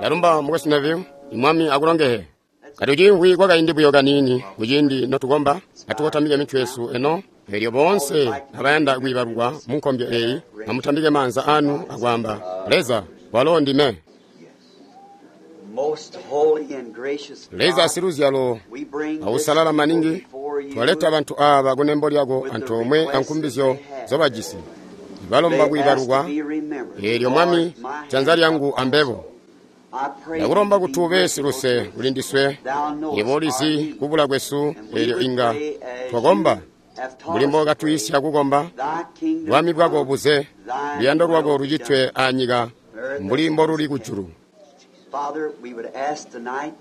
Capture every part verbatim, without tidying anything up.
Ndalumba mukwesu Neville, Mwami akulongehe. Katuciimvwi kwakaindi buyo kaniini kuciindi notukomba, atukotamike mitwe yesu eno. Elyo boonse abayanda kwiibalukwa mu nkombyo eyi, amutambike maanza anu akwaamba, Leza, walo ndime. Most holy and gracious Leza God, siluzyalo we bring this ausalala maningi, before you twaleta bantu aaba kunembo lyako antoomwe ankumbizyo zobajisi. They Balomba ask to kwiibalukwa, be remembered. eelyo Mwami, Lord, my janza hand lyangu ambebo. I pray Ndakulomba thee kuti be ube merciful siluse to us. kuli ndiswe, Thou knowest yebo our ulizi need. kubula kwesu, And we eelyo would inga pray as twakomba you have taught mbuli us to pray. mbookatuyisya kukomba. Thy kingdom Bwami bwako come, buze, thy luyando lwako will be lucitwe done. anyika mbuli mboluli kujulu. Father, we would ask tonight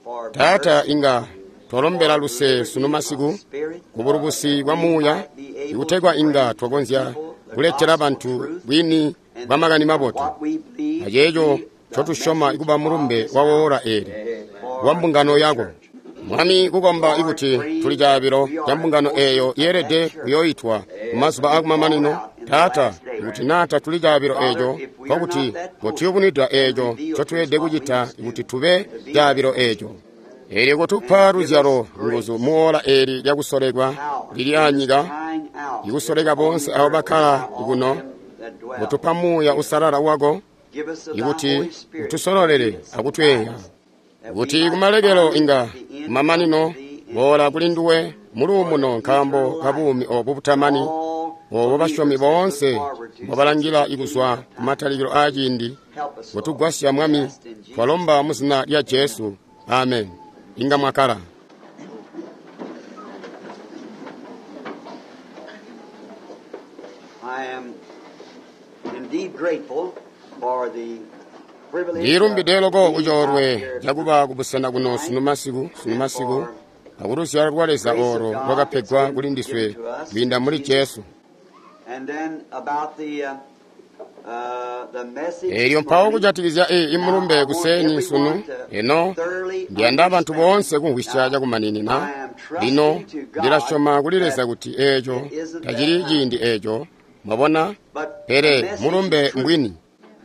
for Taata, mercy, inga twalombela for luse liberty sunu of masiku spirit, ku bulubusi bwa we muuya, might be able ikutegwa to inga bring twakonzya people the kuletela gospel bantu truth bwini and bwa makani mabotu what we believe aceeco to be the ncotusyoma message ikuba of mulumbe this wa hour woora eli for wa mbungano the yako. church. Mwami, kukomba Lord, ikuti pray tuli caabilo we ca are mbungano the eeyo portion of yeelede that church kuyooitwa mu mazuba that will fall aakumamanino. out in the Taata, last day. ikuti naa tatuli caabilo Father, eeco, if we are nkokuti not that portion, kotuyubunwida then eeco reveal to us ncotweelede what we kucita must kuti do tube to be that caabilo portion. eeco. Eelyo kotupa And give us luzyalo nguzu grace, mu oora eeli lyakusolekwa power lili in this anyika, crying out ikusoleka that's on boonse the abo earth bakkala now, all kuno, them that dwell kutupa muuya here. usalala wako Give us of thy ikuti Holy Spirit to lead utusololele us and akutweya guide us, that we kuti might kumalekelo finally inga at the end come kumamanino to thee in boola kuli peace nduwe for muluumuno the nkaambo eternal ka life buumi obu that butamani all obo basyomi believers have looked boonse forward to since the mbobalangila beginning ikuzwa of time. kumatalikilo aaciindi. Help us, Lord. Kutugwasya We Mwami, ask in Jesus' twalomba name. mu zina lya Amen. Jesu, amen. Inga mwakala. I am indeed grateful for the privilege of Ndilumbide loko being out kucoolwe here cakuba kubusena kuno tonight sunu masiku sunu and masiku for akuluzyalo lwa the Leza grace of olo God that's lwakapegwa been kuli given ndiswe to us kwiinda through muli Jesus. Jesu. And then about the uh, uh, the message Eelyo this mpawo morning. kujatikizya eyi Now imulumbe I want kuseeni sunu everyone to eno thoroughly ndiyanda bantu understand. boonse kumvwisya Now cakumaninina. I am Lino trusting to God ndilasyoma kuli Leza that kuti eeco it isn't that tacili time, ciindi eeco, mwabona, but the pele message is mulumbe true. mbwini.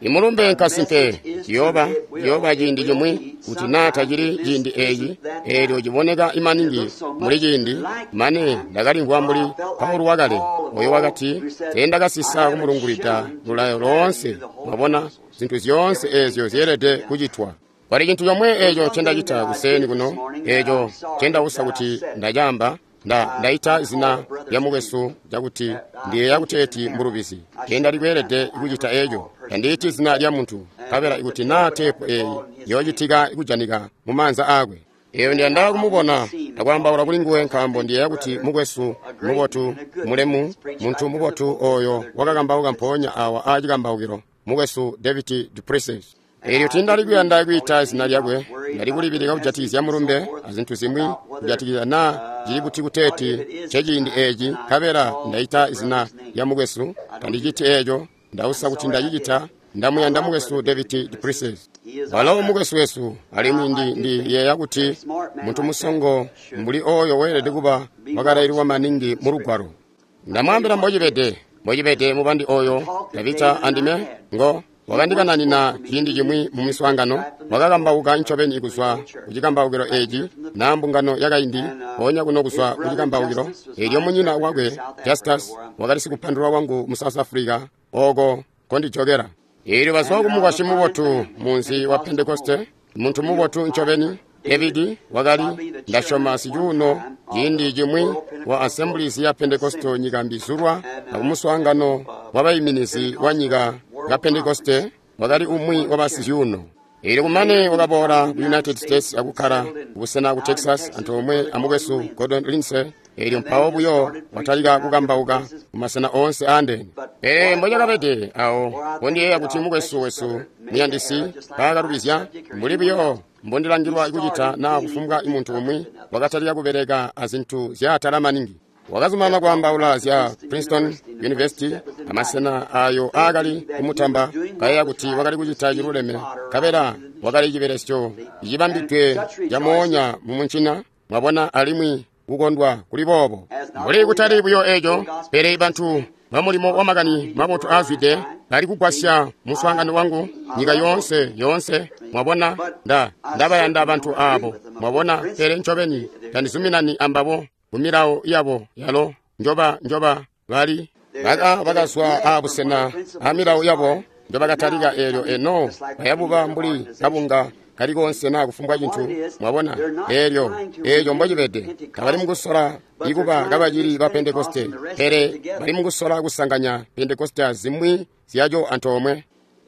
Imulumbe The nkasimpe message is true. ciyooba It will, ciyooba it ciindi will cimwi be kuti naa sometime tacili if this ciindi eeci isn't that eelyo time. ciboneka And it imaningi looks so muli much ciindi like mane time, ndakalimvwa for mbuli I felt like Paulo wakale Paul of oyo old wakati who said, I teendakasisa haven't kumulungulwida shunned to lulayo declare loonse you the whole mwabona counsel, zinthu zyoonse everything eezyo that's to zyeelede be done. kucitwa. Pali chinthu chomwe There's echo one thing chendachita that I kuseni did this kuno morning that I'm echo sorry chendausa that I kuti said it. ndachamba nda I, ndaita I called zina a lya brother's name mukwesu chakuti that I ndiye think is an yakuteeti error. mbulubizi I shouldn't have tendali done kweelede that. I kuchita never echo called a person's tandiiti name. zina lya munthu And kapela if the ikuti tape naa would have tepu to eyi fall in his hand, yochitika ikujanika mu maanza akwe. Eyo and ndiyanda I, I want to kumubona see him and akwaambaula talk to kuli him nguwe because I nkaambo think ndiye the yakuti brother, mukwesu a great mubotu man, a good man, mulemu has preached munthu right here in the mubotu pulpit, oyo Brother David wakakambauka Duplessis. mpoonya awa achikambaukiro mukwesu David Duplessis. And Eelyo I tindali didn't mean kuyanda to call his kuyita zina name. I was lyakwe worried ndali about the kulipilika message kujatikizya and so mulumbe forth, azinthu zimwi about whether, kujatikizya naa cili uh, kuti what if kuteeti it is the checiindi time, eeci and I nkabela called the ndaita zina brother's name. lya mukwesu I don't do tandichiti that. eeco I'm ndausa kuti sorry I did. ndachicita I ndamuyanda love mukwesu Brother David David Duplessis. Duplessis. He is our Walo brother. mukwesu wesu alimwi Now, ndi I do think ndiyeeya a kuti smart man munthu like that musongo should mbuli oyo weelede uh, kuba be well wakalailwa schooled in maningi the mu Scripture. lugwalo. I'll tell you Ndamwambira what it is. mbochipete mbochipete mubandi The oyo talk that David Davita and I andime had, ngo he once spoke wakandikananina to me ciindi in chimwi mu miswaangano right from this wakakambauka pulpit of ncobeni the kuzwa old church, ku chikambaukiro right here echi from the na pulpit. mbungano yakaindi And uh, ponya kuno his kuzwa ku brother chikambaukiro Justice was elyo my munyina interpreter in wakwe South Africa, Justus where I'm wakali from. sikupandulwa wangu mu South Africa oko kondijokera. Eelyo bazwa And ku out of a mukwasyi fine mubotu family, munzi wa Pentecostal Pentekoste home, munthu real mubotu ncobeni fine. David David was wakali probably the chairman ndasyoma at one sichuno time of ciindi the chimwi World wa Pentecostal Assemblies ya Pentekoste Assembly nyika mbizulwa and, uh, akumuswaangano and uh, wa bayiminizi wa Pentecostal nyika ya World Pentekoste Conference. He wakali was umwi one wa of the chairmen. basizyuno. Eelyo kumane Later, he wakaboola come to ku the United United States States and akukkala settled in, kubusena ku out in Texas Texas with antoomwe Brother Gordon amukwesu Lindsay. Gordon Lindsay. Eelyo And then mpawo just buyo started preaching watalika out different kukambauka places. kumasena oonse aandene. But Pele what it was, mbochakabede awo where I think pondiyeeya that kuti our mukwesu precious wesu brother made the muyandisi error, just like my paakalubizya subject or mbuli anyone buyo else. He mbondilangilwa kucita started naa dealing kufumbwa with the munthu up umwi and others. wakatalika kubereka azinthu zyaatala maningi. Wakazumanana Kept talking kwaambaula about the zya Princeton Princeton University and the places University that was invited, amasena ayo aakali thinking that he was kumutamba doing what kayeeya was kuti right wakali and was kucita feeding chiluleme fodder right kapela into the machine. wakali chibelesyo See? And chibambidwe such rejoicing chamoonya mu munchina mwabona alimwi kukondwa kuli boobo as not mbuli only kutali that, buyo but the echo gospel pele of this bantu man ba mulimo wa was makani continued mabotu for a aazwide lifetime Bali kugwasya muswaangano wangu nyika yoonse yoonse. Mwabona, nda ndabayanda bantu aabo. Mwabona, pele ncobeni tandizuminani ambabo ku milawo yabo yalo njoba njoba bali baka bakazwa abusena a milawo yabo njobakatalika eelyo eno bayabuba mbuli kabunga kali konse na kufumbwa cintu. Mwabona, eelyo eeco mbocibede. Tabali mukusola ikuba kabacili ba Pentekoste, pele bali mukusola kusanganya Pentekoste azimwi zyaco antoomwe.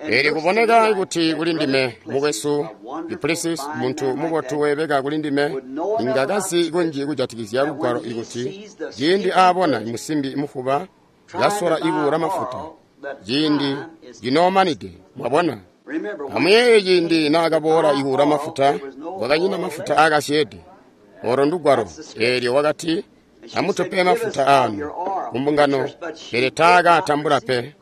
Eelyo kuboneka kuti kuli ndime mukwesu Duplessis, muntu mubotu weebeka kuli ndime, inga kazi kunji kujatikizya lugwalo ikuti ciindi aabona musimbi mufuba kasola ibuula mafuta ciindi cinoomanide. Mwabona, amuyeeye ciindi naakaboola ibuula mafuta, kwakanyina mafuta aakasyeede. Olo ndugwalo. Eelyo wakati, amutupe mafuta aanu kumbungano, pele taakatambula pe.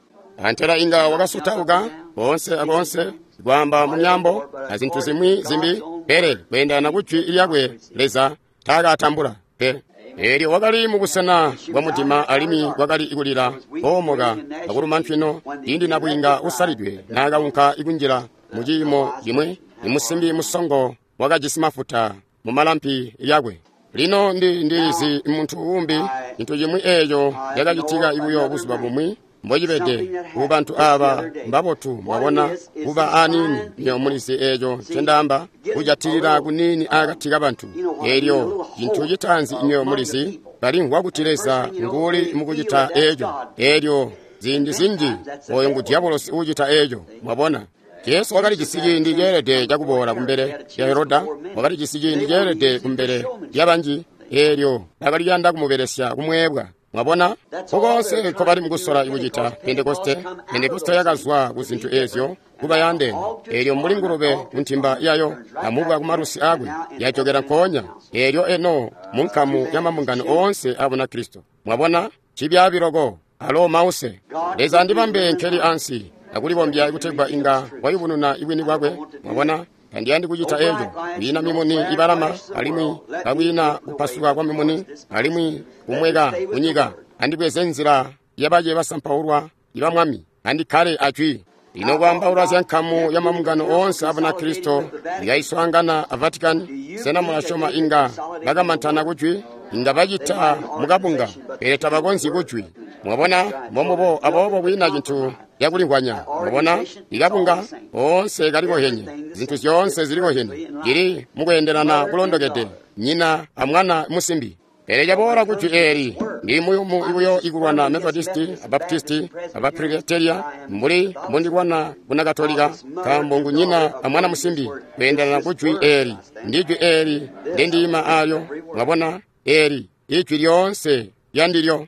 Antela inga wakasutauka koonse akoonse kwaamba mu myaambo azintu zimwi zimbi, pele kweendana kujwi lyakwe Leza taakatambula pe. Eelyo wakali mubusena bwa mudima alimwi kwakali kulila koomoka akuluma ntwino ciindi nabwiinga usalidwe naakaunka ikunjila mu ciimo cimwi. Imusimbi musongo wakajisi mafuta mu malampi yakwe. Lino ndi ndilizi muntu uumbi cintu cimwi eeco cakacitika buyo buzuba bumwi mbocibede ku bantu aaba mbabotu. Mwabona, kuba aniini niyo mulizi eeco ncendaamba, kujatilila kuniini akati kabantu. Eelyo cintu citaanzi niyo mulizi balimvwa kuti Leza nguuli mukucita eeco. Eelyo ziindi zinji oyo ngu diabolosi uucita eeco. Mwabona, Jesu wakalijisi ciindi ceelede cakuboola kumbele lya Heroda, wakalijisi ciindi ceelede kumbele lyabanji. Eelyo bakali kuyanda kumubelesya kumweebwa. Mwabona, kokonse nkobali mukusola kucita Pentekoste. Pentekoste yakazwa ku zintu eezyo kuba yandeene. Eelyo mbuli ngulube ku ntimba yayo amubwa ku malusi akwe, yajokera nkoonya. Eelyo eno mu nkamu ya mambungano oonse a Bunakristo. Mwabona, cibyaabi loko alo mause. Leza andibambe nkeli ansi akulibombya kutegwa inga wayubununa ibwini bwakwe. Mwabona, tandiyandi kucita eeco. Kwiina mimuni ibalama alimwi kakwiina kupasuka kwa mimuni alimwi kumweka kunyika. Andibweze nzila yabace basampaulwa iba Mwami, andikkale ajwi. Lino kwaambaula zya nkamu ya mambungano oonse a Bunakristo ikaiswaangana a Vatican, sena mulasyoma inga bakamantana kujwi? Inga bacita mukabunga, pele tabakonzyi kujwi. Mwabona, mbombubo. Aboobo kwiina cintu cakulimvwanya. Mwabona, ikabunga oonse kalikohenye, zintu zyoonse zilikohenye, cili mukweendelana kulondokede, nyina amwana musimbi. Pele caboola kujwi eeli ndi muyumu buyo ikulwana Methodisti, Abaptisti, Abapresbiteria mbuli mbundilwana Bunakatolika, nkaambo ngu nyina amwana musimbi kweendelana kujwi eeli. Ndijwi eeli ndindiima aalyo. Mwabona, eeli ijwi lyoonse lyandilyo.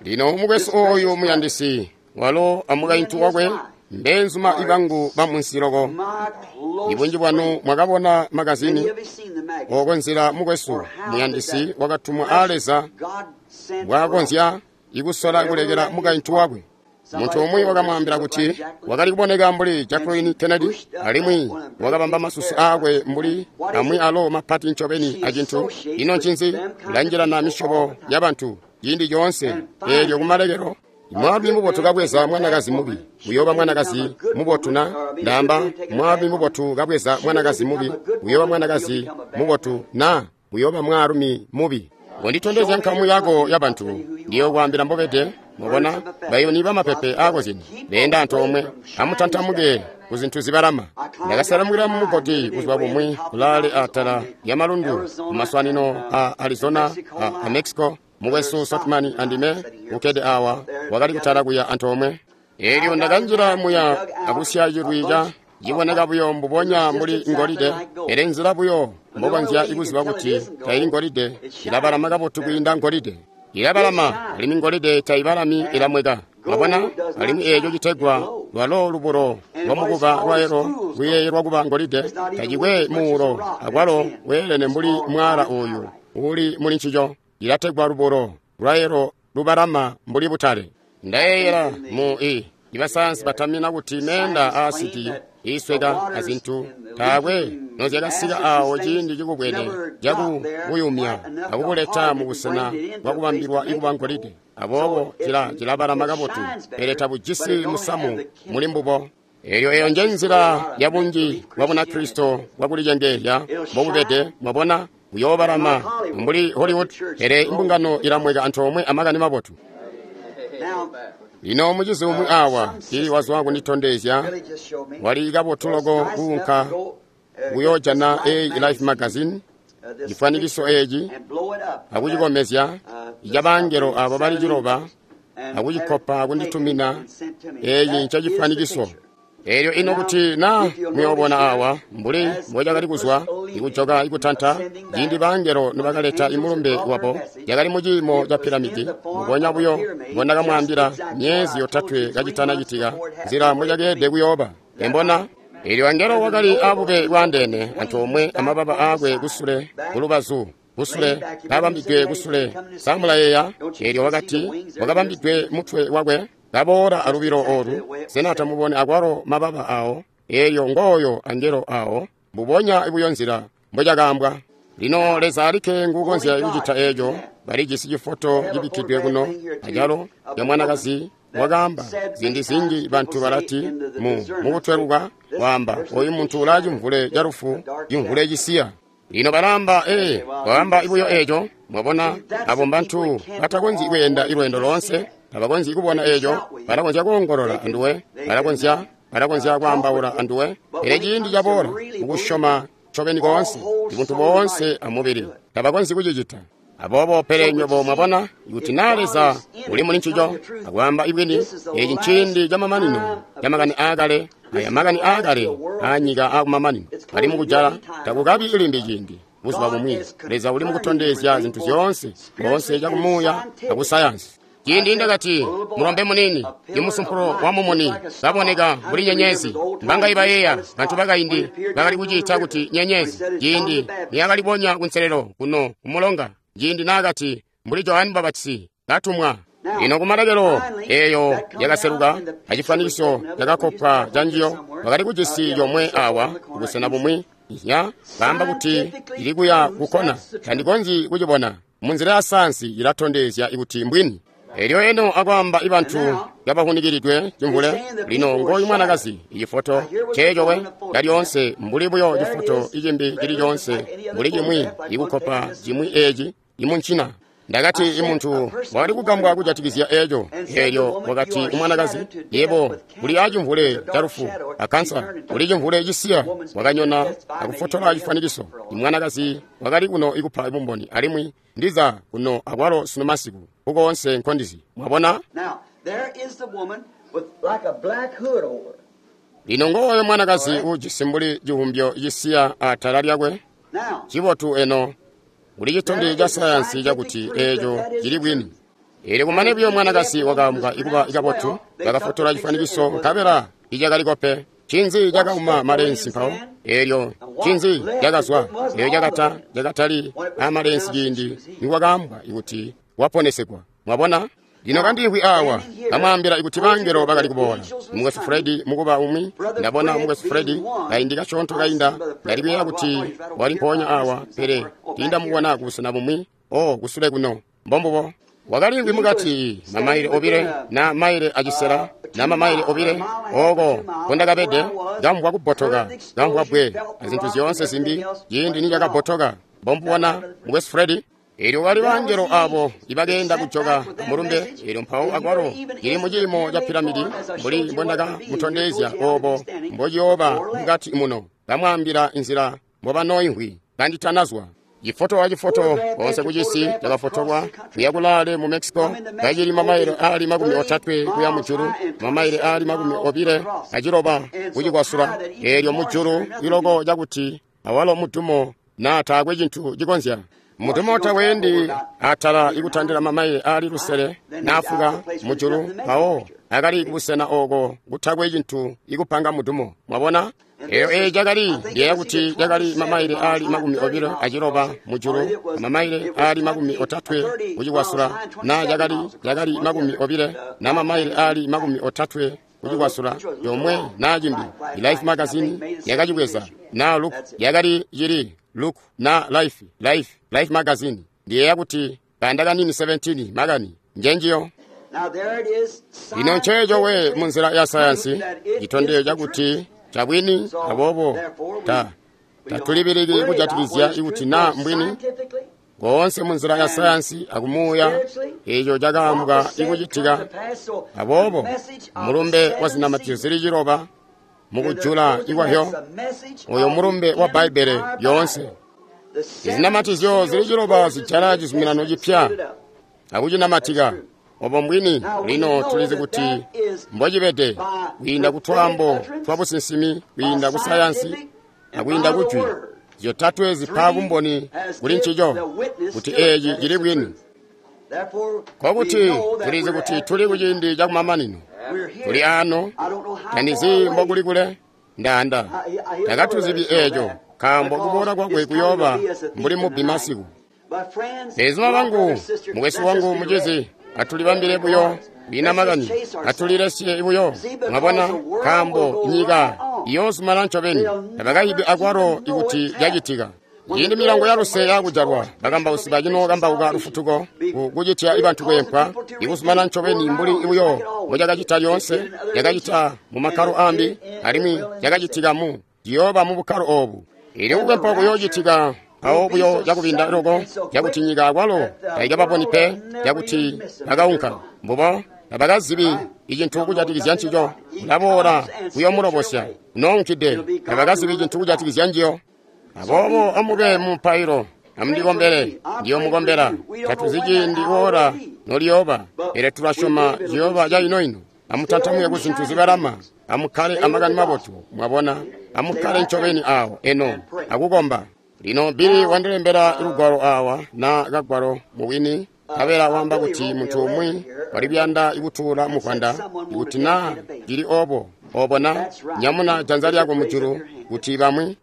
Lino mukwesu ooyu muyandisi walo amukaintu wakwe mbeenzuma ibangu bamunsi loko. Ibunji bwanu mwakabona magazini oko nzila mukwesu muyandisi wakatumwa a Leza mbwaakonzya ikusola kulekela mukaintu wakwe. Muntu umwi wakamwaambila kuti wakali kuboneka mbuli Jacqueline Kennedy, alimwi wakabamba masusu aakwe mbuli amwi alo mapati ncobeni acintu. Ino ncinzi? Ulanjilana misyobo yabantu ciindi coonse. Eelyo kumalekelo mwaalumi mubotu kabweza mwanakazi mubi, uyooba mwanakazi mubotu na? Ndaamba mwaalumi mubotu kabweza mwanakazi mubi, uyooba mwanakazi mubotu na? Uyooba mwaalumi mubi. Ngonditondezya nkamu yako yabantu, ndiyokwaambila mbobede. Mwabona, bayuni bamapepe aakozyene beenda antoomwe. Amutantamuke ku zintu zibalama. Ndakasalamukila mu mugodi buzuba bumwi kulaale atala lya malundu ku maswanino a Arizona a, a Mexico. Mukwesu Sotman andime ukkede awa wakali kutala kuya antoomwe. Eelyo ndakanjila muya akusya cilwi ca ciboneka buyo mbubonya mbuli ngolide, pele nzila buyo mbokonzya ikuziba kuti taili ngolide, ilabalama kabotu kwiinda ngolide. Ilabalama alimwi ngolide taibalami, ilamweka. Mwabona, alimwi eeco citegwa lwalo lubulo lwamukuba lwaelo luyeeyelwa kuba ngolide, tacikwe muulo akwalo weelene mbuli mwaala ooyu uuli muli ncico. Ilategwa lubulo lwaelo lubalama mbuli butale. Ndayeeyela mu i ibasayansi batamina kuti meenda aasidi iisweka azintu taakwe nozyakasika awo ciindi cikubwene cakubuyumya akubuleta mubusena bwakubambilwa ikuba ngolide. Aboobo cila cilabalama kabotu, pele tabujisi musamu muli mbubo. Eyo eyo nje nzila ya bunji bwa Bunakristo bwakulicengeezya mbobubede, mwabona, buyoobalama mbuli Hollywood, pele imbungano ilamweka antoomwe amakani mabotu. Lino mucizi umwi awa ili wazwa kunditondezya wali kabotu loko kuunka kuyoojana eyi Life magazine, cifwanikiso eeci, akucikomezya icabangelo abo bali ciloba, akucikopa kunditumina. Eeci ncecifwanikiso. Elyo ino kuti na muyoobona awa mbuli mbocakali kuzwa ikujoka ikutanta ciindi bangelo nibakaleta imulumbe wabo, yakali muciimo ca piramidi mbubonya buyo mbondakamwaambila myezi yotatwe kacitana citika nzila mbocakeelede kuyooba. Embona elyo angelo wakali abube bwaandeene antoomwe amababa aakwe kusule kulubazu kusule kabambidwe kusule. Samulayeeya elyo wakati wakabambidwe mutwe wakwe kaboola alubilo olu. Sena tamubone akwalo mababa awo? Elyo ngooyo angelo awo, mbubonya buyo nzila mbocakaambwa. Lino Leza alikke nguukonzya kucita eeco. Balijisi cifoto cibikkidwe kuno acalo ya mwanakazi wakaamba ziindi zinji bantu balati mu mukutweluka waamba oyu muntu ulaa cimvule ca lufu, cimvule cisiya. Lino balaamba ee, waamba buyo eeco. Mwabona, abo mbantu batakonzyi kweenda ilweendo loonse, tabakonzyi kubona eeco. Balakonzya kuongolola anduwe, balakonzya balakonzya kwaambaula anduwe, pele ciindi caboola kukusyoma ncobeni koonse, ibuntu boonse amubili, tabakonzyi kucicita. Aboobo pele nywebo mwabona kuti naa Leza uli muli ncico akwaamba ibwini, eeci nciindi camamanino camakani aakale. Aya makani aakale aanyika aakumamanino ali mukujala, takukabi limbi ciindi. Buzuba bumwi Leza uli mukutondezya zintu zyoonse boonse cakumuuya akusayansi. Ciindi ndakati mulombe munini imusumpulo wa mumuni kaboneka mbuli nyenyezi, mbanga ibayeeya bantu bakaindi bakali kuciita kuti nyenyezi. Ciindi niyakalibonya kunselelo kuno kumulonga, ciindi naakati mbuli Johane Mbapatizi katumwa. Lino kumalekelo eyo yakaseluka acifwanikiso cakakopwa canjiyo, bakali kujisi yomwe awa kubusena bumwi ya baamba kuti ili kuya kukona. Tandikonzyi kucibona munzila ya sayansi, ilatondezya kuti mbwini. Elyo eno akwaamba ibantu kabahunikilidwe cimvule. Lino ngoyu mwanakazi, icifoto ceecowe calyoonse mbuli buyo cifoto icimbi cili coonse, mbuli cimwi ikukopa cimwi eeci imuncina. Ndakati imuntu wakali kugambwa kujatikizya eeco. Elyo wakati umwanakazi, yebo uli acimvule ca lufu akansa, uli cimvule cisiya. Wakanyona akufotola cifwanikiso. Imwanakazi wakali kuno ikupa bumboni, alimwi ndiza kuno akwalo sunu masiku kukoonse nkondizi. Mwabona? Lino ngooyo mwanakazi ujisi mbuli civumbyo cisiya atala lyakwe. Cibotu eno uli citondezyo ca sayansi cakuti eeco cili bwini. Elyo kumane buyo mwanakazi wakaambwa ikuba kabotu, bakafotola cifwanikiso nkabela icakaliko pe. Cinzi cakauma malensi mpawo? Elyo cinzi cakazwa? Elyo cakata cakatali amalensi ciindi nikwakaambwa kuti waponesegwa. Mwabona? Lino kandiimvwi awa kamwaambila ikuti bangelo bakali kuboola. Mukwesu Fredi mukuba umwi, ndabona mukwesu Fredi kaindi kasyoonto kainda, ndali kuyeeya kuti wali mpoonya awa, pele tiindamubona kubusena bumwi. O kusule kuno mbombubo wakaliimvwi mukati mamaile obile na maile acisela na mamaile obile oko kondakabede, kamvwa kubbotoka, kamvwa bwe azintu zyoonse zimbi ciindi nicakabbotoka. Mbombubona mukwesu Fredi. Elyo wali bangelo abo ibakeenda kujoka mulumbe. Elyo mpawo akwalo ili muciimo ca piramidi mbuli mbondakamutondezya obo mbociyooba mukati muno, bamwaambila inzila mbobanoimvwi kanditanazwa. Cifoto acifoto konse kucisi cakafotolwa kuya kulaale mu Mexico, kacili mamaile aali makumi otatwe kuya mujulu, mamaile aali makumi obile aciloba kucikwasula. Elyo mujulu iloko cakuti awalo mudumo na taakwe cintu cikonzya. Mudumo taweendi atala ikutandila mamaile aali lusele naafuka mujulu, mpawo akali kubusena oko kutakwe cintu ikupanga mudumo. Mwabona? Eyo eyi cakali ndiyeeya kuti cakali mamaile aali makumi obilo aciloba mujulu, mamaile aali makumi otatwe kucikwasula, na cakali cakali makumi obile na mamaile aali makumi otatwe kucikwasula yomwe na cimbi. Life magazine yakacibweza na Look yakali cili Look na Life, Life, Life magazine. Ndiyeeya kuti kayanda kanini seventeen makani njenjiyo. Lino nceeco we munzila ya sayansi citondezyo cakuti cabwini. Aboobo ta tatulibiliki kujatikizya ikuti naa mbwini koonse munzila ya sayansi akumuuya eco cakaambwa ikucitika. Aboobo mulumbe wa zinamatizyo zili ciloba mukujula ikwahyo, oyo mulumbe wa Bbaibbele yoonse. Izinamatizyo zili ciloba zijala cizuminano cipya akucinamatika. Obo mbwini. Lino tulizi kuti mbocibede kwiinda kutwaambo twa businsimi, kwiinda ku sayansi akwiinda kujwi, zyotatwe zipa bumboni kuli ncico kuti eeci cili bwini. Nkokuti tulizi kuti tuli kuciindi cakumamanino. Tuli ano, tandizi mbokuli kule ndanda takatuzibi eeco, nkaambo kuboola kwakwe kuyooba mbuli mubbi masiku. Bezuma bangu, mukwesu wangu, mucizi, atulibambile buyo kwiina makani, atulilesye buyo. Mwabona, nkaambo nyika iyoozumana ncobeni, tabakayibi akwalo ikuti cacitika. Ciindi milango ya luse yakujalwa, bakambausi bacinokambauka lufutuko kucitya ibantu kweempwa, ikuzumana ncobeni mbuli buyo mbocakacita lyoonse. Cakacita mu makkalo ambi, alimwi cakacitika mu ciyooba mu bukkalo oobu. Ili kukwempwa kuyoocitika mpawo buyo cakubinda loko, cakuti nyika akwalo taikababoni pe, cakuti bakaunka mbubo tabakazibi icintu kujatikizya ncico. Ulaboola kuyoomulobosya unoonkide, tabakazibi cintu kujatikizya njiyo. Aboobo amube mumupailo, amundikombele, ndiyomukombela. Tatuzi ciindi oora noliyooba, pele tulasyoma ciyooba caino-ino. Amutantamuke ku zintu zibalama, amukkale amakani mabotu. Mwabona, amukkale ncobeni awo eno akukomba. Lino Billy wandilembela lugwalo awa na kagwalo mubwini, nkabela wamba kuti muntu umwi wali kuyanda ikutuula muvwanda. Ikuti naa cili obo, obo na nyamuna janza lyako mujulu kuti bamwi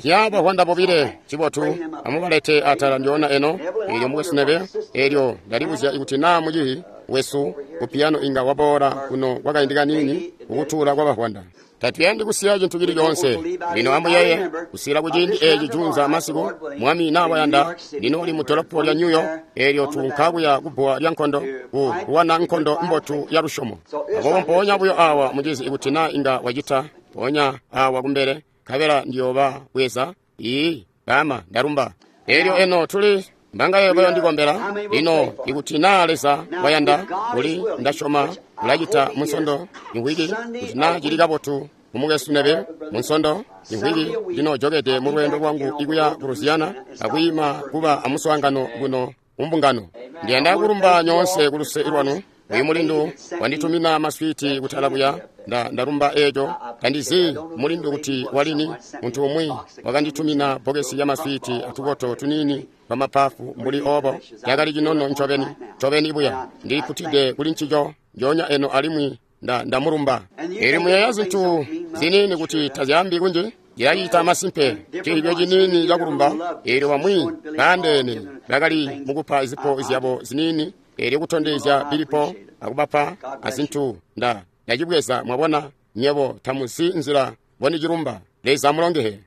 ya bavwanda bobile. Cibotu, amubalete atala ndyoona eno. Eelyo mukwesu Nebe, eelyo ndalibuzya ikuti naa mucihi wesu ku piyano inga waboola kuno kwakaindi kaniini kukutuula kwa bavwanda. Tatuyandi kusiya cintu cili coonse. Lino amuyeeye kusiila kuciindi eeci juunza masiku, Mwami naa wayanda, lino uli mu dolopo lya New York. Eelyo tuunka kuya kubbuwa lya nkondo ku kulwana nkondo mbotu ya lusyomo. Aboobo mpoonya buyo awa mucizi, ikuti naa inga wacita, mpoonya awa kumbele, nkabela ndiyooba bweza. Ii baama, ndalumba. Eelyo eno tuli mbangaye bayondikombela. Lino ikuti naa Leza wayanda, uli ndasyoma ulacita munsondo imvwiki, kuti naa cili kabotu kumukwesu Nebe munsondo imvwiki ndinojokede mu lweendo lwangu ikuya ku Louisiana akwiima kuba amuswaangano kuno mumbungano. Ndiyanda kulumba nyoonse kuluse lwanu. Uyu mulindu wanditumina maswiti kutala kuya, nda ndalumba eeco. Tandizi mulindu kuti walini, muntu umwi wakanditumina bokesi ya maswiti atukoto tuniini twamapafu mbuli obo. Cakali cinono ncobeni, ncobeni buya. Ndilikutide kuli ncico njoonya eno, alimwi nda ndamulumba. Eelyo muyeeya zintu ziniini kuti tazyaambi kunji, cilacita masimpe cilibyo ciniini cakulumba. Eelyo bamwi baandeene bakali mukupa zipo zyabo ziniini, eelyo kutondezya bilipo akubapa azintu. Nda ndacibweza. Mwabona, nyebo tamuzi nzila mbondicilumba. Leza amulongehe.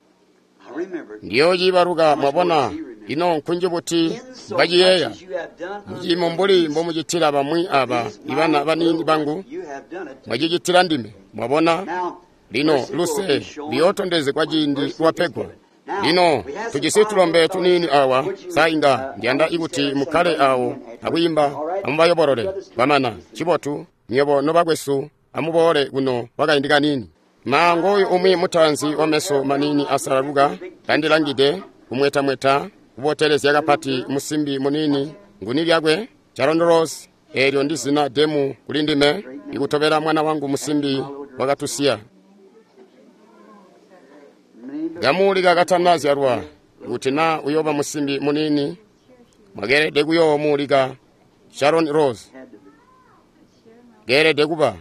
Ndiyoociibaluka. Mwabona, ino nkunji buti mbaciyeeya muciimo mbuli mbomucitila bamwi aba ibana baniini bangu, mwacicitila ndime. Mwabona, lino luse luyootondezegwa ciindi lwapegwa. Lino tujisi tulombe tuniini awa. Sa inga ndiyanda ikuti mukkale awo akwiimba amubayobolole kwamana. Cibotu, nywebo nobakwesu amuboole kuno kwakaindi kaniini. Maango oyu umwi mutaanzi wameso maniini asalaluka kandilangide, kumwetamweta kubotelezya kapati musimbi muniini. Nguni lyakwe? Sharon Rose. Eelyo ndi zina demu kuli ndime, ikutobela mwana wangu musimbi wakatusiya. Kamuulika katanazyalwa, kuti naa uyooba musimbi muniini, mwakeelede kuyoomuulika Sharon Rose. Keelede kuba.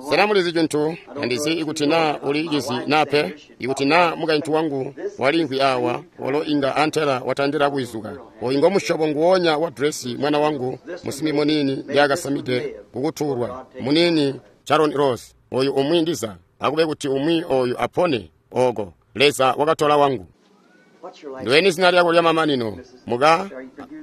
Sena mulizi cintu? Tandizi ikuti naa uli cizi naa pe. Ikuti naa mukaintu wangu walimvwi awa, walo inga antela watandila kwizuka. Oyu ngomusyobo nguwonya wa dresi mwana wangu musimbi muniini ndyakasamide kukutuulwa. Muniini Sharon Rose. Oyu umwi ndiza akube kuti umwi oyu apone oko. Leza wakatola wangu. Ndiweni zina lyako lya mamanino muka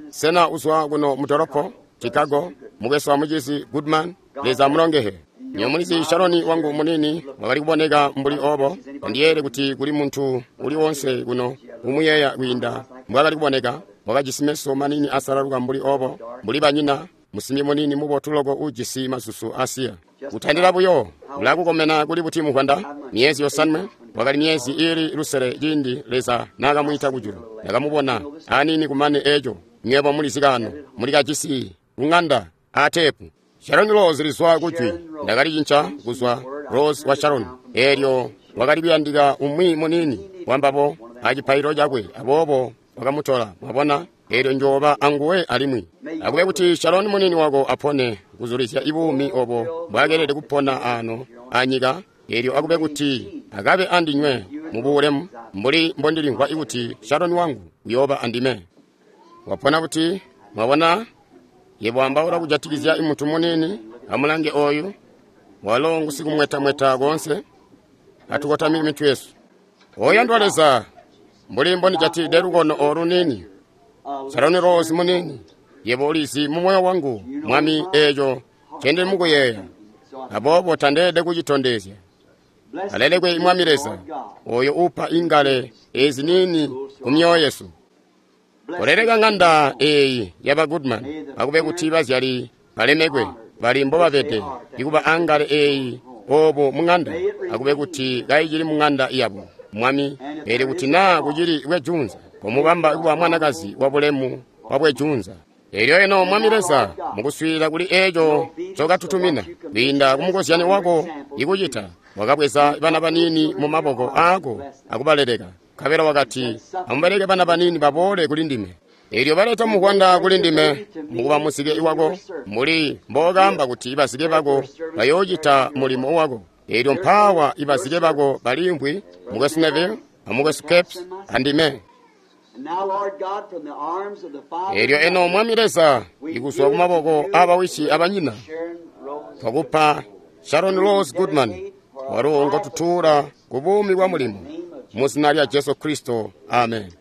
sena uzwa kuno mudolopo Chicago mukwesu wa mucizi Goodman. Leza amulongehe. Nyo mulizi Sharoni wangu munini wakali kuboneka mbuli obo. Ndiyele kuti kuli muntu uli wonse kuno umuyeeya kwiinda mbwakali kuboneka. Wakajisi meso manini asalaluka mbuli obo, mbuli banyina, musimbi munini mubotu loko ujisi masusu asiya. Kutandila buyo ulakukomena kuli buti muvwanda myezi yosanwe. Wakali myezi ili lusele ciindi Leza naakamwiita kujulu. Ndakamubona anini kumane eco. Nywebo mulizi kano mulikajisi kung'anda atepu. Sharon Rose lizwa kujwi. Ndakalicinca kuzwa Rose wa Sharon. Elyo wakali kuyandika umwi munini wambabo acipaililo cakwe, aboobo wakamutola. Mwabona, elyo njooba anguwe alimwi. Akube kuti Sharon munini wako apone kuzulizya ibuumi obo mbwakelede kupona ano anyika. Elyo akube kuti akabe andinywe mubulemu mbuli mbondilimvwa ikuti Sharon wangu uyooba andime. Wapona kuti mwabona yebo ambaula kujatikizya imuntu munini. Amulange oyu walo ngusikumwetamweta konse. Atukotamike mitwe yesu. Oyandwa Leza, mbuli mbondijatide lukono olu nini, Sharon Rose munini, yebo ulizi mu moyo wangu Mwami eco cendili mukuyeeya, aboobo tandeelede kucitondezya. Alelekwe Mwami Leza oyo upa ingale ezi nini ku myoyo yesu. Oleleka ng'anda eyi yaba Goodman, akube kuti bazyali balemekwe bali mbobabede ikuba angale eyi obo mung'anda, akube kuti kayicili mung'anda yabo Mwami. Eli kuti naa kucili bwejunza komubamba kuba mwanakazi wa bulemu wa bwejunza. Elyo eno Mwami Leza, mukuswiilila kuli eco cokatutumina kwiinda kumukozyani wako ikucita, wakabweza bana banini mu maboko aako akubaleleka. Nkabela wakati, amubaleke bana banini baboole kuli ndime. Elyo baleta muvwanda kuli ndime mukuba muzike wako, mbuli mbookamba kuti bazike bako bayoocita mulimo wako. Elyo mpaawa ibazike bako baliimvwi, mukwesu Neville amukwesu Capes andime. Elyo eno Mwami Leza, ikuzwa kumaboko abawishi abanyina, twakupa Sharon Rose Goodman, walo ngotutuula ku buumi bwa mulimo mu zina lya Jesu Kristo, amen.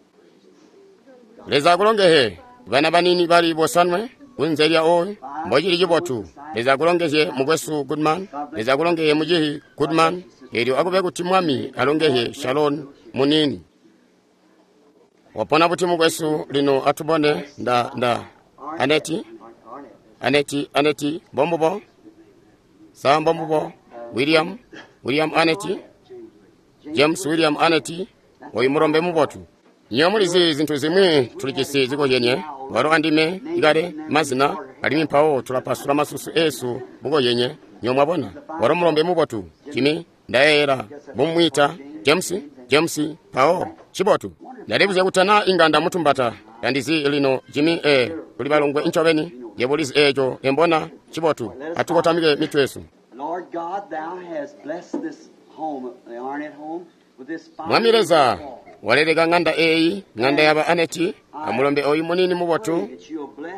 Leza akulongehe bana banini bali bosanwe kunze lya oyu mbocili cibotu. Leza akulongezye mukwesu Goodman. Leza akulongehye mucihi Goodman. Elyo akube kuti Mwami alongehye Sharon munini. Wapona buti mukwesu lino atubone nda nda Aneti Aneti Aneti mbombubo sa mbombubo William William Aneti James William Aneti oyu mulombe mubotu. Nyo mulizi zintu zimwi tulijisi zikoyenye walo andime ikale mazina alimwi mpawo tulapasula masusu esu bukoyenye. Nyo mwabona walo mulombe mubotu Jimmy ndayeera bumwita James James mpawo cibotu. Ndalibuzya kutana inga ndamutumbata yandizi lino Jimmy e tuli balongwe ncobeni yebo ulizi eco embona cibotu. Atukotamike mitwe yesu. Mwami Leza, waleleka ng'anda eyi, ng'anda yaba Aneti, amulombe oyu munini mubotu.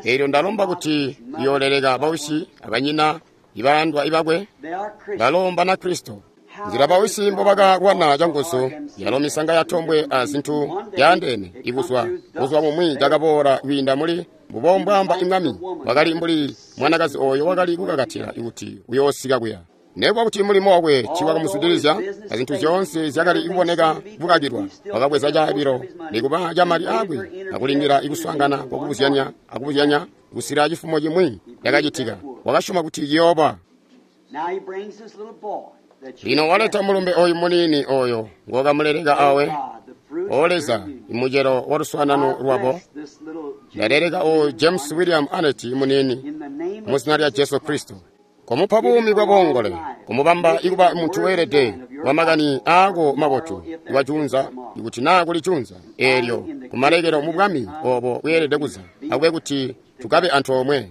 Elyo ndalomba kuti iyooleleka bawisi abanyina ibayandwa ibakwe balomba na Kristo. Nzila bawisi mbobakalwana canguzu yalo misanga yatombwe azintu yaandeene ikuzwa kuzwa bumwi cakaboola kwiinda muli mbubombwamba imwami wakali mbuli mwanakazi oyo wakali kukakatila kuti uyoosika kuya. Nekuba kuti mulimo wakwe tiiwakamuzwidilizya azintu zyoonse zyakali kuboneka kukakilwa, wakabweza caabilo nikuba camali aakwe akulindila ikuswaangana kwakubuzyanya akubuzyanya kusila cifumo cimwi cakacitika. Wakasyoma kuti ciyooba. Lino waleta mulumbe oyu munini oyo ngokamuleleka awe. O Leza, imucelo wa luswaanano lwabo. Ndaleleka oyu James William Aneti munini mu zina lya Jesu Kristo. Komupa buumi bwa boongole, kumubamba ikuba muntu weelede wa makani aako mabotu iwajunza, ikuti naa kuli junza eelyo kumalekelo mu bwami obo bweelede kuza, akube kuti tukabe antoomwe.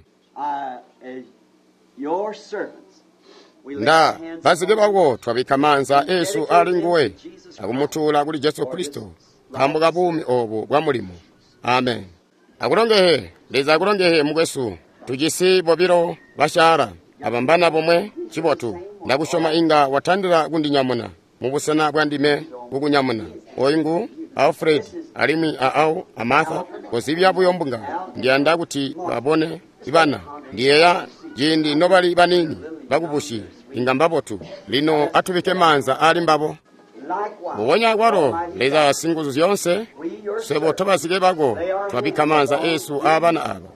Nda bazike bako twabikka maanza esu ali nguwe akumutuula kuli Jesu Kristo nkaambo ka buumi obu bwa mulimo. Amen. Akulongehe Leza, akulongehe mukwesu. Tujisi bobilo basyaala abambana bomwe cibotu. Ndakusyoma inga watandila kundinyamuna mubusena bwa ndime kukunyamuna. Oyu ngu Alfred alimwi a Al a Martha, kozibya buyo mbunga. Ndiyanda kuti babone bana. Ndiyeeya ciindi nobali baniini bakubusyi inga mbabotu. Lino atubike maanza ali mbabo. Mbubonya kwalo Leza singuzu zyoonse, swebo tobazike bako twabikka maanza eesu aabana aba.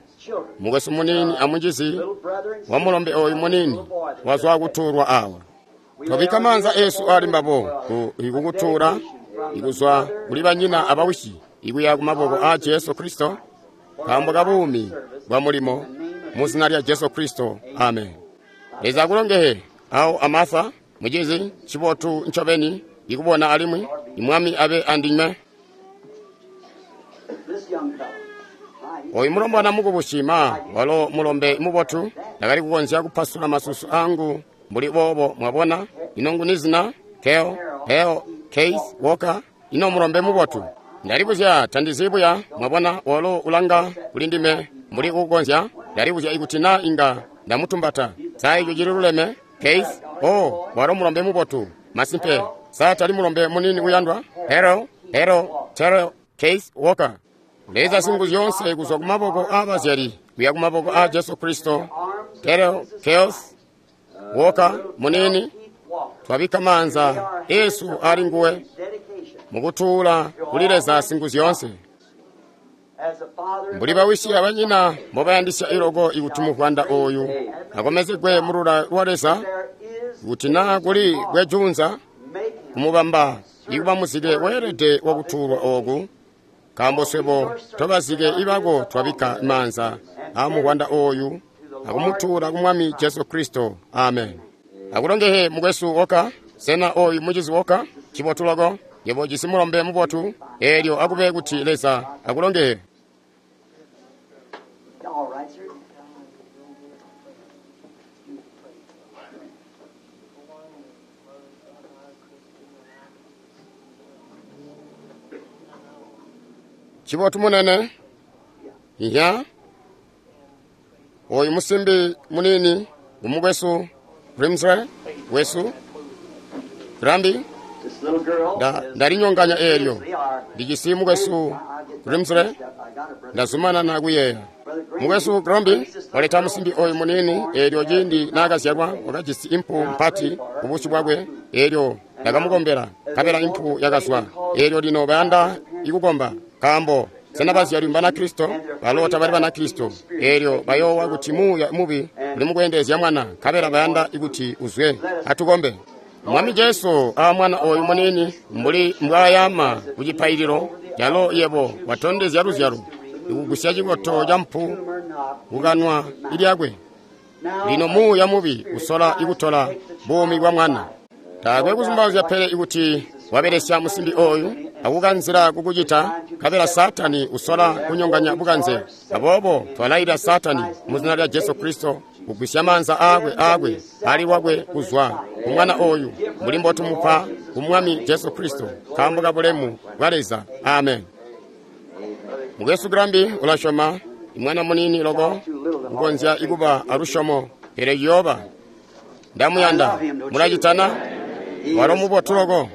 Mukwesu muniini amucizi wa mulombe oyu muniini wazwa kutuulwa awa. Twabikka maanza eesu ali mbabo kukutuula ikuzwa kuli banyina abawisi ikuya ku maboko a Jesu Kristo, nkaambo ka buumi bwa mulimo mu zina lya Jesu Kristo, amen. Leza akulongehe awo a Martha, mucizi cibotu ncobeni ikubona alimwi imwami abe andinywe. Oyu mulombwana mukubusi ma walo mulombe mubotu, ndakali kukonzya kupasula masusu angu mbuli boobo, mwabona. Ino nguni zina? Keo, Heo, Keith Walker. Ino mulombe mubotu. Ndalibuzya tandizibuya, mwabona, walo ulanga kuli ndime mbuli kukonzya. Ndalibuzya ikuti na inga ndamutumbata. Sa ico cili luleme? Keith, oh, walo mulombe mubotu. Masimpe, sa tali mulombe munini uyandwa? Hero, Hero, Terrell, Keith Walker. Leza singuzu zyoonse kuzwa ku maboko aabazyali kuya ku maboko a Jesu Kristo. Terrell, Keith Walker munini, twabikka maanza eesu ali nguwe mukutuula kuli Leza singuzu zyoonse. Mbuli bawisi abanyina mbobayandisya iloko ikuti muvwanda oyu akomezegwe mulula lwa Leza, kuti naa kuli bwejunza kumubamba ikuba muzike weelede wakutuulwa ooku, nkaambo swebo tobazike ibako twabikka maanza aamuvwanda oyu akumutuula ku Mwami Jesu Kristo, amen. Akulongehe mukwesu Walker, sena oyu mucizi Walker, cibotu loko, yebo ujisi mulombe mubotu, eelyo akube kuti Leza akulongehe. Cibotu munene, iya, oyu musimbi munini ngumukwesu Grimsley wesu Grambi. Ndalinyonganya eelyo ndijisi mukwesu Grimsley, ndazumanana kuyeeya. Mukwesu Grambi waleta musimbi oyu munini, eelyo ciindi naakazyalwa wakajisi impu mpati kubusyu bwakwe, eelyo ndakamukombela, nkabela impu yakazwa. Eelyo lino bayanda ikukomba, nkaambo sena bazyali Banakristo? Balo tabali Banakristo. Eelyo bayoowa kuti muuya mubi uli mukweendelezya mwana, nkabela bayanda ikuti uzwe. Atukombe. Mwami Jesu a mwana oyu munini mbuli mbwaayama ku cipaililo, calo yebo watondezya luzyalo ikugusya cikoto ca mpu kukanwa ilyakwe. Lino muuya mubi usola ikutola buumi bwa mwana. Taakwe kuzumbauzya pele ikuti wabelesya musimbi oyu akukanzila kukucita, nkabela Saatani usola kunyonganya bukanze. Aboobo twalailila Saatani mu zina lya Jesu Kristo kugwisya maanza aakwe aakwe ali lwakwe kuzwa ku mwana oyu, mbuli mbotumupa ku Mwami Jesu Kristo, nkaambo ka bulemu bwa Leza, amen. Mukwesu Grambi ulasyoma, imwana munini loko kukonzya ikuba alusyomo, pele ciyooba. Ndamuyanda, mulacitana? Walo mubotu loko.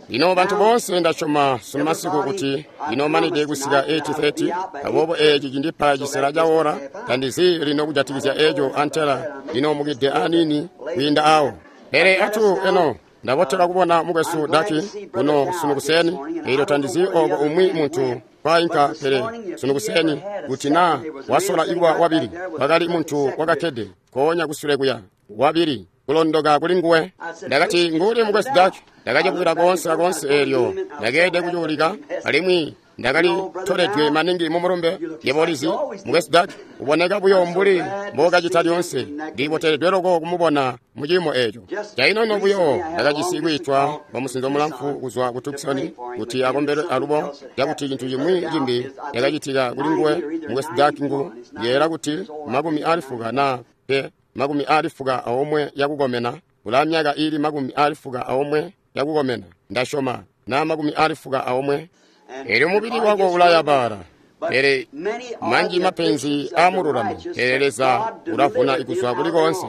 Lino bantu boonse ndasyoma sunu masiku kuti inomanide kusika eight thirty, aboobo eeci cindipa cisela ca wora. Tandizi lino kujatikizya eeco antela linomukide aniini kwiinda awo. Pele atu eno ndabotela kubona mukwesu Daki kuno sunu kuseni, eelyo tandizi oko umwi muntu kwainka, pele sunu kuseni kuti naa wasola ikuba wabili, wakali muntu wakakkede koonya kusule kuya wabili kulondoka kuli nguwe. Ndakati nguli mukwesu Daki, ndakacibwira koonse akoonse eelyo ndakeede kucuulika, alimwi ndakali toledwe maningi mu mulumbe. Yebo ulizi, mukwesu Daki uboneka buyo mbuli mbokacita lyoonse. Ndiboteledwe loko kumubona mu ciimo eeco. Cainoino buyo ndakajisi kwiitwa kwa musinzo mulamfu kuzwa ku Tucson kuti akombelwe alubo, cakuti cintu cimwi cimbi cakacitika kuli nguwe. Mukwesu Daki ngu yeela kuti makumi ali fuka na pe makumi ali fuka aomwe yakukomena, ulaa myaka ili makumi ali fuka aomwe yakukomena, ndasyoma na makumi ali fuka aomwe. Eelyo mubili wako ulayabala, pele manji mapenzi aamululami, pele Leza ulavuna ikuzwa kuli koonse.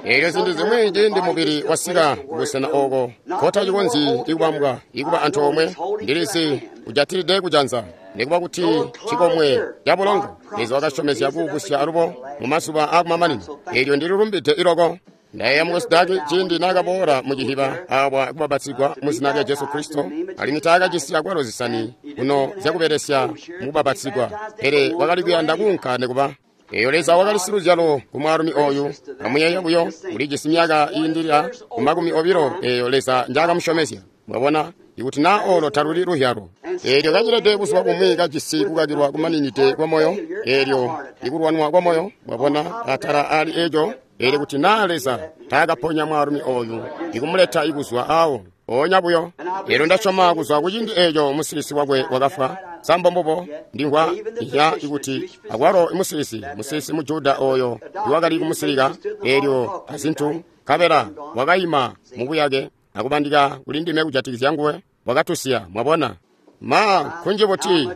Eelyo zintu zimwi ciindi mubili wasika kubusena ooko kotacikonzyi ikubambwa ikuba antoomwe, ndilizi Ujatilide kujanza. Nikuba kuti cikomwe cabulongo, Leza wakasyomezya kuubusya alubo mu mazuba aakumamanino. Eelyo ndililumbide iloko. Ndayeeya mukwesu Daki ciindi naakaboola mu cihiba awa kubapatizigwa mu zina lya Jesu Kristo, alimwi taakajisi akwalo zisani kuno zyakubelesya mu kubapatizigwa, pele wakali kuyanda kuunka nikuba. Eyo Leza wakali siluzyalo ku mwaalumi oyu. Amuyeeye buyo, ulijisi myaka iindilila ku makumi obilo eyo Leza njaakamusyomezya. Mwabona, ikuti naa olo taluli luzyalo. Eelyo kacilede buzuba bumwi kajisi kukakilwa kumaninide kwa moyo, eelyo ikulwanwa kwa moyo, mwabona, atala ali eco. Eelyo kuti naa Leza taakaponya mwaalumi oyu ikumuleta ikuzwa awo oonya buyo. Eelyo ndasyoma kuzwa kuciindi eco musilisi wakwe wakafwa. Sambo mbubo ndimvwa ihya ikuti akwalo musilisi musilisi mu Juda oyo iwakali kumusilika eelyo azintu nkabela wakayima mubuyake akubandika kuli ndime kujatikizya nguwe, wakatusiya. Mwabona, ma kunji buti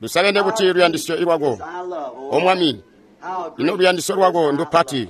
lusakene buti luyandisyo lwako, O Mwami, ino luyandisyo lwako ndupati.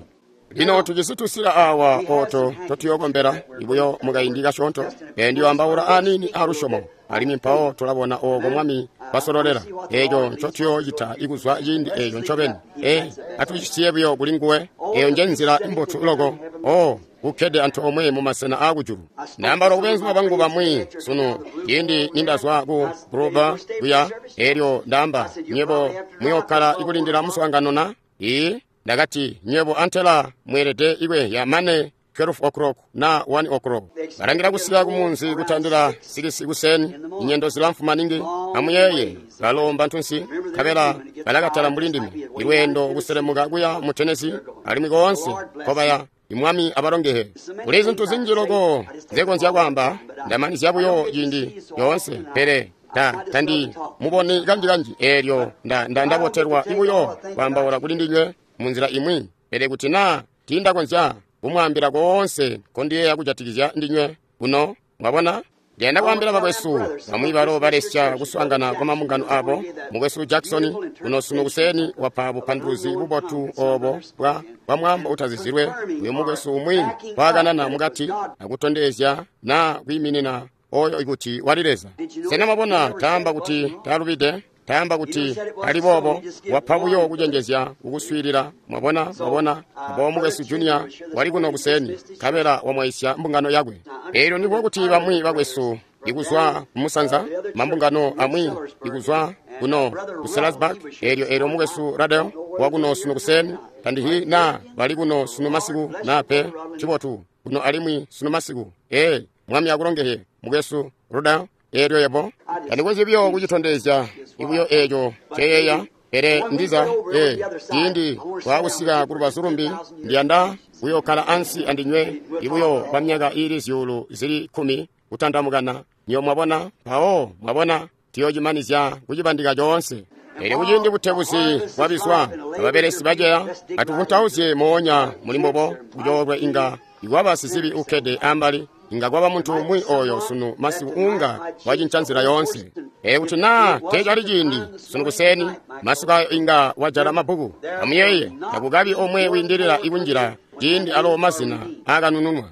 Lino tujisi tusila awa oto totuyokombela ibuyo mukaindi kasyoonto. Ee, ndiyoambaula aniini alusyomo, alimwi mpawo tulabona ooko Mwami basololela eeco ncotuyoocita ikuzwa ciindi eeco ncobeni. Ee, atucisiye buyo kuli nguwe. Eyo nje nzila imbotu loko. O, kukkede antoomwe mu masena aakujulu. Ndaambaula kubenzuma bangu bamwi sunu ciindi nindazwa ku Gruba kuya, eelyo ndaamba, nywebo muyookkala ikulindila muswaangano na? Ii, ndakati, nywebo antela mweelede ikweehya mane twelve o'clock na one o'clock. Balangila kusika kumunzi kutandila sikisi kuseni, inyendo zilamfu maningi. Amuyeeye, balomba ntunsi, nkabela balakatala mbuli ndime. Ilweendo kuselemuka kuya mu Tennessee, alimwi koonse nkobaya. Imwami abalongehe. Kuli zintu zinji loko nzekonzya kwaamba, ndamanizya buyo ciindi yoonse, pele ta tandi muboni kanji-kanji. Eelyo nda nda ndabotelwa ibuyo kwaambaula kuli ndinywe munzila imwi, pele kuti naa tiindakonzya kumwaambila koonse nkondiyeeya kujatikizya ndinywe kuno, mwabona. Ndiyanda kwaambila bakwesu bamwi balo balesya kuswaangana kwa mambungano abo. Mukwesu Jackson kuno sunu kuseni wapa bupanduluzi bubotu obo bwa bwa mwaambo utazizilwe. Uyu mukwesu umwi waakanana mukati akutondezya naa kwiiminina oyo ikuti wali Leza. Sena mwabona, taamba kuti taalubide, taamba kuti ali boobo, wapa buyo kucenjezya kukuswiilila. Mwabona, mwabona, abo mukwesu Junior wali kuno kuseni, nkabela wamwaisya mbungano yakwe. Eelyo ndiko kuti bamwi bakwesu ikuzwa kumusanza, mambungano amwi ikuzwa kuno ku Salisbury, eelyo eelyo mukwesu Radel wakuno sunu kuseni, tandihi na bali kuno sunu masiku na pe, cibotu kuno alimwi sunu masiku. Ee, Mwami akulongehe mukwesu Rudel. Eelyo yebo tandikonzyi buyo kucitondezya ibuyo eeco ceyeeya, pele ndiza ee ciindi twaakusika ku lubazu lumbi, ndiyanda kuyookkala ansi andinywe ibuyo kwa myaka iili zyuulu zili kkumi kutandamukana. Nyo mwabona, mpawo mwabona, tuyoocimanizya kucibandika coonse. Eelyo kuciindi butebuzi bwabizwa, ababelesi baceya, atuvuntauzye moonya muli mbobo kucoolwe inga ikwaba sizibi ukkede ambali, inga kwaba muntu umwi oyo sunu masiku unga wacinca nzila yoonse. Ee, kuti naa teecali ciindi sunu kuseni, masiku ayo inga wajala mabbuku. Amuyeeye, takukabi omwe wiindilila ikunjila ciindi alo mazina aakanununwa.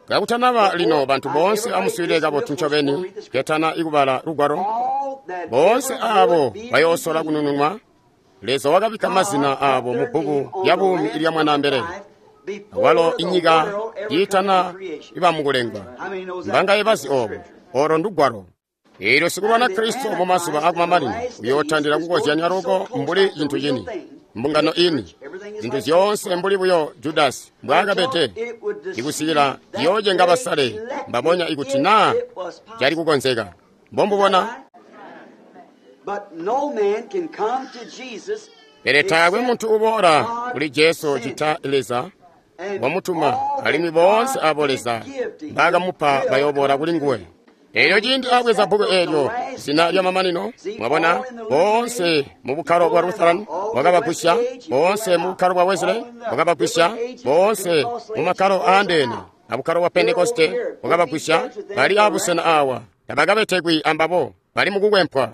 Kakutanaba lino, bantu boonse amuswiilile kabotu ncobeni, ketana ikubala lugwalo. Boonse aabo bayoosola kunununwa, Leza wakabikka mazina aabo mu bbuku lya buumi ilya Mwanaambelele. Walo inyika yiitana ibamukulengwa. Mbangaye bazi obo, olo ndugwalo. Eelyo sikulwana Kristo mu mazuba akumamanino uyootandila kukozyanya loko mbuli cintu cini, mbungano ini, zintu zyoonse mbuli buyo Judasi mbwaakabede, ikusikila ciyoocenga basale mbabonya ikuti naa cali kukonzeka. Mbombubona. Pele taakwe muntu uboola kuli Jesu cita Leza wamutuma, alimwi boonse abo Leza mbaakamupa bayooboola kuli nguwe. Eelyo ciindi abweza bbuku eelyo, zina lya mamanino, mwabona, boonse mu bukkalo bwa Lutheran wakabagwisya, boonse mu bukkalo bwa Wesley wakabagwisya, boonse mu makkalo aandeene abukkalo bwa Pentekoste wakabagwisya, bali abusena awa tabakabetekwi ambabo, bali mukukwempwa.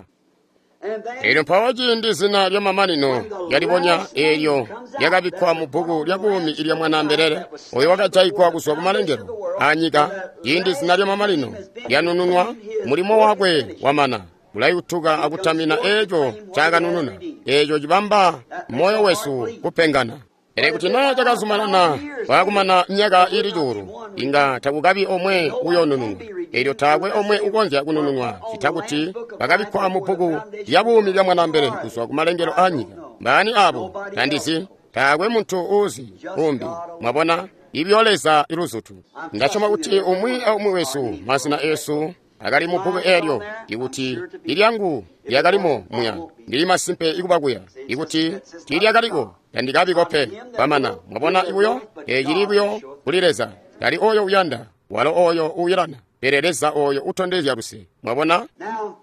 Eelyo mpawo ciindi zina lya mamanino lyalibonya, eelyo lyakabikkwa mu bbuku lya buumi ilya Mwanaambelele, oyo wakajaigwa kuzwa ku malengelo aanyika. Ciindi zina lya mamanino lyanununwa, mulimo wakwe wamana. bulayutuka akutamina eeco cakanununa, eeco cibamba moyo wesu kupengana. Pele kuti naa cakazumanana kwaakumana myaka iili cuulu, inga takukabi omwe uyoonununwa. Eelyo taakwe omwe ukonzya kunununwa ccita kuti bakabikkwa mu bbuku lya buumi lya Mwanaambele kuzwa kumalengelo aanyika. Mbaani aabo? Tandizi. Taakwe muntu uuzi umbi. Mwabona? Ibyo Leza iluzutu. Ndasyoma kuti umwi aumwi wesu mazina eesu akali mu bbuku eelyo, ikuti ilyangu lyakalimo muya, ndili masimpe ikuba kuya. Ikuti tiilyakaliko, tandikabiko pe. Kwamana, mwabona ibuyo? Eecili buyo kuli Leza. Tali oyo uyanda, walo oyo uuyelana, pele Leza oyo utondezya luse. Mwabona? Now,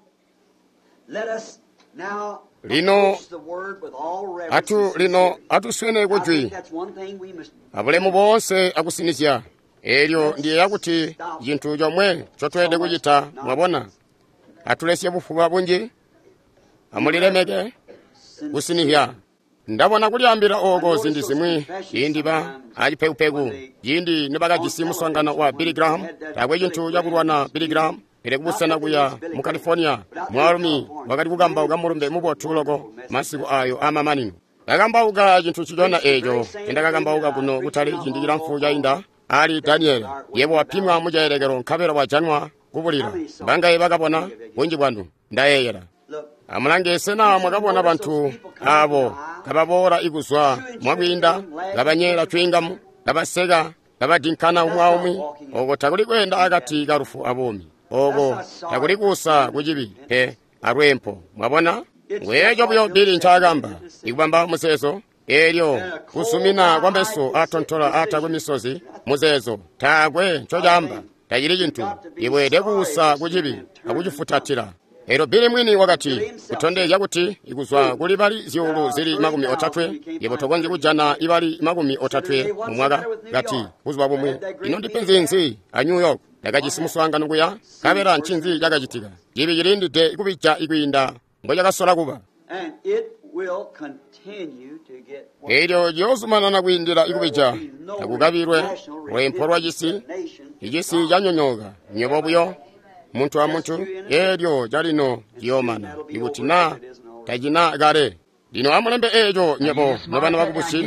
let us now Lino, approach the word with all reverence atu and lino sincerity. atuswene I kujwi think that's one thing we must abulemu boonse akusinizya. Eelyo ndiyeeya kuti cintu chomwe ncotweelede kucita, mwabona, atulesye bufuba bunji, amulilemeke kusinizya. Ndabona kulyaambila ooko ziindi zimwi ciindi ba acipekupeku, ciindi nibakajisi muswaangano wa Billy Graham, taakwe cintu cakulwana Billy Graham, pele kubusena kuya mu California, mwaalumi wakali kukambauka mulumbe mubotu loko masiku ayo aamamanino. Kakambauka cintu ncicona eeco cindakakambauka kuno kutali ciindi cilamfu cainda ali Daniele. Yebo wapimwa mucaelekelo nkabela wajanwa kubulila. Bangaye bakabona bunji bwanu, ndayeeyela. look. Amulange sena mwakabona bantu abo kababoola ikuzwa mwakwiinda, kabanyeela cwiingamu, kabaseka, kabadinkana umwi aumwi. Oko takuli kweenda akati ka lufu abuumi. Oko takuli kuusa kucibi pe alweempo. Mwabona? Ngweeco buyo Bili ncaakamba, ikubamba muzeezo. Eelyo kusumina kwa meso atontola aatakwe misozi, muzeezo taakwe ncocaamba, tacili cintu. Iweelede kuusa kucibi akucifutatila. Eelyo Bili mwini wakati, kutondezya kuti ikuzwa kuli bali zyuulu zili makumi otatwe, yebo tokonzyi kujana ibali makumi otatwe mu mwaka. Kati, buzuba bumwi, ino ndipenzi nzi a New York? Ndakajisi muswaangano kuya, nkabela ncinzi cakacitika? Cibi cilindide kubija ikwiinda mbocakasola kuba. And it will continue to get worse. Eelyo ciyoozumanana kwiindila ikubija, There will be no takukabilwe national lweempo lwa cisi, nation. icisi canyonyooka, nywebo buyo, muntu amuntu, eelyo calino ciyoomana, ikuti naa tacina kale. Lino amulembe eeco nywebo nobana bakubusi,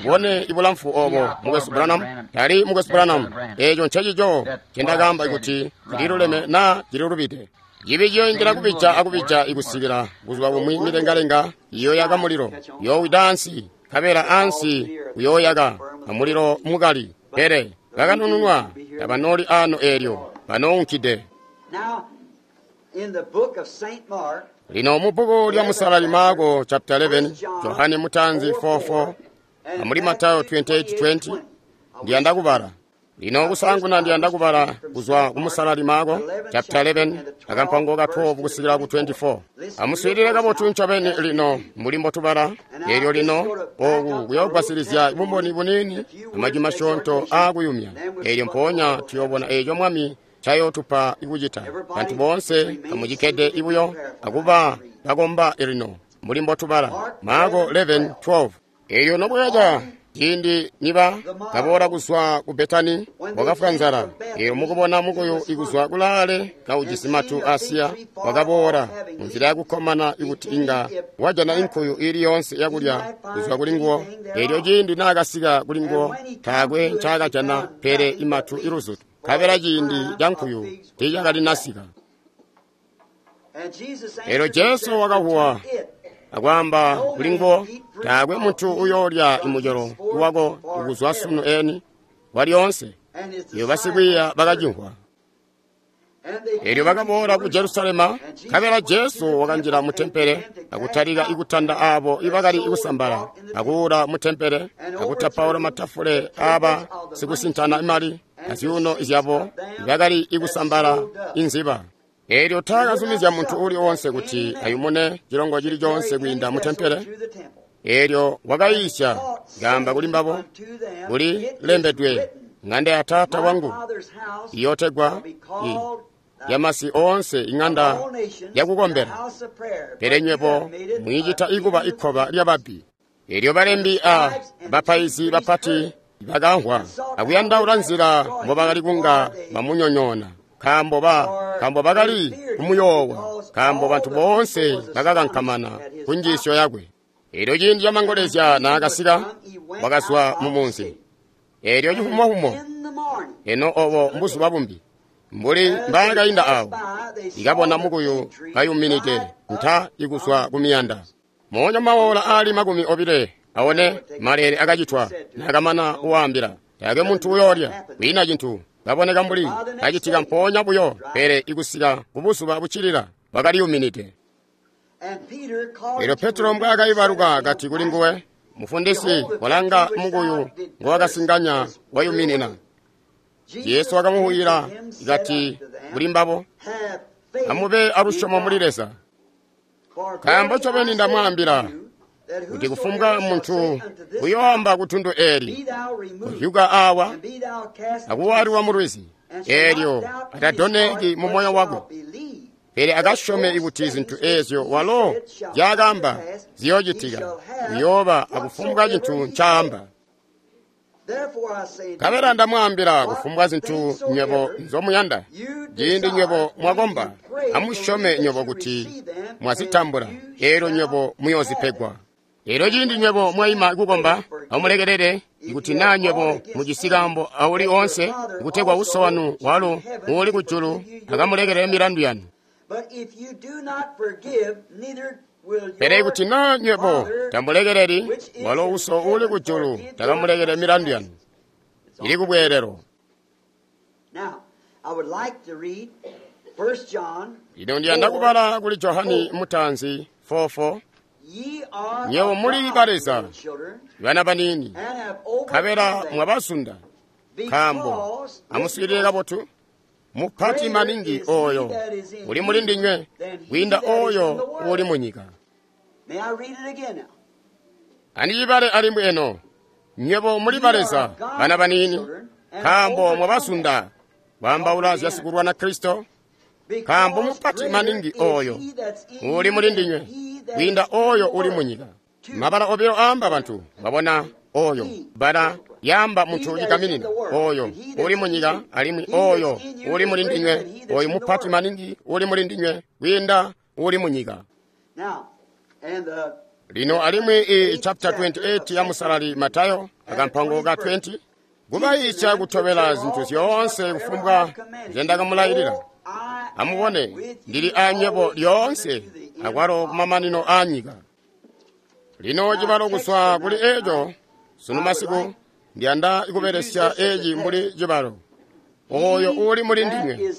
mubone ibulamfu obo mukwesu Branham, tali mukwesu Branham. Eeco ncencico ncendakaamba kuti cililuleme naa cililubide. Cibi ciyoindila kubija akubija ikusikila buzuba bumwi milengalenga iyooyaka mulilo, yoowida ansi, nkabela ansi uyooyaka amulilo mukali. Pele bakanununwa tabanooli ano eelyo banounkide. Now, in the book of Saint Mark, Lino mu bbuku lya Musalali Marko chapter eleven, Johane Mutanzi four four, and amuli Matayo twenty-eight twenty, ndiyanda kubala. Lino kusanguna ndiyanda kubala kuzwa ku Musalali Marko chapter eleven, akampango ka twelve kusikila ku twenty-four. Amuswiilile kabotu ncobeni lino mbuli mbotubala. Eelyo lino oku kuyoogwasilizya bumboni buniini amajwi masyoonto aakuyumya. Eelyo mpoonya tuyoobona eeco Mwami ncayootupa ikucita. Bantu boonse amucikkede ibuyo akuba bakomba lino mbuli mbotubala. Marko eleven twelve. Eelyo nobwakaca ciindi niba kaboola kuzwa ku Betani, wakafwa nzala. Eelyo mukubona mukuyu ikuzwa kulaale kaujisi matu asiya, wakaboola munzila yakukkomana ikuti inga wajana inkuyu ili yoonse yakulya kuzwa kuli nguwo. Eelyo ciindi naakasika kuli nguwo, taakwe ncaakajana pele imatu iluzutu, nkabela ciindi ca nkuyu tiicakalinasika. and Jesus Eelyo answered and Jesu said wakahuwa unto it, akwaamba kuli nguwo, taakwe muntu uyoolya imucelo wako kuzwa sunu eni walyoonse. and his Iyo basikwiiya disciples bakacimvwa. And they Eelyo came to bakaboola ku Jerusalem, Jerusalema, and Jesus nkabela went to Jesu the wakanjila mu temple and tempele began to akutalika cast out ikutanda abo ibakali that sold kusambala, bought in the temple, akuula mu tempele, and akutapaula overthrew matafule the aaba tables of the money sikusintana imali changers and the azyuuno seats zyabo of them ibakali that ikusambala sold doves. inziba. Eelyo And would not taakazumizya muntu suffer uli that wonse any kuti man ayumune chilongo to chili carry chonse any kwiinda mu vessel tempele. through the temple. Eelyo And wakayiisya taught, ngamba kuli saying mbabo, unto them, kuli It is lembedwe, written, ng'anda ya Taata My wangu Father's house iyotegwa shall be i called the yamasi oonse of ing'anda all nations the yakukombera. house of prayer, Pele but you have nywebo made it a mwiicita ikuba den of ikhoba thieves. lya babbi. Eelyo balembi The a scribes and the chief bapaizi priests heard bapati it, bakamvwa and sought how akuyandaula they might nzila destroy him mbobakali kunga for they bamunyonyoona. Nkaambo ba nkaambo bakali kumuyoowa, nkaambo bantu boonse bakakankamana ku njiisyo yakwe. Eelyo ciindi camangolezya naakasika, wakazwa mu munzi. Eelyo cifumofumo, eno obo mbuzuba bumbi, mbuli mbaakainda awo, ikabona mukuyu kayuminide nta ikuzwa ku miyanda. Moonya maola aali makumi obile aone maleele akacitwa naakamana kuwaambila. Taakwe muntu uyoolya, kwiina cintu kaboneka mbuli kacitika mpoonya buyo, pele ikusika kubuzuba buccilila wakaliyuminide. Eelyo Petro mbwaakaibaluka kati kuli nguwe, Mufundisi, walanga mukuyu ngowakasinganya wayuminina. Yesu wakamuhuyila kati kuli mbabo, amube alusyomo muli Leza. Nkaambo ncobeni ndamwaambila kuti kufumbwa muntu uyoamba kutundu eeli, kuhyuka awa akuwaliwa mulwizi, eelyo atadoneki mu moyo wakwe, pele akasyome kuti zintu eezyo walo nzyaakaamba ziyoocitika, uyooba akufumbwa cintu ncaamba. Nkabela ndamwaambila kufumbwa zintu nywebo nzomuyanda, ciindi nywebo mwakomba, amusyome nywebo kuti mwazitambula, eelyo nywebo muyoozipegwa. Eelyo ciindi nywebo mwaima kukomba, amulekelele ikuti naa nywebo mujisi kaambo auli oonse, kutegwa Uso wanu walo uuli kujulu akamulekelele milandu yanu. Pele ikuti naa nywebo tamulekeleli, walo Uso uuli kujulu takamulekelele milandu yanu. Ili kubweelelo. Ino ndiyanda kubala kuli Johani Mutanzi four four. Nywebo muli ba Leza, bana baniini, nkabela mwabazunda, nkaambo amuswiilile kabotu, mupati maningi oyo uli muli ndinywe kwiinda oyo uli munyika. Andicibale alimwi eno, nywebo muli ba Leza, bana baniini, nkaambo mwabazunda, kwaambaula zya sikulwana Kristo, nkaambo mupati maningi oyo uli muli ndinywe kwiinda oyo uli munyika. Mabala obilo aamba bantu, mwabona oyo bala yaamba muntu cigaminina, oyo uli munyika alimwi oyo uli muli ndinywe, oyo mupati maningi uli muli ndinywe kwiinda uli munyika. Lino alimwi i chapter twenty-eight ya musalali Matayo akampango ka twenty, kubayiisya kutobela zintu zyoonse kufumbwa nzyendakamulailila. Amubone, ndili anywebo lyoonse akwalo kumamanino a nyika. Lino cibalo kuzwa kuli eeco sunu masiku ndiyanda kubelesya eeci mbuli cibalo, oyo uli muli ndinywe.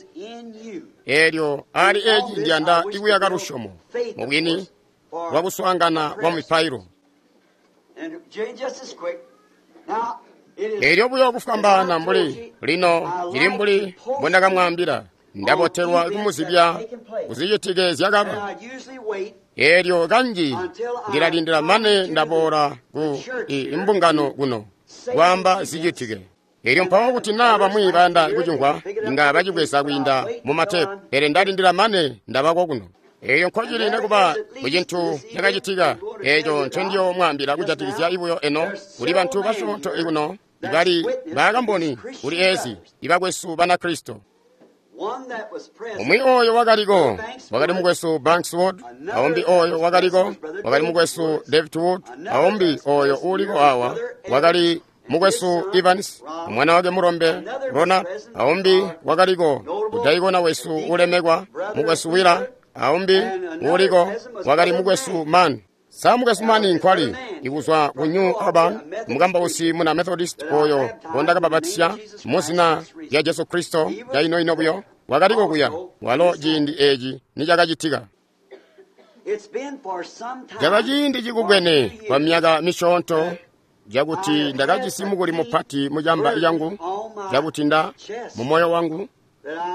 Eelyo ali eeci ndiyanda ikuyaka lusyomo mubwini lwa kuswaangana kwa mipailo. Eelyo buyo kufwambaana mbuli lino cili mbuli mbondakamwaambila, ndabotelwa kumuzibya kuzicitike zyakaba. Eelyo kanji ndilalindila mane ndaboola ku imbungano kuno kwaamba zicitike. Eelyo mpawo kuti naa bamwi bayanda kucimvwa, inga bacibweza kwiinda mu matepu, pele ndalindila mane ndabako kuno. Eelyo nkocili nekuba kucintu cakacitika eeco ncendiyomwaambila kujatikizya ibuyo eno, kuli bantu basyoonto ikuno ibali bakamboni kuli eezi ibakwesu Banakristo. Umwi oyo wakaliko wakali mukwesu Banks Wood, aumbi oyo wakaliko wakali mukwesu David Wood, aumbi oyo uliko awa wakali mukwesu Evans, mwana wake mulombe Ronald, aumbi wakaliko kudaikona wesu ulemekwa mukwesu Willa, aumbi uliko wakali mukwesu Mann. Sa mukwesu Mann nkwali ikuzwa ku New Auburn, mukambausi muna Methodist oyo ngondakababatisya muzina lya Jesu Kristo cainoino buyo, wakaliko kuya walo ciindi eeci nicakacitika. Caba ciindi cikubwene kwa myaka misyoonto cakuti ndakajisi mukuli mupati mucamba cangu, cakuti nda mu moyo wangu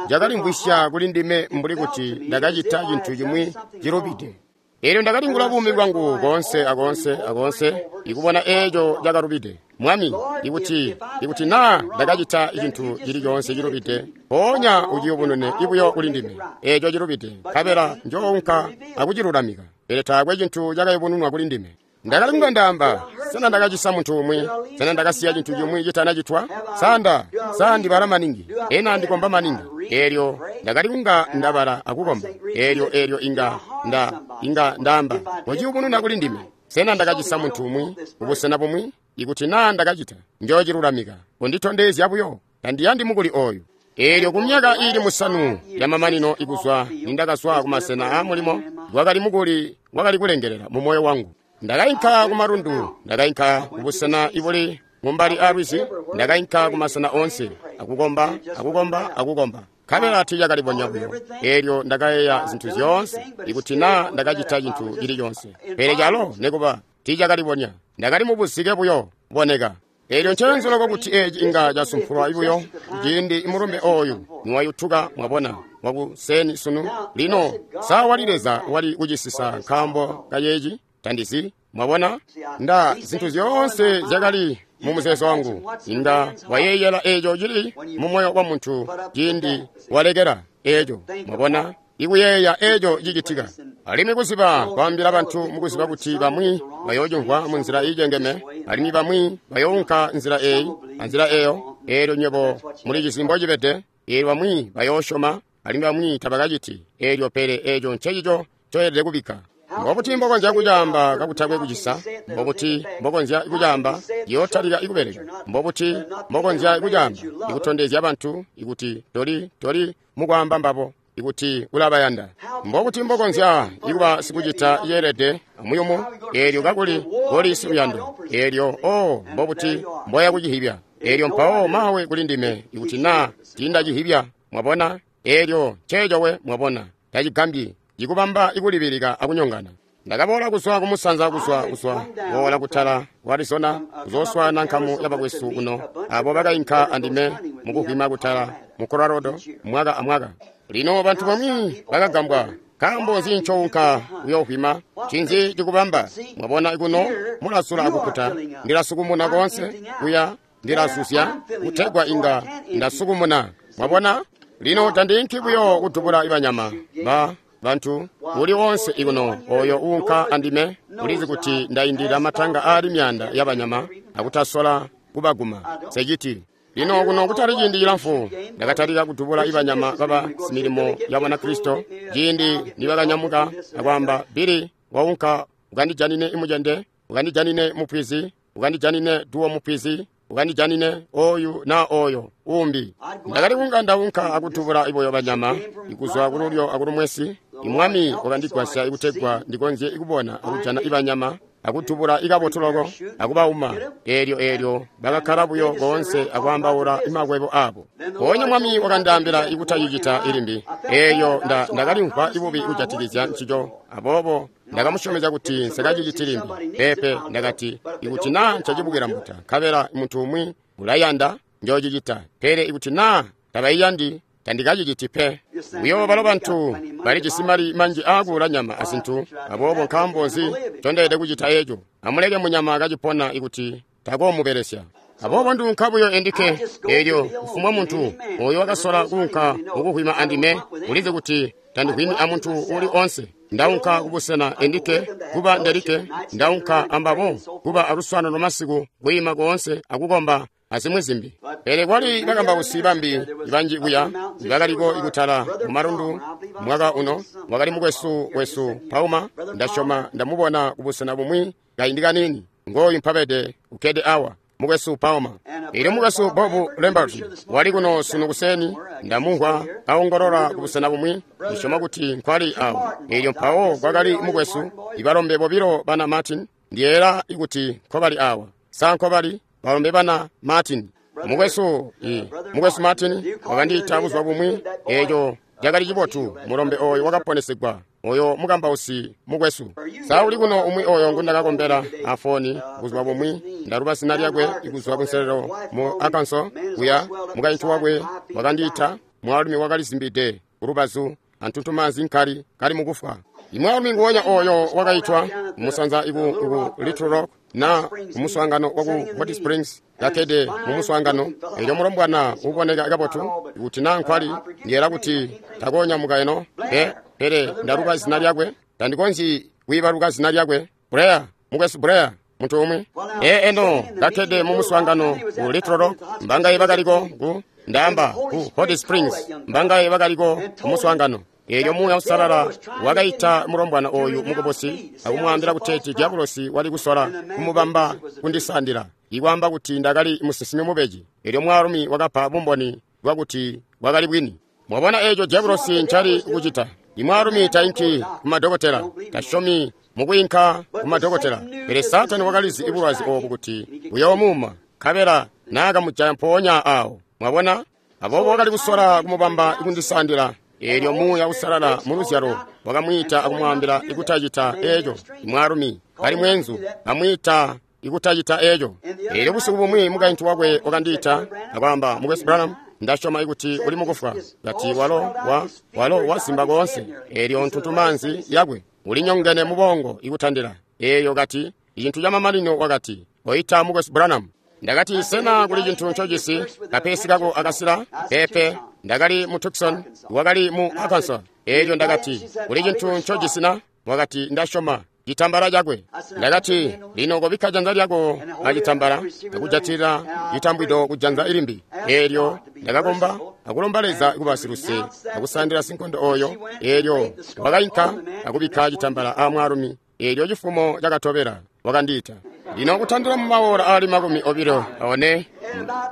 cakalimvwisya kuli ndime mbuli kuti ndakacita cintu cimwi cilubide. Eelyo ndakalingula buumi bwangu koonse akoonse akoonse ikubona eeco cakalubide. Mwami, ikuti ikuti naa ndakacita cintu cili coonse cilubide, mpoonya uciyubunune ibuyo kuli ndime eeco cilubide, nkabela njoonka akucilulamika. Pele taakwe cintu cakayubununwa kuli ndime. Ndakali kunga ndaamba, sena ndakacisa muntu umwi? Sena ndakasiya cintu cimwi citanacitwa? Sanda, sa ndibala maningi, ena ndikomba maningi. Eelyo ndakali kunga ndabala akukomba. Eelyo eelyo inga nda inga ndaamba, kociyubununa kuli ndime. Sena ndakacisa muntu umwi kubusena bumwi? Ikuti naa ndakacita, njoochilulamika. Unditondezya buyo, tandiyandi mukuli oyu. Eelyo kumyaka iili musanu yamamanino ikuzwa nindakazwa kumasena aamulimo, wakali mukuli wakali kulengelela mu moyo wangu. Ndakainka kumalundu, ndakainka kubusena ibuli mumbali aalwizi, ndakainka kumasena oonse, akukomba, akukomba, akukomba. Nkabela tiilyakalibonya buyo. Eelyo ndakayeeya zintu zyoonse, ikuti naa ndakacita cintu cili coonse. Pele calo nikuba tiilyakalibonya, ndakali mubuzike buyo boneka. Eelyo ncenzo loko kuti eeci inga casumpulwa buyo ciindi mulumbe ooyu niwayutuka, mwabona, wakuseni sunu. Lino sa wali Leza wali kucisisa nkaambo kayeeci? Tandizi, mwabona? Nda zintu zyoonse zyakali mu muzeezo wangu. Inga wayeeyela eeco cili mu moyo wa muntu ciindi walekela eeco, mwabona? Ikuyeeya eeco cicitika. Alimwi kuziba kwaambila bantu mukuziba kuti bamwi bayoocimvwa munzila iicengeme, alimwi bamwi bayounka nzila eeyi anzila eeyo. Eelyo nywebo mulicizi mbocibede. Eelyo bamwi bayoosyoma, alimwi bamwi tabakaciti. Eelyo pele eeco ncecico ncoyelede kubikka. Mbobuti mbokonzya kucaamba kakutakwe kucisa? Mbobuti mbokonzya kucaamba yootalika ikubeleka? Mbobuti mbokonzya kucaamba ikutondezya bantu ikuti toli toli mukwaamba mbabo ikuti ulabayanda? Mbobuti mbokonzya ikuba sikucita yeelede amuyumu eelyo kakuli koli siluyando? Eelyo oh, mbobuti mboya kucihibya? Eelyo mpawo mawe kuli ndime ikuti naa tiindacihibya, mwabona? Eelyo nceeco we, mwabona, tacigambyi ikubamba ikulibilika akunyongana. Ndakaboola kuzwa kumusanza kuzwa kuzwa boola kutala ku Arizona kuzooswaana nkamu yabakwesu kuno abo bakainka andime mukuvwima kutala mu Colorado mwaka amwaka. Lino bantu bamwi bakagambwa, nkaambo nzi ncounka kuyoovwima? Ncinzi cikubamba? Mwabona kuno mulasula akukuta, ndilasukumuna koonse kuya ndilasuzya kutegwa inga ndasukumuna. Mwabona? Lino tandiinki buyo kudubula ibanyama ba bantu uli wonse ikuno oyo uunka andime ulizi kuti ndaindilila matanga aali myaanda yabanyama akutasola kubaguma seciti. Lino kuno kutali ciindi cilamfu ndakatalika kudubula ibanyama baba similimo ya Banakristo ciindi nibakanyamuka akwaamba, Bili waunka ukandijanine imucende, ukandijanine mupwizi, ukandijanine duwo mupwizi, ukandijanine oyu na oyo umbi. Ndakali kunga ndaunka akudubula iboyo banyama ikuzwa kululyo akulumwesi. Imwami wakandigwasya ikutegwa ndikonzye ikubona akujana ibanyama akudubula ikabotu loko akubauma. Eelyo eelyo bakakkala buyo koonse akwaambaula imakwebo abo. Mpoonya mwami wakandaambila ikutacicita ilimbi. Eelyo ndakalimvwa ibubi kujatikizya ncico, aboobo ndakamusyomezya kuti nsikaciciti limbi. Peepe, ndakati ikuti naa ncacibukila mbuta nkabela muntu umwi ulayanda njoocicita, pele ikuti naa tabaiyandi tandikaciciti pe. Buyo balo bantu balijisi mali manji aakuula nyama azintu, aboobo nkaambo nzi ncondeelede kucita eeco? Amuleke munyama kacipona ikuti takoomubelesya. Aboobo nduunka buyo endike. Eelyo kufumbwa muntu oyo wakasola kuunka mukuhwima andime ulizi kuti tandihwimi amuntu uli onse. Ndaunka kubusena endike kuba ndelike, ndaunka ambabo kuba aluswaanano lwamasiku, kwiima koonse akukomba azimwi zimbi. Pele kwali bakambausi bambi banji kuya bakaliko ikutala mumalundu mwaka uno. Wakali mukwesu wesu Pauma, ndasyoma ndamubona kubusena bumwi kaindi kanini. Ngooyu mpabede ukkede awa, mukwesu Pauma. Eelyo mukwesu Bob Lambert wali kuno sunu kuseni, ndamumvwa kaongolola kubusena bumwi, ndisyoma kuti nkwali awo. Eelyo mpawo kwakali mukwesu ibalombe bobilo bana Martin, ndiyeera ikuti nkobali awa. Sa nkobali balombe bana Martin? Mukwesu i mukwesu Martin wakandiita buzuba bumwi, eeco cakali cibotu. Mulombe oyo wakaponesegwa, oyo mukambausi mukwesu. Sa uli kuno umwi oyo ngundakakombela afoni buzuba bumwi? Ndaluba zina lyakwe ikuzwa kunselelo mu Arkansas kuya. Mukaintu wakwe wakandiita, mwaalumi wakalizimbide kulubazu antuntumaanzi nkali kali mukufwa. Imwaalumi nguwonya oyo wakaitwa kumusanza iku, iku Little Rock na kumuswaangano waku Hot Springs, kakkede mumuswaangano. Eelyo mulombwana uboneka kabotu ikuti naa nkwali, ndiyela kuti takonyamuka eno pe, pele ndaluba zina lyakwe, tandikonzyi kwiibaluka zina lyakwe. Blair, Mukwesu Blair, muntu umwi. Ee, eno, kakkede mu muswaangano ku Little Rock, mbangaye bakaliko ku ndaamba ku Hot Springs, mbangaye bakaliko ku muswaangano. Eelyo Muuya Uusalala wakaita mulombwana oyu mukubusi akumwaambila kuteeti diabolosi wali kusola kumubamba kundisandila, ikwaamba kuti ndakali musinsimi mubeji. Eelyo mwaalumi wakapa bumboni bwakuti bwakali bwini. Mwabona eeco diabolosi ncali kucita. Imwaalumi tainki ku madokotela, tasyomi mukwiinka ku madokotela. Pele Saatani wakalizi bulwazi oobu kuti buyoomuuma, nkabela naakamujaya mpoonya aawo. Mwabona? Aboobo wakali kusola kumubamba kundisandila. Eelyo Muuya Uusalala mu luzyalo wakamwiita akumwaambila ikutacita eeco. Imwaalumi kali mweenzu amwiita ikutacita eeco. Eelyo busiku bumwi mukaintu wakwe wakandiita akwaamba, Mukwesu Branham, ndasyoma ikuti uli mukufwa. Kati walo wa walo wasimba koonse. Eelyo ntuntumaanzi yakwe ulinyongene mu bongo ikutandila. Eeyo kati icintu camamanino wakati, oita Mukwesu Branham. Ndakati, sena kuli cintu ncojisi kapesi kako akasila? Pepe. Ndakali mu Tucson, wakali mu Arkansas. Eelyo ndakati, kuli cintu ncojisi na? Wakati, ndasyoma citambala cakwe. Ndakati, lino kobikka janza lyako acitambala akujatilila citambwido ku janza ilimbi. Eelyo ndakakomba akulomba Leza kuba siluse akusandila sinkondo oyo. Eelyo wakainka akubikka citambala a mwaalumi. Eelyo cifumo cakatobela wakandiita. Lino kutandila mu maora ali makumi obilo one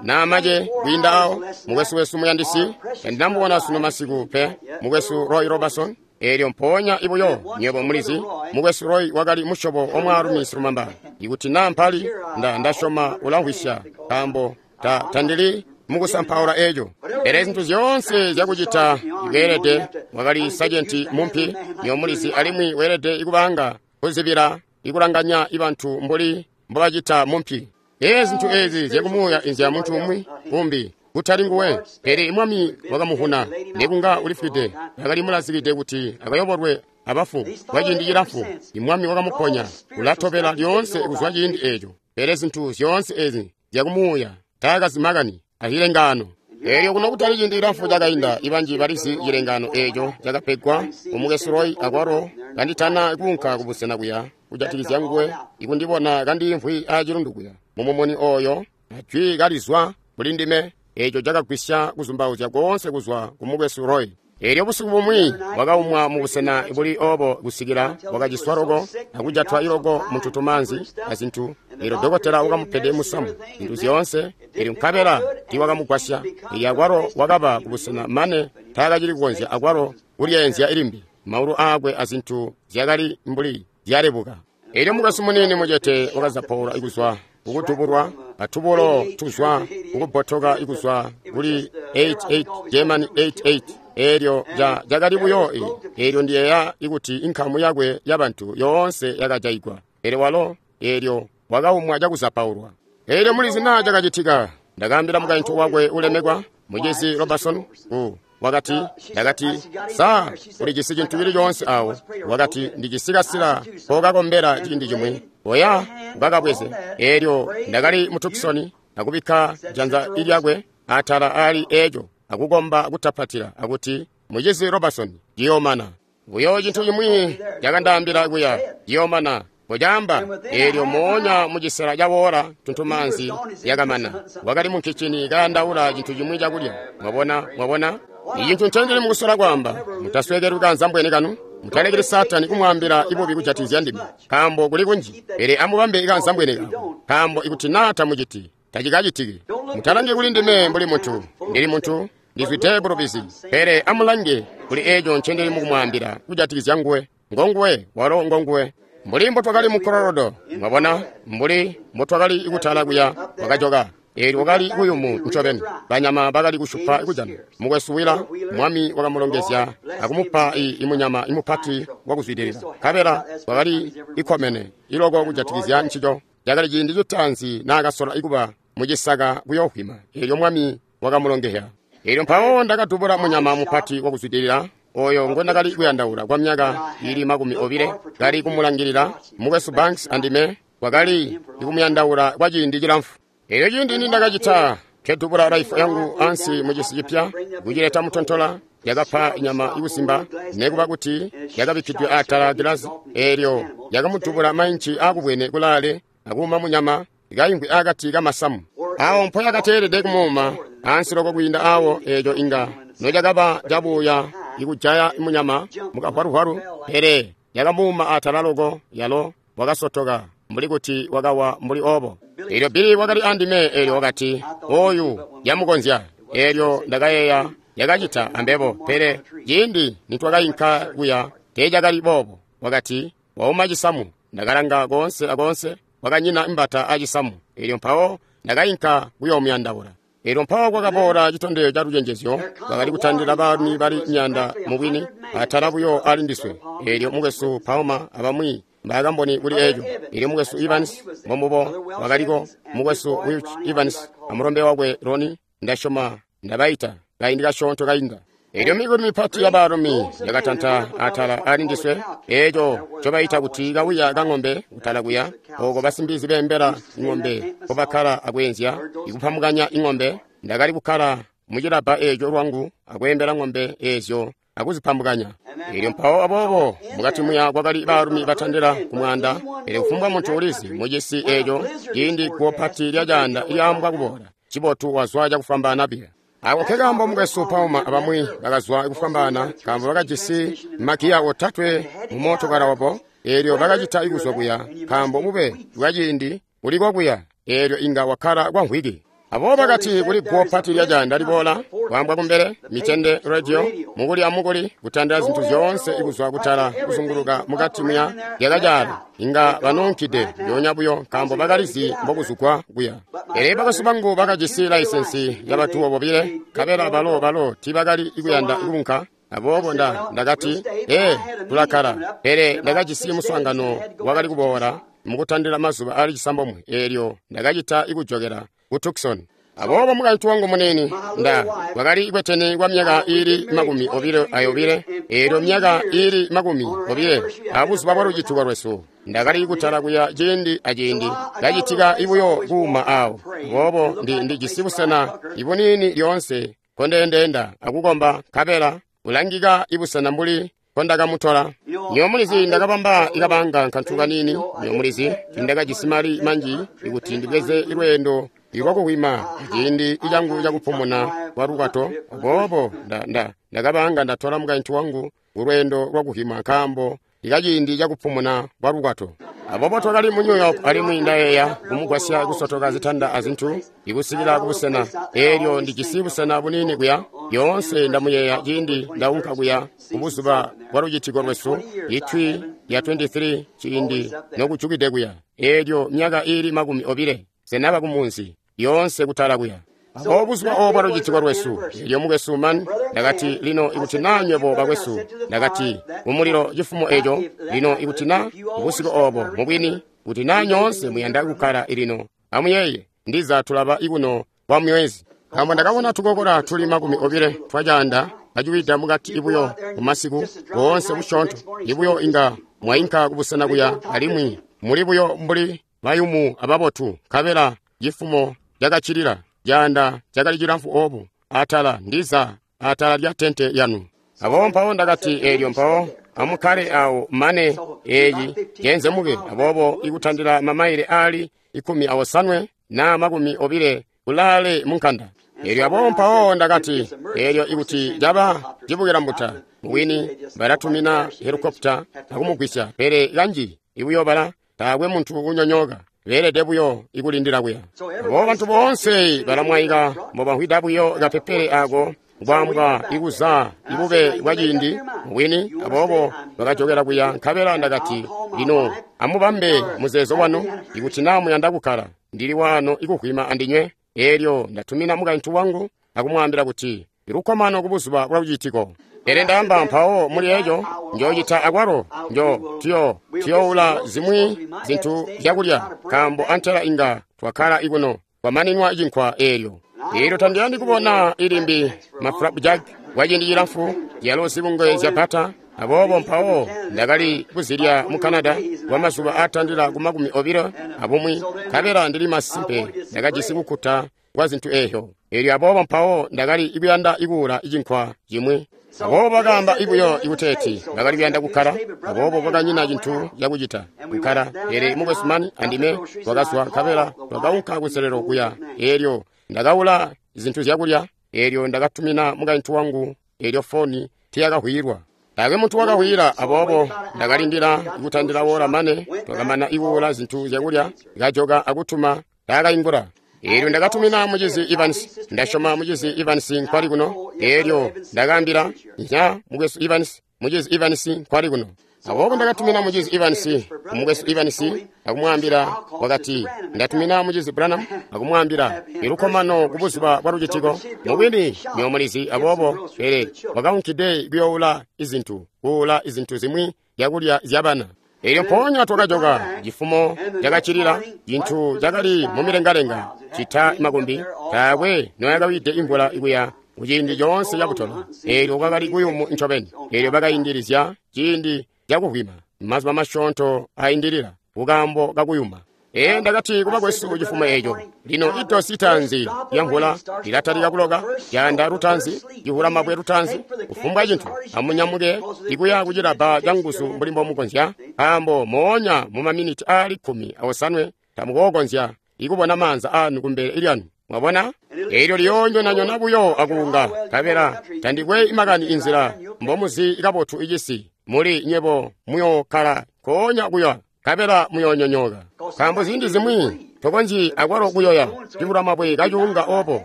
naamace kwiinda awo, mukwesu wesu muyandisi, tandinamubona sunu masiku pe, mukwesu Roy Robertson. Eelyo mpoonya ibuyo nywebo mulizi, mukwesu Roy wakali musyobo wa mwaalumi silumamba. Ikuti naa mpali, nda ndasyoma ulamvwisya, nkaambo ta tandili mukusampaula eeco. Pele zintu zyoonse zyakucita weelede, wakali sajenti mumpi, nywebo mulizi, alimwi weelede ikubanga kuzibila ikulanganya ibantu mbuli mbobacita mumpi. Ee, zintu ezi zyakumuuya inzya muntu umwi umbi kutali nguwe. Pele Mwami wakamuhuna nekunga ulifwide, akali mulazikide kuti akayobolwe abafu kwa ciindi cilamfu. Imwami wakamuponya, ulatobela lyoonse kuzwa ciindi eeco. Pele zintu zyoonse ezi zyakumuuya taakazimakani acilengaano. Eelyo kuno kutali ciindi cilamfu cakainda, ibanji balizi cilengaano eeco cakapegwa umukwesu Roy akwalo kanditana kuunka kubusena kuya kujatikizya nguwe, ikundibona kandiimvwi aacilundu kuya mumumuni oyo, ajwi kalizwa kuli ndime. Eeco cakagwisya kuzumbauzya koonse kuzwa ku mukwesu Roy. Eelyo busiku bumwi wakaumwa mubusena buli obo kusikila wakaciswa loko akujatwa iloko muntutumaanzi azintu. Eelyo dokotela wakamupede musamu zintu zyoonse, eelyo nkabela tiiwakamugwasya. Eelyo akwalo wakaba kubusena mane taakacili kukonzya akwalo kulyeenzya ilimbi. Maulu aakwe azintu zyakali mbuli zyalebuka. Eelyo mukwesu muniini mucete wakazapaula ikuzwa kukutubulwa atubulo tuzwa kukubbotoka ikuzwa kuli eighty-eight German eighty-eight. Eelyo cakali buyo eelyo ndiyeeya ikuti inkamu yakwe yabantu yoonse yakajayigwa. Pele walo eelyo wakaumwa cakuzapaulwa. Eelyo mulizi naa cakacitika. Ndakaambila mukaintu wakwe ulemekwa, mucizi Robertson, ku wakati, ndakati, sa ulijisi cintu cili coonse awo? Wakati, ndijisi kasila kokakombela ciindi cimwi. Oya ukakabweze. Eelyo ndakali mu Tucson akubikka janza lyakwe atala ali eeco akukomba kutapatila akuti, mucizi Robertson, ciyoomana. Buyo cintu cimwi cakandaambila kuya, ciyoomana. Kocaamba. Eelyo moonya mucisela cawoola tuntumaanzi yakamana. Wakali mu kicini kayandaula cintu cimwi cakulya. Mwabona, mwabona? Icintu ncendili mukusola kwaamba, mutasweekelwi kanzambwene kanu. Mutalekeli Saatani kumwaambila ibubi kujatikizya ndime, nkaambo kuli kunji. Pele amubambe kanzambwene kako, nkaambo ikuti naa tamuciti, tacikacitiki. Mutalangi kuli ndime mbuli muntu, ndili muntu, ndizwide bulubizi. Pele amulange kuli eeco ncendili mukumwaambila kujatikizya nguwe. Ngonguwe, walo ngonguwe. Mbuli mbotwakali mu Colorado, mwabona, mbuli mbotwakali kutala kuya, wakajoka. Eelyo wakali kuyumu ncobeni. Banyama bakali kushupa kujana. Mukwesu Wila, Mwami wakamulongezya akumupa imunyama imupati wakuzwidilila. Nkabela wakali ikomene iloko kujatikizya ncico. Cakali ciindi citaanzi naakasola ikuba mucisaka kuyoohwima. Eelyo Mwami wakamulongezya. Eelyo mpawo ndakadubula munyama mupati wakuzwidilila oyo ngondakali kuyandaula kwa myaka ili makumi obile, kali kumulangilila. Mukwesu Banks andime wakali ikumuyandaula kwa ciindi cilamfu. Eelyo ciindi nindakacita, nkedubula raifu yangu ansi mucisi cipya, kucileta mutontola, yakapa nyama ikusimba nekuba kuti yakabikkidwe atala gilazi eelyo yakamudubula mainci aakubwene kulaale akuuma munyama ikayingwi akati kamasamu awo mpo yakateelede kumuuma ansi loko kwiinda awo eeco inga nocakaba cabuya ikujaya munyama mukahwaluhwalu pele yakamuuma atala loko yalo wakasotoka mbuli kuti wakawa mbuli obo. Eelyo Bili wakali andime eelyo wakati oyu yamukonzya. Eelyo ndakayeeya yakacita ambebo, pele ciindi nitwakayinka kuya teecakali boobo. Wakati wauma cisamu. Ndakalanga koonse akoonse kwakanyina imbata acisamu. Eelyo mpawo ndakayinka kuyoomuyandaula. Eelyo mpawo kwakaboola citondezyo ca lucenjezyo bakali kutandila baalumi bali myaanda mubwini atala buyo ali ndiswe. Eelyo mukwesu Palmer abamwi mbaakamboni kuli eeco. Eelyo mukwesu Evans mbombubo wakaliko, mukwesu Welch Evans amulombe wakwe Roni, ndasyoma ndabaita kaindi kasyoonto kainda. Eelyo mikuli mipati ya baalumi yakatanta atala ali ndiswe, eeco ncobaita kuti kawiya ka ng'ombe kutala kuya, ooko basimbizi beembela ng'ombe mpobakkala akweenzya, ikupamukanya ing'ombe. Ndakali kukkala mucilabba eeco lwangu akweembela ng'ombe eezyo akuzipambukanya. Eelyo mpawo aboobo mukati muya kwakali baalumi batandila ku mwaanda. Pele kufumbwa muntu ulizi mucisi eeco ciindi guwo pati lya caanda lyaambwa kuboola, cibotu wazwa cakufwambaana biya. Ako nkekaambo mukwesu Palmer abamwi bakazwa kufwambaana, nkaambo bakajisi magiya otatwe mu mootokala wabo. Eelyo bakacita ikuzwa kuya, nkaambo bube bwaciindi buliko kuya, eelyo inga wakkala kwa mvwiki. Aboobo bakati kuli guwo pati lya caanda liboola, kwaambwa kumbele, mitende radio, mukuli amukuli, kutandila zintu zyoonse ikuzwa kutala kuzunguluka mukati muya lyakacaala. Inga banunkide lyoonya buyo nkaambo bakalizi mbokuzugwa kuya. Pele bakwesu bangu bakajisi laisensi yabatuwo bobile, nkabela balo balo tiibakali kuyanda kuunka. Aboobo nda ndakati, ee, tulakkala. Pele ndakajisi muswaangano wakali kuboola mukutandila mazuba aali cisambomwe, eelyo ndakacita ikujokela ku Tucson. Aboobo mukaintu wangu muniini nda wakali kwetene kwa myaka iili makumi obile ayobile, eelyo myaka iili makumi obile abuzuba bwa lucituko lwesu ndakali kutala kuya ciindi aciindi kacitika ibuyo kuuma awo. Aboobo ndi ndijisi busena ibuniini lyoonse kondeendeenda akukomba, nkabela ulangika ibusena mbuli kondakamutola. Nyomulizi ndakabamba ikabanga nkantu kaniini. Nyomulizi ndakajisi mali manji ikuti ndibweze lweendo lwakuhwima ciindi cangu cakupumuna kwa lukwato. Aboobo nda ndakabanga ndatola mukaintu wangu kulweendo lwakuhwima nkaambo likaciindi cakupumuna kwa lukwato. Aboobo twakali mu New York alimwi ndayeeya kumugwasya kusotoka zitanda azintu ikusikila kubusena. Eelyo ndijisi busena buniini kuya lyoonse ndamuyeeya ciindi ndaunka kuya kubuzuba bwa lucitiko lwesu itwi ya twenty-three ciindi nokujukide kuya. Eelyo myaka iili makumi obile senaba kumunzi lyoonse kutala kuya. Aboobo buzuba oobo bwa lucitiko lwesu, eelyo mukwesu man ndakati, lino ikuti naa nywebo bakwesu, ndakati kumulilo cifumo eeco, lino ikuti naa busiku oobo mubwini, kuti naa nyoonse muyanda kukkala lino, amuyeeye ndiza tulaba ikuno kwa mwezi. Nkaambo ndakabona tukokola tuli makumi obile twacaanda kaciwida mukati ibuyo mumasiku boonse busyoonto ibuyo inga mwainka kubusena kuya alimwi muli buyo mbuli bayumu ababotu, nkabela cifumo cakacilila caanda cakali cilamfu oobu atala ndiza atala lya tente yanu. Aboobo mpawo ndakati, eelyo mpawo amukkale awo mane eeci cenzemuke. Aboobo ikutandila mamaile aali ikumi awosanwe naa makumi obile kulaale munkanda. Eelyo aboobo mpawo ndakati, eelyo ikuti caba cibukila mbuta mubwini balatumina helikopita akumugwisya, pele kanji ibuyo bala taakwe muntu kunyonyooka, beelede buyo ikulindila kuya. Aboobo bantu boonse balamwaika mbobamvwida buyo kapepele ako kwaambwa ikuza ibube bwa ciindi mubwini. Aboobo bakajokela kuya, nkabela ndakati, lino amubambe muzeezo wanu ikuti naa muyanda kukkala, ndili waano ikuhwima andinywe. Eelyo ndatumina mukaintu wangu akumwaambila kuti lukkomano kubuzuba bwa lucitiko. Pele ndaamba mpawo muli eeco njoocita akwalo njo tuyo tuyoula zimwi zintu zyakulya, nkaambo antela inga twakkala ikuno kwamaninwa cinkwa eelyo. Eelyo tandiyandi kubona ilimbi maflapjack kwa ciindi cilamfu yalo zibungwe zya bata. Aboobo mpawo ndakali kuzilya mu Canada kwa mazuba aatandila ku makumi obilo abumwi, nkabela ndili masimpe ndakajisi kukkuta kwa zintu eezyo. Eelyo aboobo mpawo ndakali kuyanda ikuula cinkwa cimwi. Aboobo bakaamba ibuyo ikuteeti bakali kuyanda kukkala, aboobo kwakanyina cintu cakucita kukkala. Pele mukwesu Mani andime twakazwa nkabela twakaunka kunselelo kuya. Eelyo ndakaula zintu zyakulya, eelyo ndakatumina mukaintu wangu, eelyo foni tiyakahwilwa. Taakwe muntu wakahwila, aboobo ndakalindila kutandila wola mane twakamana ikuula zintu zyakulya, kajoka akutuma taakaingula. Eelyo ndakatumina mucizi Evans, ndasyoma mucizi Evans nkwali kuno. Eelyo ndakaambila nya mukwesu Evans, mucizi Evans nkwali kuno. Aboobo ndakatumina mucizi Evans, mukwesu Evans akumwaambila, wakati ndatumina mucizi Branham akumwaambila ilukkomano kubuzuba bwa lucitiko. Mubwini nyomulizi, aboobo pele wakaunkide kuyoula izintu, kuula izintu zimwi zyakulya zyabana. Eelyo mpoonya twakajoka cifumo cakacilila, cintu cakali mumilengalenga cita makumbi, taakwe noyakawide imvula ikuya kuciindi coonse cakutola. Eelyo kwakali kuyumu ncobeni. Eelyo bakaindilizya ciindi cakuvwima mazuba masyoonto aindilila kukaambo kakuyuma. Ee ndakati kubakwesu cifumo eeco, lino idosi itaanzi lyamvula lilatalika kuloka, caanda lutaanzi, civulamabwe lutaanzi, kufumbwa cintu, amunyamuke ikuya kucilabba canguzu mbuli mbomukonzya, nkaambo moonya mumaminiti aali kkumi aosanwe tamukookonzya ikubona maanza aanu kumbele lyanu. Mwabona? Eelyo liyoonyonanyona buyo akuunga, nkabela tandikwe makani inzila mbomuzi kabotu icisi, muli nywebo muyookkala nkoonya kuya, nkabela muyoonyonyooka. Nkaambo ziindi zimwi tokonzyi akwalo kuyoya civulamabwe kacuunga obo,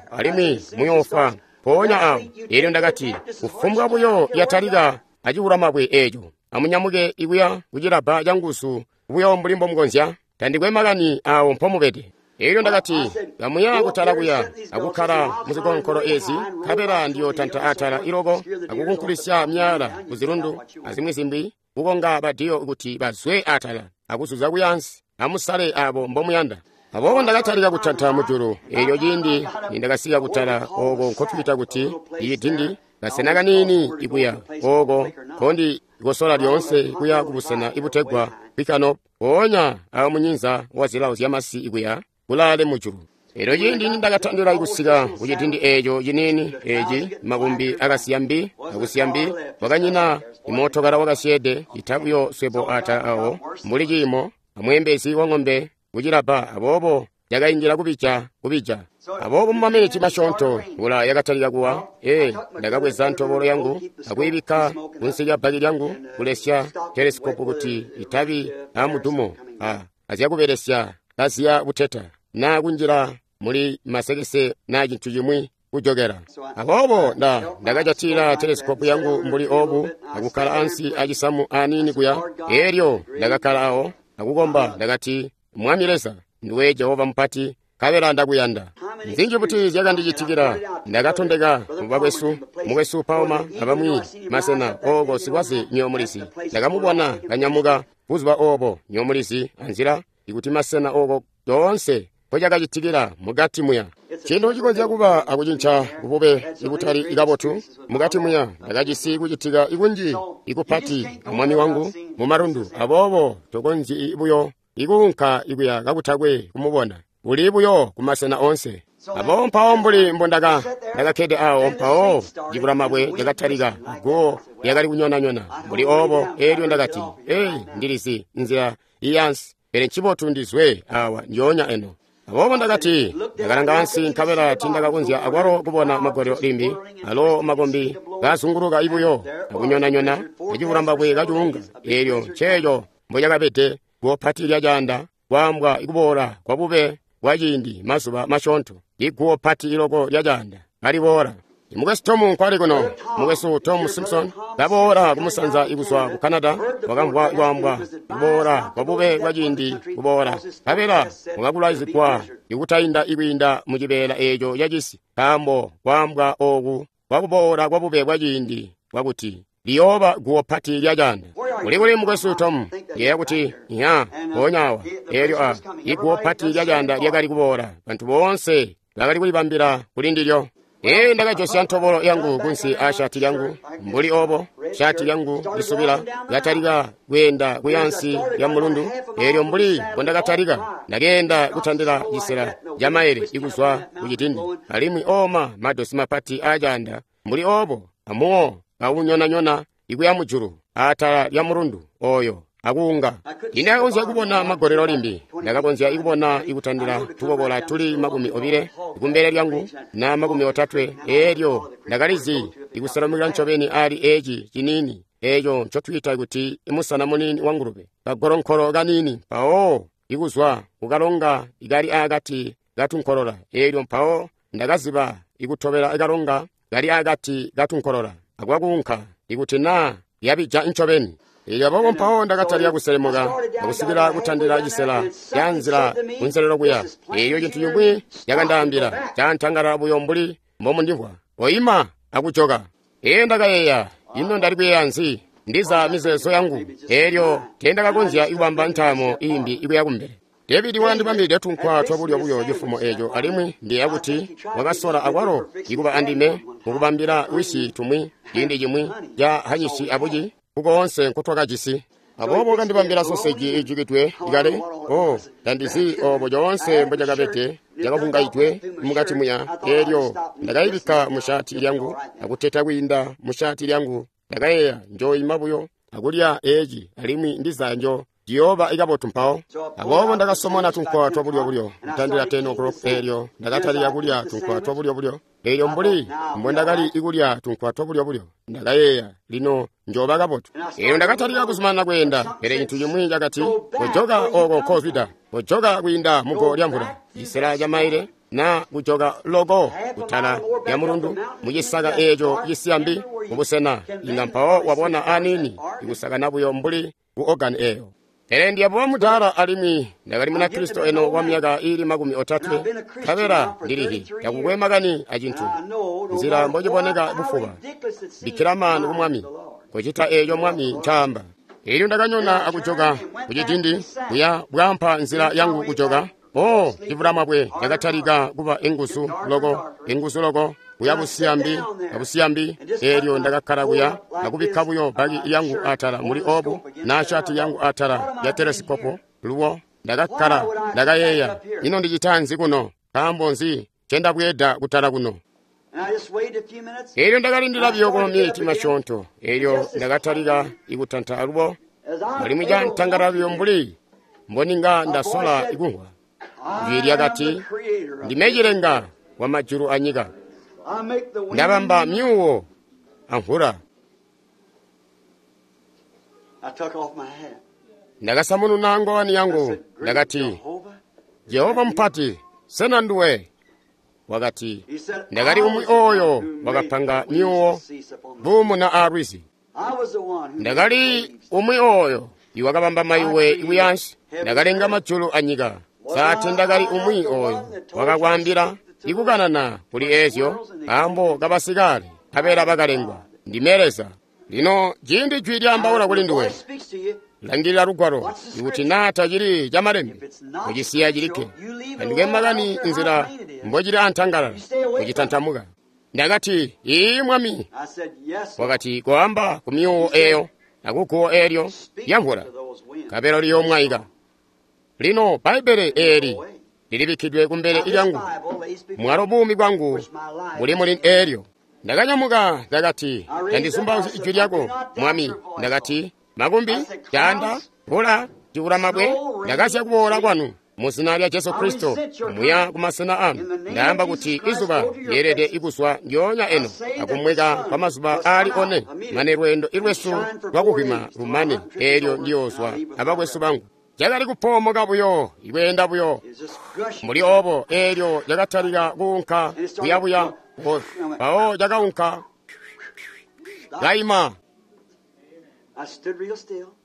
alimwi muyoofwa mpoonya awo. Eelyo ndakati, kufumbwa buyo yatalika acivulamabwe eeco, amunyamuke ikuya kucilabba canguzu buyo mbuli mbomukonzya, tandikwe makani awo mpomubede. Eelyo ndakati, kamuya kutala kuya akukkala muzikonkolo ezi, nkabela ndiyotanta atala iloko akukunkulisya myaala kuzilundu azimwi zimbi, kukonga badiyo kuti bazwe atala akuzuza kuyansi, amusale abo mbomuyanda. Aboobo ndakatalika kutanta mujulu. Eelyo ciindi nindakasika kutala ooko nkotwiita kuti icidindi, kasena kaniini ikuya ooko nkondikosola lyoonse kuya kubusena ibutegwa Kwikano, mpoonya awo munyinza wa zilawo zyamasi ikuya kulaale mujulu. Eelyo ciindi nindakatandila kusika kucidindi eeco ciniini eeci, makumbi akasiya mbi akusiya mbi, kwakanyina imootokala wakasyeede cita buyo swebo atala awo mbuli ciimo amweembezi wa ng'ombe kucilabba. Aboobo cakaindila kubija kubija. Aboobo mumaminiti masyoonto mvula yakatalika kuwa. Ee ndakabweza ntobolo yangu akuyibikka kunsi lya bbaki lyangu kulesya telesikopu kuti itabi amudumo a azyakubelesya kaziya buteta naa kunjila muli masekese naa cintu cimwi kujokela. Aboobo nda ndakajatila telesikopu yangu mbuli obu akukkala ansi acisamu aniini kuya. Eelyo ndakakkala awo akukomba, ndakati, Mwami Leza, nduwe Jehova mupati, nkabela ndakuyanda. Nzinji buti zyakandicitikila. Ndakatondeka mubakwesu, mukwesu Palma abamwi masena ooko sikwaze nyomulizi. Ndakamubona kanyamuka buzuba obo nyomulizi anzila ikuti masena ooko yoonse mpocakacitikila mukati muya. Cintu cikonzya kuba akucinca kubube ibutali kabotu mukati muya. Ndakajisi kucitika ikunji ikupati amwami wangu mumalundu, aboobo tokonzyi buyo ikuunka ikuya kakutakwe kumubona. Uli buyo kumasena onse. Aboobo mpawo mbuli mbondaka ndakakkede awo, mpawo civulamabwe cakatalika, guwo lyakali kunyonanyona mbuli obo. Eelyo ndakati, ei, ndilizi nzila iyansi, pele ncibotu ndizwe awa ndyoonya eno. Aboobo ndakati, ndakalanga ansi nkabela tindakakonzya akwalo kubona magolelo limbi, alo makombi kazunguluka ibuyo akunyonanyona acivulamabwe kacuunga. Eelyo nceeco mbocakabede guwo pati lyacaanda, kwaambwa ikuboola kwa bube bwa ciindi mazuba masyoonto, iguwo pati iloko lyacaanda kaliboola. Mukwesu Tom nkwali kuno, mukwesu Tom Simpson kaboola kumusanza ikuzwa ku Canada, wakamvwa kwaambwa kuboola kwa bube bwa ciindi kuboola, nkabela wakakulwaizigwa ikutainda ikwiinda mu cibeela eeco cacisi, nkaambo kwaambwa ooku kwa kuboola kwa bube bwa ciindi bwakuti liyooba guwo pati lyacaanda. Uli kuli mukwesu Tom? Yeeya kuti nya mpoonya awa. Eelyo a iguwo pati lyacaanda lyakali kuboola, bantu boonse bakali kulibambila kuli ndilyo. Ee ndakajosya ntobolo yangu kunsi a shati lyangu mbuli obo, shati lyangu lisubila lyatalika kweenda kuyansi lya mulundu. Eelyo mbuli mbondakatalika ndakeenda kutandila cisela ca maele ikuzwa ku cidindi, alimwi oma madosi mapati aacaanda mbuli obo amuwo kaunyonanyona ikuya mujulu atala lya mulundu oyo akuunga. Ndakakonzya kubona magolelo limbi. Ndakakonzya kubona ikutandila tukokola tuli makumi obile kumbele lyangu na makumi otatwe. Eelyo ndakalizi ikuselamukila ncobeni ali eci ciniini eco ncotwiita kuti musana muniini wa ngulube, kagolonkolo kaniini, mpawo ikuzwa kukalonga ikali akati katunkolola. Eelyo mpawo ndakaziba ikutobela kalonga kali akati katunkolola akwakuunka ikuti naa yabija ncobeni. Eelyo aboobo mpawo ndakatalika kuselemuka akusikila kutandila cisela ca nzila kunselelo kuya. Eelyo cintu cimwi cakandaambila cantangala buyo mbuli mbomundimvwa, "Oima akujoka." Ee ndakayeeya, ino ndali kuyeeya nzi? Ndiza mizeezo yangu. Eelyo teendakakonzya kubamba ntaamo iimbi ikuya kumbele. David wakandibambilide tunkwa twabulyo buyo cifumo eeco, alimwi ndiyeeya kuti wakasola akwalo ikuba andime mukubambila wisi tumwi ciindi cimwi ca hanyisi abuci kukoonse nkotwakajisi. Aboobo wakandibambila soseji ijikidwe ikale. O tandizi obo coonse mbocakabede, cakavungaidwe mukati muya. Eelyo ndakayibikka mushati lyangu akuteta kwiinda mushati lyangu. Ndakayeeya, njoyima buyo akulya eci, alimwi ndiza njo ciyooba ikabotu mpawo. Aboobo ndakasomona tunkwa twabulyo-bulyo kutandila ten o'clock. Eelyo ndakatalika kulya tunkwa twabulyo-bulyo. Eelyo mbuli mbondakali ikulya tunkwa twabulyo-bulyo, ndakayeeya, lino njoba kabotu. Eelyo ndakatalika kuzumanana kweenda, pele cintu cimwi cakati, "Kojoka oko kozwida, kojoka kwiinda mugo lya mvula, cisela ca maile, na kujoka loko kutala lya mulundu mucisaka eeco cisiyambi mubusena inga mpawo wabona aniini ikusakana buyo mbuli ku ogani eyo." Pele ndiyabuba mudaala, alimwi ndakali Munakristo eno wa myaka iili makumi otatwe, nkabela ndilihi takukwe makani acintu nzila mbociboneka bufuba. Bikkila maanu ku Mwami, kucita eeco Mwami ncaamba. Eelyo ndakanyona akujoka kucidindi kuya bwaampa nzila yangu kujoka. O civulamabwe cakatalika kuba enguzu loko, enguzu loko, kuya busiyambi abusiyambi. Eelyo ndakakkala kuya akubikka buyo baki yangu atala muli obu na shati yangu atala ya telesikopo luwo. Ndakakkala, ndakayeeya, ino ndicita nzi kuno? Nkaambo nzi ncendabweeda kutala kuno? Eelyo ndakalindila buyo kwa maminiti masyoonto. Eelyo ndakatalika ikutanta alubo, alimwi cantangala buyo mbuli mboninga ndasola ikumvwa jwi lyakati, "Ndime cilenga wa majulu anyika, ndabamba myuwo amvula." Ndakasamununa ngowani yangu, ndakati, "Jehova mupati, sena nduwe?" Wakati, "Ndakali umwi oyo wakapanga myuwo buumuna aalwizi. Ndakali umwi oyo iwakabamba mayuwe ikuyansi. Ndakalenga majulu anyika. Saati ndakali umwi oyo wakakwaambila ikukanana kuli eezyo nkaambo kabasikale nkabela bakalengwa. Ndime Leza." Lino ciindi jwi lyaambaula kuli nduwe, langilila lugwalo. Ikuti naa tacili camalembe, kucisiya cilikke. Tandikwe makani nzila mbocili antangalala, kucitantamuka. Ndakati, "Ii Mwami." Wakati, "Koamba ku myuwo eyo akuguwo eelyo lyamvula, nkabela liyoomwaika." Lino Bbaibbele eeli lilibikkidwe kumbele lyangu, mwalo buumi bwangu buli muli eelyo. Ndakanyamuka, ndakati, "Tandizumbauzyi ijwi lyako, Mwami." Ndakati, "Makumbi, caanda, mvula, civulamabwe, ndakazya kuboola kwanu mu zina lya Jesu Kristo muya kumasena anu. Ndaamba kuti izuba lyeelede ikuzwa ndyoonya eno akumweka kwa mazuba aali one, mane lweendo ilwesu lwakuhwima lumane. Eelyo ndiyoozwa abakwesu bangu." Cakali kupoomoka buyo, ikweenda buyo mbuli obo. Eelyo cakatalika kuunka kuyabuya, mpawo cakaunka kaima.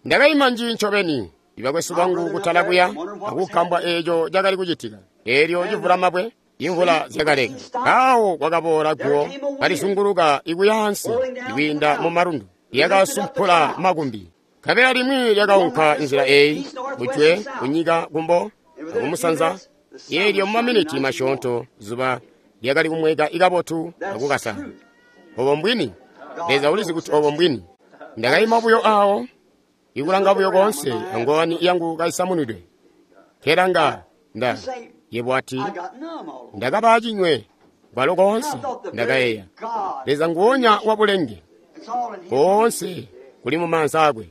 Ndakaima nji ncobeni, ibakwesu bangu kutala kuya akukambwa eeco cakali kucitika. Eelyo civulamabwe, imvula zyakaleka. Mpawo kwakaboola guwo kalizunguluka ikuya ansi ikwiinda mu malundu, lyakasumpula makumbi. Nkabela limwi lyakaunka nzila eeyi, kujwe, kunyika, kumbo, akumusanza. Eelyo mumaminiti masyoonto zuba lyakali kumweka ikabotu akukasana. Obo mbwini. Leza ulizi kuti obo mbwini. Ndakaima buyo awo, ikulanga buyo koonse, angowani yangu kaisamunwidwe. Kelanga nda yebo ati, ndakaba acinywe kwalo koonse. Ndakayeeya, Leza nguwonya wa bulenge Koonse kuli mu maanza akwe.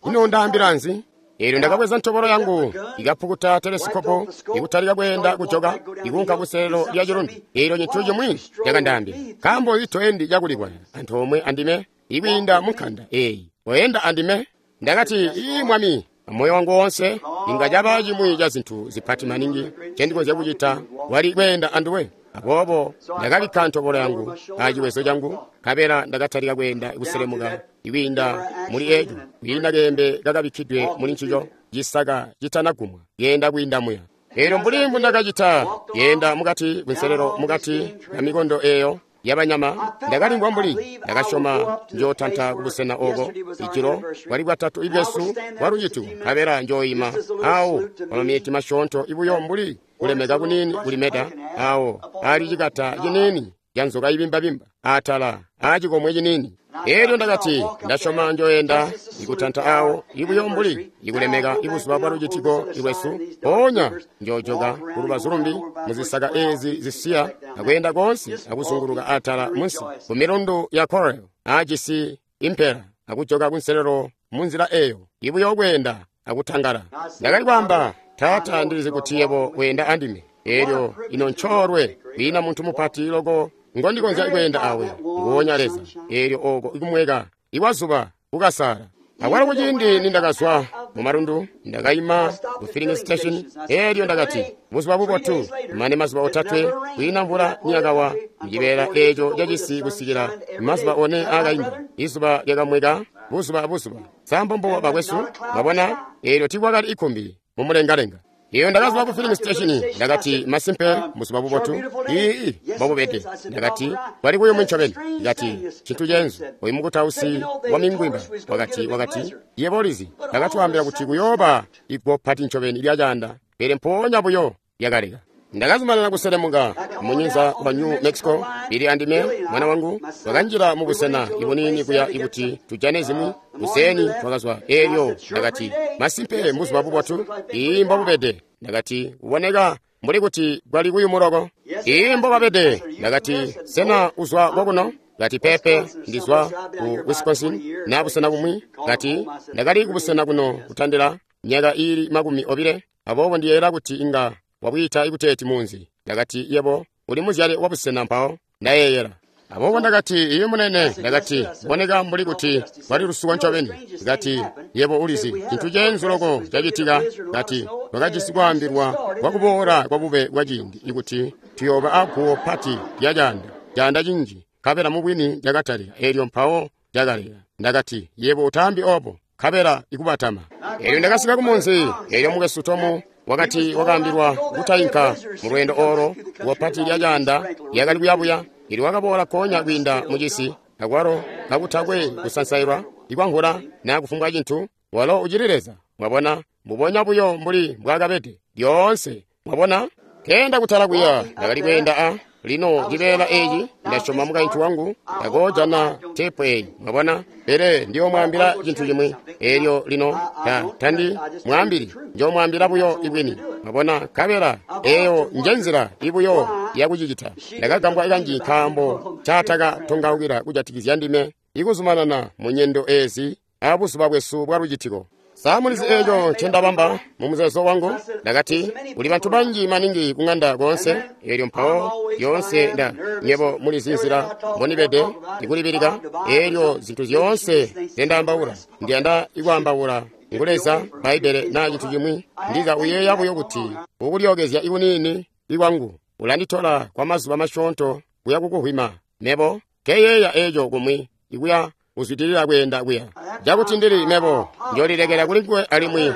Ino ndaambila nzi? Eelyo ndakabweza ntobolo yangu ikapukuta telesikopo ikutalika kweenda kujoka ikuunka kuselelo lya cilundu. Eelyo cintu cimwi cakandaambila, nkaambo itoendi cakulikwaya antoomwe andime ikwiinda munkanda eeyi, oyenda andime. Ndakati, ii Mwami, amoyo wangu wonse inga caba cimwi ca zintu zipati maningi ncendikonzya kucita wali kweenda anduwe. Aboobo ndakabikka ntobolo yangu aciwezo changu, nkabela ndakatalika kweenda kuselemuka ikwiinda muli eco, kwiina keembe kakabikkidwe muli ncico, cisaka citanagumwa, kuyenda kwiinda muya. Eelyo mbuli mbundakacita kuyenda mukati kunselelo mukati kamikondo eeyo yabanyama, ndakalimvwa mbuli ndakasyoma njootanta kubusena oko. Ijilo bwali bwatatu ibwesu bwalucitiko, nkabela njooima awo pamameti masyoonto ibuyo mbuli kulemeka kuniini kulimeda awo ali cikata ciniini ca nzoka ibimbabimba atala acikomwe ciniini. Eelyo ndakati, ndasyoma njoyenda ikutanta awo ibuyo mbuli ikulemeka ibuzuba bwa lucitiko lwesu, mpoonya njoojoka kulubazu lumbi muzisaka eezi zisiya akweenda koonse akuzunguluka atala munsi ku milundu ya Corel aajisi impela akujoka kunselelo munzila eyo ibuyo kweenda akutangala. Ndakali kwaamba, Taata, ndilizi kuti yebo wenda andime. Eelyo ino ncoolwe kwiina muntu mupati loko ngondikonzya kweenda awe, nguwonya Leza. Eelyo oko ikumweka ikwazuba kukasala. Akwalo kuciindi nindakazwa mumalundu, ndakayima ku filling station. Eelyo ndakati, buzuba bubotu, mane mazuba otatwe kwiina mvula niyakawa mucibeela eeco cacisi kusikila mazuba one aakainda. Izuba lyakamweka buzuba abuzuba. Sambombo bakwesu, mwabona, eelyo tiikwakali ikumbi mumulengalenga. Iyo ndakazwa ku filling station, ndakati, masimpe buzuba bubotu, ii mbobubede. Ndakati, kwali kuyumu ncobeni. Ndakati, cintu ceenzu, oyu mukutausi wa mingwimba wakati, wakati, yebo ulizi, ndakatwaambila kuti kuyooba iguwo pati ncobeni lya caanda, pele mpoonya buyo lyakaleka. Ndakazumanana kuselemuka munyinza wa New Mexico, ili andime mwana wangu twakanjila mubusena ibuniini kuya ikuti tujane zimwi. Kuseeni twakazwa. Eelyo ndakati, masimpe mbuzuba bubotu, ii mbobubede. Ndakati, kuboneka mbuli kuti kwali kuyumu loko. Ii mbobabede. Ndakati, sena uzwa kokuno? Kati, pepe, ndizwa ku Wisconsin na busena bumwi. Kati, ndakali kubusena kuno kutandila myaka iili makumi obile, aboobo ndiyeeyela kuti inga wabwiita ikuteeti munzi. Ndakati, yebo uli muzyale wa busena mpawo, ndayeeyela. Aboobo ndakati, iye munene. Ndakati, boneka mbuli kuti kwali lusuko ncobeni. Ndakati, yebo ulizi, cintu ceenzu loko cacitika. Ndakati, twakajisi kwaambilwa kwakuboola kwa bube bwa ciindi ikuti tuyooba aguwo pati lya caanda, caanda cinji, nkabela mubwini cakatalika. Eelyo mpawo cakaleka. Ndakati, yebo utaambi obo, nkabela ikubatama. Eelyo ndakasika kumunzi. Eelyo mukwesu Tomu wakati wakaambilwa kutayinka mu lweendo olo guwo pati lya caanda lyakali kuyabuya. Ili wakaboola konya kwiinda mucisi, akwalo kakutakwe kusansailwa ikwankhula naa kufumbwa cintu. Walo ucili Leza, mwabona, mbubonya buyo mbuli mbwaakabede lyoonse, mwabona. Keenda kutala kuya, ndakali kweenda a lino cibeela eeci, ndasyoma mukaintu wangu takoojana teepu eeyi, mwabona, pele ndiyoomwaambila cintu cimwi. Eelyo lino ta tandi mwaambili, njoomwaambila buyo ibwini, mwabona, nkabela eeyo njenzila ibuyo yakucicita. Ndakagambwa kanji nkaambo caatakatongaukila kujatikizya ndime ikuzumanana mu nyendo eezi abuzuba bwesu bwa lucitiko. Samulizi eeco ncendabamba mu muzeezo wangu. Ndakati, kuli bantu banji maningi kung'anda koonse. Eelyo mpawo lyoonse nda nyebo mulizi nzila mbonibede ikulibilika. Eelyo zintu zyoonse nzendaambaula, ndiyanda ikwaambaula ngu Leza, Bbaibbele naa cintu cimwi. Ndiza uyeeya buyo kuti ukulyookezya ikuniini ikwangu ulanditola kwa mazuba masyoonto kuya kukuhwima. Mebo nkeyeeya eeco kumwi ikuya kuzwidilila kweenda kuya cakuti ndili mebo njoolilekela kuli nguwe, alimwi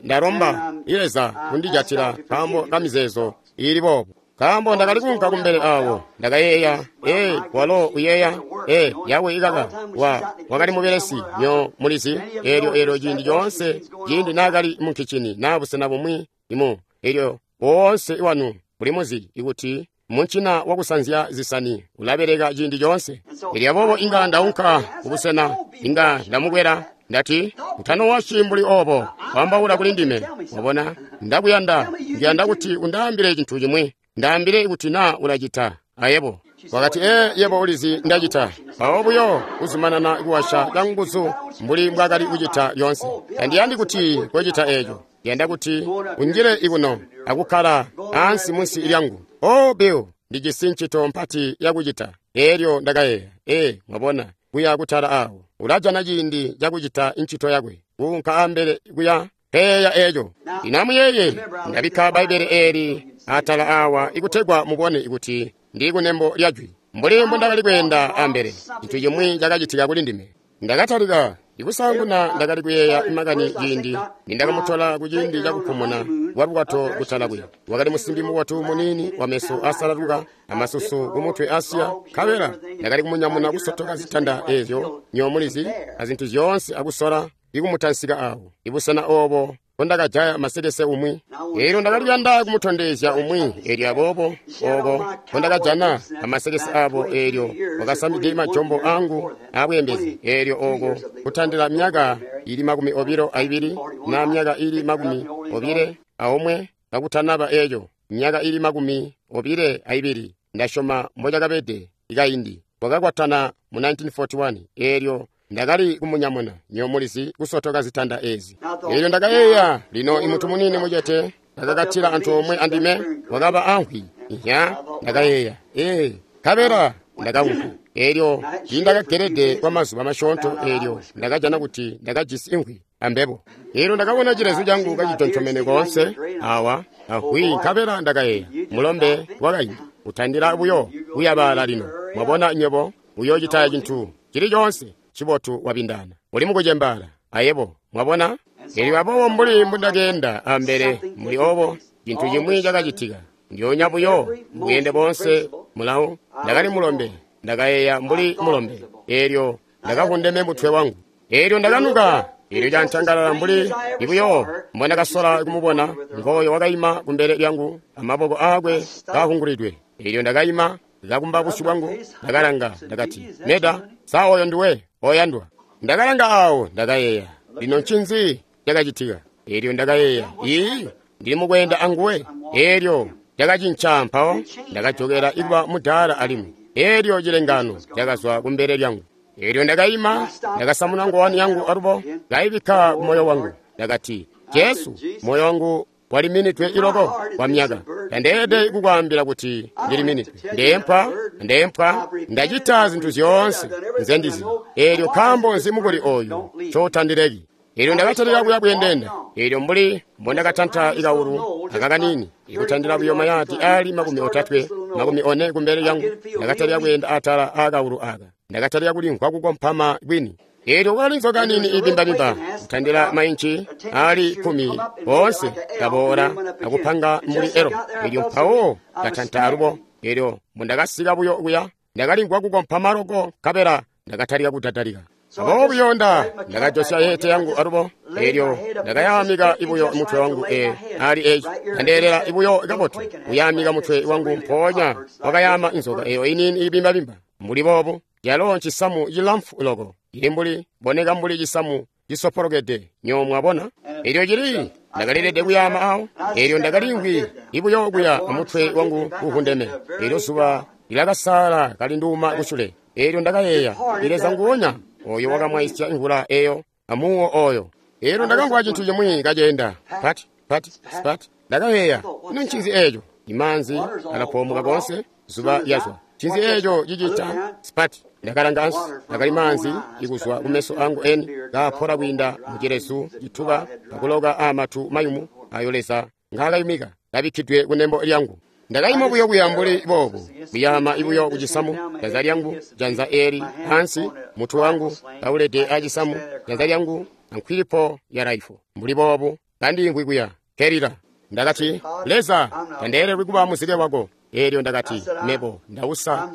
ndalomba Leza kundijatila nkaambo ka mizeezo iili boobo. Nkaambo ndakali kuunka kumbele awo, ndakayeeya, ee, walo uyeeya, ee, yawe ikaka, wa wakali mubelesi nyo mulizi. Eelyo eelyo ciindi coonse ciindi naakali munkicini naa busena bumwi imu, eelyo woonse wanu muli muzi ikuti muncina wakusanzya zisani ulabeleka ciindi coonse. Elyo aboobo inga ndaunka kubusena, inga ndamukwela, ndati, utanowashi mbuli obo, waambaula kuli ndime, wabona, ndakuyanda, ndiyanda kuti undaambile cintu cimwi, ndaambile kuti naa ulacita, ayebo. Wakati, ee, yebo ulizi ndacita. Mpawo buyo kuzumanana kuwasha canguzu mbuli mbwakali kucita lyoonse. Tandiyandi kuti kocita eco. Ndiyanda kuti unjile ikuno akukkala ansi munsi lyangu. Oh, Bill, ndijisi ncito mpati yakucita. Elyo ndakayeeya, ee, mwabona, kuya kutala awo. Ulajana ciindi cakucita ncito yakwe. Kuunka ambele kuya peya eco. Lino amuyeeye, ndabikka Bbaibbele eeli atala awa ikutegwa mubone kuti ndi kunembo lya jwi. Mbuli mbundakali kweenda ambele, cintu cimwi cakacitika kuli ndime. Ndakatalika ikusaanguna ndakali kuyeeya makani ciindi nindakamutola kuciindi cakupumuna kwa bwato kutala kuya. Wakali musimbi mubotu muniini wameso asalaluka amasusu kumutwe asiya. Nkabela ndakali kumunyamuna kusotoka zitanda eezyo nyomulizi azintu zyoonse akusola ikumutansika awo ibusena obo mbondakajaya masekese umwi. Eelyo ndakali kuyanda kumutondezya umwi, eelyo aboobo oko mbondakajana amasekese abo, eelyo wakasamide majombo angu abweembezi, eelyo oko kutandila myaka ili makumi obilo aibili na myaka ili makumi obile aomwe kakutanaba eeco, myaka ili makumi obile aibili ndasyoma mbocakabede ikaindi. Wakakwatana mu nineteen forty-one, eelyo ndakali kumunyamuna nyomulizi kusotoka zitanda ezi. Eelyo ndakayeeya, lino imuntu munini mucete kakakatila antoomwe andime wakaba anhwi. Ihya, ndakayeeya, ee, nkabela ndakaunka. Eelyo ndakagelede kwa mazuba masyoonto, eelyo ndakajana kuti ndakajisi inhwi ambebo. Eelyo ndakabona cilezu cangu kacitontomene koonse awa ahwi, nkabela ndakayeeya, mulombe wakaindi utandila buyo kuyabaala lino. Mwabona nywebo uyoocita cintu cili coonse cibotu wabindana. Uli mukucembaala ayebo, mwabona? Eelyo aboobo mbuli mbundakeenda ambele muli obo, cintu cimwi cakacitika. Ndyoonya buyo bweende boonse mulawo, ndakali mulombe, ndakayeeya mbuli mulombe. Eelyo ndakakundeme mutwe wangu. Eelyo ndakanuka. Eelyo cantangalala mbuli ibuyo mbondakasola kumubona, ngooyo wakaima kumbele lyangu amaboko aakwe kaahungulidwe. Eelyo ndakaima ndakumba busyu bwangu, ndakalanga, ndakati, Meda, sa oyo nduwe oyandwa? Ndakalanga awo, ndakayeeya, lino ncinzi cakacitika? Eelyo ndakayeeya, ii, ndili mukweenda anguwe. Eelyo cakacinca mpawo ndakajokera ikuba mudaala alimwi. Eelyo cilengano cakazwa kumbele lyangu. Eelyo ndakaima, ndakasamuna ngowani yangu alubo, kaibikka kumoyo wangu. Ndakati, Jesu, moyo wangu waliminidwe iloko kwa myaka. Tandeelede kukwaambila kuti ndiliminidwe. Ndeempwa, ndeempwa, ndacita zintu zyoonse nzendizi. Eelyo nkaambo nzi mukuli oyu ncotandileki? Eelyo ndakatalika kuya bweendenda. Eelyo mbuli mbondakatanta ikawulu akakanini, ikutandila buyo mayadi ali makumi otatwe, makumi one kumbele lyangu, ndakatalika kweenda atala aakawulu aka. Ndakatalika kulimvwa kukompama kwini. Eelyo kwakali nzoka nini ibimbabimba kutandila mainci ali kkumi boonse kaboola akupanga mbuli elo. Eelyo mpawo katanta alubo. Eelyo mbundakasika buyo kuya, ndakalimvwa kukompama loko, nkabela ndakatalika kudadalika. Aboobo buyo nda ndakajosya yete yangu alubo. Eelyo ndakayaamika ibuyo mutwe wangu e ali eci ndandeelela ibuyo kabotu kuyaamika mutwe wangu, mpoonya wakayaama inzoka eyo iniini ibimbabimba mbuli boobu. Yalo ncisamu cilamfu loko, ili mbuli boneka mbuli cisamu cisopolokede nyo mwabona. Eelyo cili ndakalilede kuyaama awo. Eelyo ndakalimvwi ibuyo kuya amutwe wangu kuhundeme. Eelyo zuba lilakasaala kalinduuma kusule. Eelyo ndakayeeya, Leza nguwonya oyo wakamwaisya imvula eyo amuwo oyo. Eelyo ndakamvwa cintu cimwi kaceenda pat pat spat. Ndakayeeya, ino ncinzi eeco? Imaanzi alapoomoka koonse, zuba lyazwa. Ncinzi eeco cicita spat? Ndakalanga ansi, akali maanzi ikuzwa kumeso angu eni kaapola kwiinda mucilezu cituba akuloka aamatu mayumu ayo Leza ngaakayumika kabikkidwe kunembo lyangu. Ndakaima buyo kuya mbuli boobu, kuyaama ibuyo kucisamu, janza lyangu, janza eeli ansi, mutwe wangu kaulede acisamu, janza lyangu ankwilipo ya raifu mbuli boobu, kandiimvwi kuya kelila. Ndakati, Leza, tandeelelwi kuba muzike wako. Eelyo ndakati, mebo ndausa,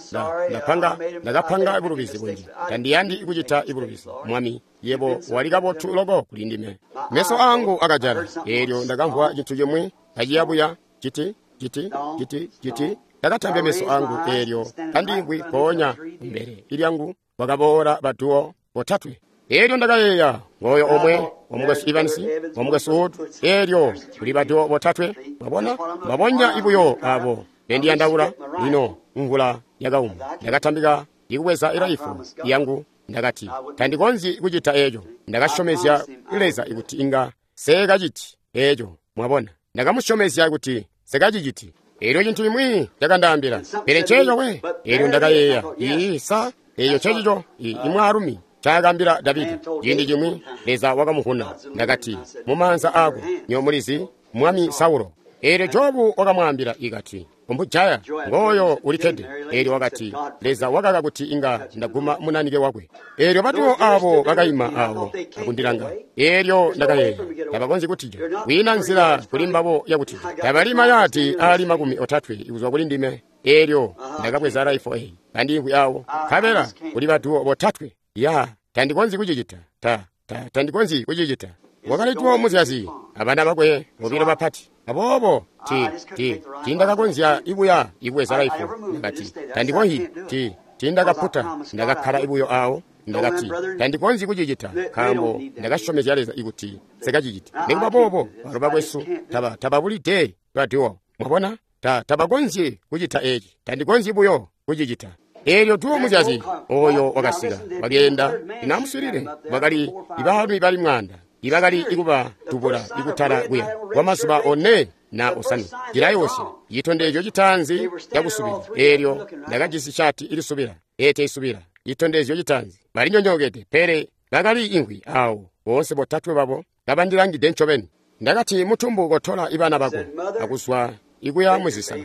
ndapanga, ndakapanga ibulubizi bunji. Tandiyandi kucita ibulubizi. Mwami, yebo wali kabotu loko kuli ndime. Meso angu akajala. Eelyo ndakamvwa cintu cimwi kaciyabuya citi citi citi citi. Ndakatambya meso angu, eelyo kandiimvwi mpoonya kumbele ilyangu wakaboola baduwo botatwe. Eelyo ndakayeeya, ngooyo omwe wamukwesu Evans, wamukwesu Wood, eelyo kuli baduwo botatwe. Mwabona, mwabonya ibuyo abo bendiyandaula lino mvula yakauma. Ndakatambika ikubweza iraifu yangu. Ndakati, tandikonzyi kucita eco. Ndakasyomezya Leza kuti inga sekaciti eco. Mwabona, ndakamusyomezya kuti sekaciciti. Elyo cintu cimwi cakandaambila, pele nceeco we. Elyo ndakayeeya, ii sa eco ncecico imwaalumi ncaakaambila Davida ciindi cimwi. Leza wakamuvuna. Ndakati, mumaanza aako nyo mulizi mwami Saulo. Eelyo Jobu wakamwaambila ikati, umbujaya ngooyo ulikkede. Eelyo wakati, Leza wakaka kuti inga ndaguma munanike wakwe. Eelyo batuwo abo bakaima awo akundilanga. Eelyo ndakayeeya, tabakonzyi kutija. Kwiina nzila kuli mbabo yakutija. Tabali mayaadi aali makumi otatwe kuzwa kuli ndime. Eelyo ndakabweza raifo eyi kandiimvwi awo, nkabela kuli batuwo botatwe. Ya, tandikonzyi kucicita. Ta, ta, tandikonzyi kucicita. Wakali tuwo muzyazi abana bakwe bobilo bapati. Aboobo ti ti tindakakonzya ibuya ibweza raifu. Ndakati tandikonzyi ti tindakaputa. Ndakakkala ibuyo awo. Ndakati tandikonzyi kucicita nkaambo ndakasyomezya Leza ikuti sekaciciti. Nikuba boobo balo bakwesu taba tababulide badiwo. Mwabona, ta tabakonzyi kucita eci. Tandikonzyi buyo kucicita. Eelyo tuwo muzyazi oyo wakasika wakeenda inamuswilile. Bakali ibaalumi bali mwaanda ibakali ikuba tubula ikutala kuya kwa mazuba one na osanwe. Cilayoosya citondezyo citaanzi cakusubila. Eelyo ndakajisi shati ilisubila ete isubila. Citondezyo citaanzi balinyonyookede, pele bakali ingwi awo boonse botatwe babo kabandilangide ncobeni. Ndakati, mutumbu, kotola ibana bako akuzwa ikuya muzisaka.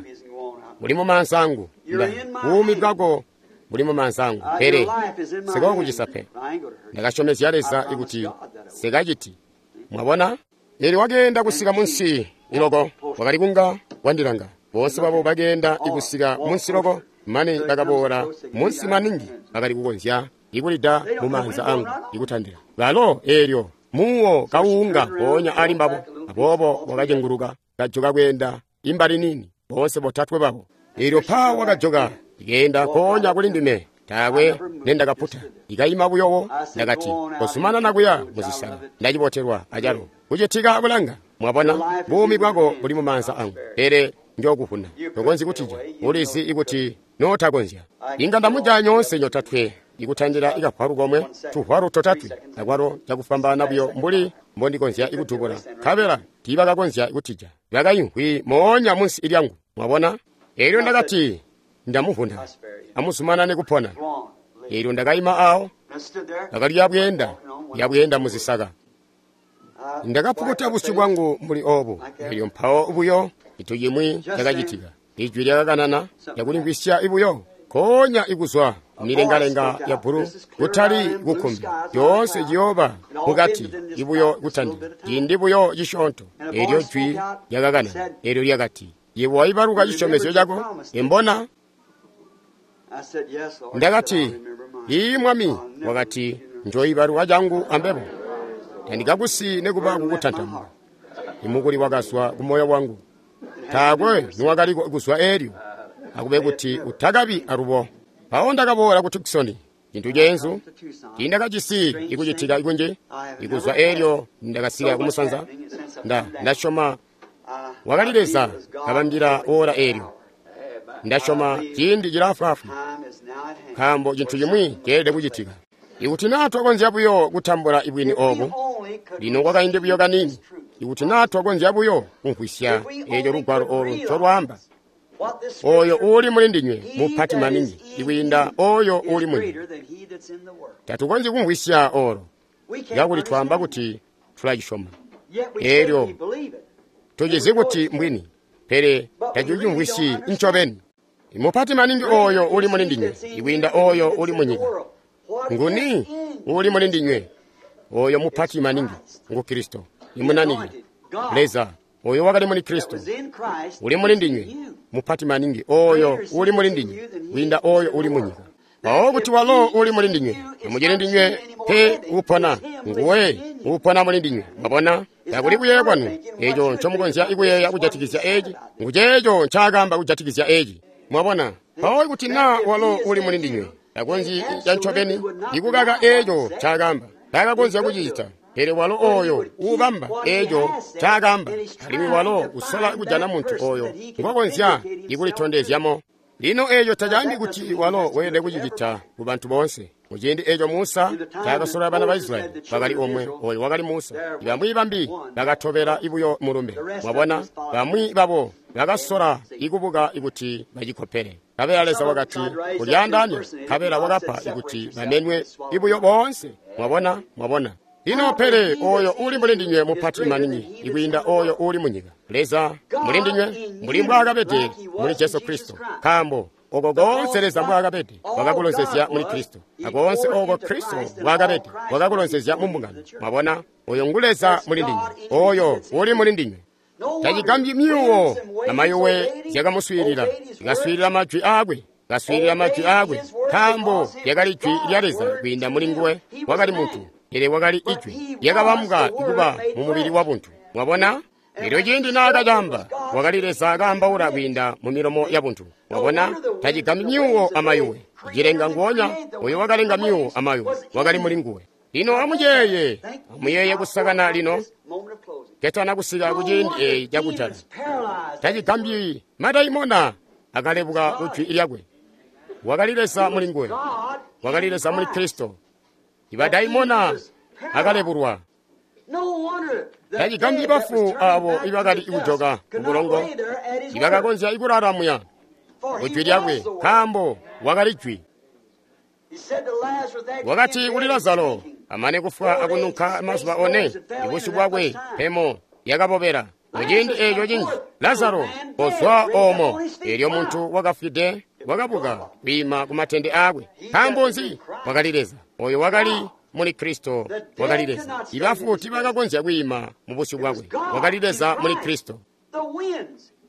Buli mumaanza angu. Buumi bwako buli mumaanza angu, pele sikokucisa pe. Ndakasyomezya Leza ikuti sekaciti. Mwabona? Eelyo wakeenda kusika munsi iloko, wakali kunga wandilanga. Boonse babo bakeenda ikusika munsi loko, mane bakaboola munsi maningi bakali kukonzya ikulida mumaanza angu ikutandila. Balo eelyo muuwo kawuunga mpoonya ali mbabo. Aboobo wakacenguluka kajoka kweenda imbali nini, boonse botatwe babo. Eelyo pa wakajoka ikeenda nkoonya kuli ndime. Taakwe nendakaputa, ikayima buyowo. Ndakati, kozumanana kuya muzisaka. Ndacibotelwa acalo kucitika bulanga. Mwabona, buumi bwako buli mumaanza angu, pele njokuvuna. Tokonzyi kutija, ulizi ikuti notakonzya. Inga ndamujaya nyoonse nyotatwe ikutandila ikavwalu komwe, tuvwalu totatwe, akwalo cakufwambaana buyo mbuli mbondikonzya ikudubula. Nkabela tiibakakonzya kutija, bakaimvwi moonya munsi lyangu. Mwabona? Eelyo ndakati, ndamuvuna, amuzumanane kupona. Eelyo ndakayima awo, bakali yabweenda yabweenda muzisaka. Ndakapukuta busyu bwangu mbuli obu. Eelyo mpawo buyo cintu cimwi cakacitika. Ijwi lyakakanana lyakulimvwisya ibuyo konya ikuzwa milengalenga ya bulu, kutali kukumbi. Yoonse ciyooba mukati ibuyo kutandila ciindi buyo cisyoonto. Eelyo jwi lyakakanana, eelyo lyakati, yebo waibaluka cisyomezyo cako imbona? Ndakati, ii Mwami. Wakati, njoibaluka cangu ambebo, tandikakusi nekuba kukutantamuka. Imukuli wakazwa kumoyo wangu, taakwe niwakali kuzwa eelyo, akube kuti utakabi alubo. Mpawo ndakaboola ku Tucson, cintu ceenzu tiindakajisi ikucitika ikunji ikuzwa eelyo ndakasika kumusanza. Nda ndasyoma wakali Leza kabambila ora eelyo. Ndasyoma ciindi cilaafwaafwi, nkaambo cintu cimwi ceelede kucitika. Ikuti naa twakonzya buyo kutambula ibwini obu lino kwakaindi buyo kaniini, ikuti naa twakonzya buyo kumvwisya eeco lugwalo olu ncolwaamba, oyo uuli muli ndinywe mupati maningi ikwiinda oyo uuli munyika. Tatukonzyi kumvwisya olo kakuli twaamba kuti tulacisyoma. Eelyo tucizi kuti mbwini, pele tatucimvwisyi ncobeni. Mupati maningi oyo uli muli ndinywe ikwiinda oyo uli munyika. Nguni uli muli ndinywe? Oyo mupati maningi ngu Kristo, imunanike Leza oyo wakali muli Kristo uli muli ndinywe, mupati maningi oyo uli muli ndinywe kwiinda oyo uli munyika. Mpawo kuti walo uli muli ndinywe, tamucili ndinywe pe upona, nguwe upona muli ndinywe. Mwabona, takuli kuyeeya kwanu eco ncomukonzya ikuyeeya kujatikizya eci, nguceeco ncaakamba kujatikizya eci. Mwabona, mpawo kuti naa walo uli muli ndinywe, takonzyi cancobeni ikukaka eco ncaakamba, takakonzya kucicita. Pele walo oyo uubamba eco ncaakamba, alimwi walo usola kujana muntu oyo ngwakonzya ikulitondezyamo. Lino eeco tacaambi kuti walo weelede kucicita ku bantu boonse. Muciindi eeco Musa taakasolola bana ba Israyeli, bakali omwe, oyo wakali Musa. Bamwi bambi bakatobela buyo mulumbe. Mwabona, bamwi babo bakasola ikubuka ikuti bacikopele. Kabela Leza wakati kulyaandaanya, kabela wakapa ikuti bamenwe ibuyo boonse. Mwabona, mwabona. Lino pele oyo uli muli ndinywe mupati maningi ikwiinda oyo uli munyika. Leza muli ndinywe mbuli mbwaakabede muli Jesu Kristo. Nkaambo oko koonse Leza mbwaakabede wakakulonzezya muli Kristo, akoonse oko Kristo mbwaakabede wakakulonzezya mu mbungano. Mwabona, oyo ngu Leza muli ndinywe, oyo uli muli ndinywe. Tacigambyi myuwo amayuwe zyakamuswiilila, zikaswiilila majwi aakwe, kaswiilila majwi aakwe, nkaambo lyakali jwi lya Leza kwiinda muli nguwe. Wakali muntu, pele wakali ijwi lyakabambwa kuba mu mubili wabuntu. Mwabona? Elyo ciindi naakacamba, wakali Leza kaambaula kwiinda mu milomo yabuntu. Mwabona? Tacigambyi myuwo amayuwe. Cilenga nguonya, oyo wakalenga myuwo amayuwe, wakali muli nguwe. Lino amuyeeye, amuyeeye kusakana lino, ketana kusika ku ciindi eeci cakujala. Tacigambyi madaimona akalebuka ku jwi lyakwe. Wakali Leza muli nguwe, wakali Leza muli Kristo. Ibadaimona akalebulwa. Tacigambyi bafu abo ibakali kujoka kubulongo ibakakonzya ikulala muya ku jwi lyakwe, nkaambo wakali jwi. Wakati kuli Lazaro, amane kufwa akununka mazuba one, ibusyu bwakwe pemo yakabobela. Muciindi eeco cinji, Lazaro kozwa oomo. Eelyo muntu wakafwide wakabuka kwiima ku matende aakwe. Nkaambo nzi? Wakali Leza. Oyo wakali muli Kristo wakali Leza. Ibafu tiibakakonzya kwiima mu busyu bwakwe. Wakali Leza muli Kristo.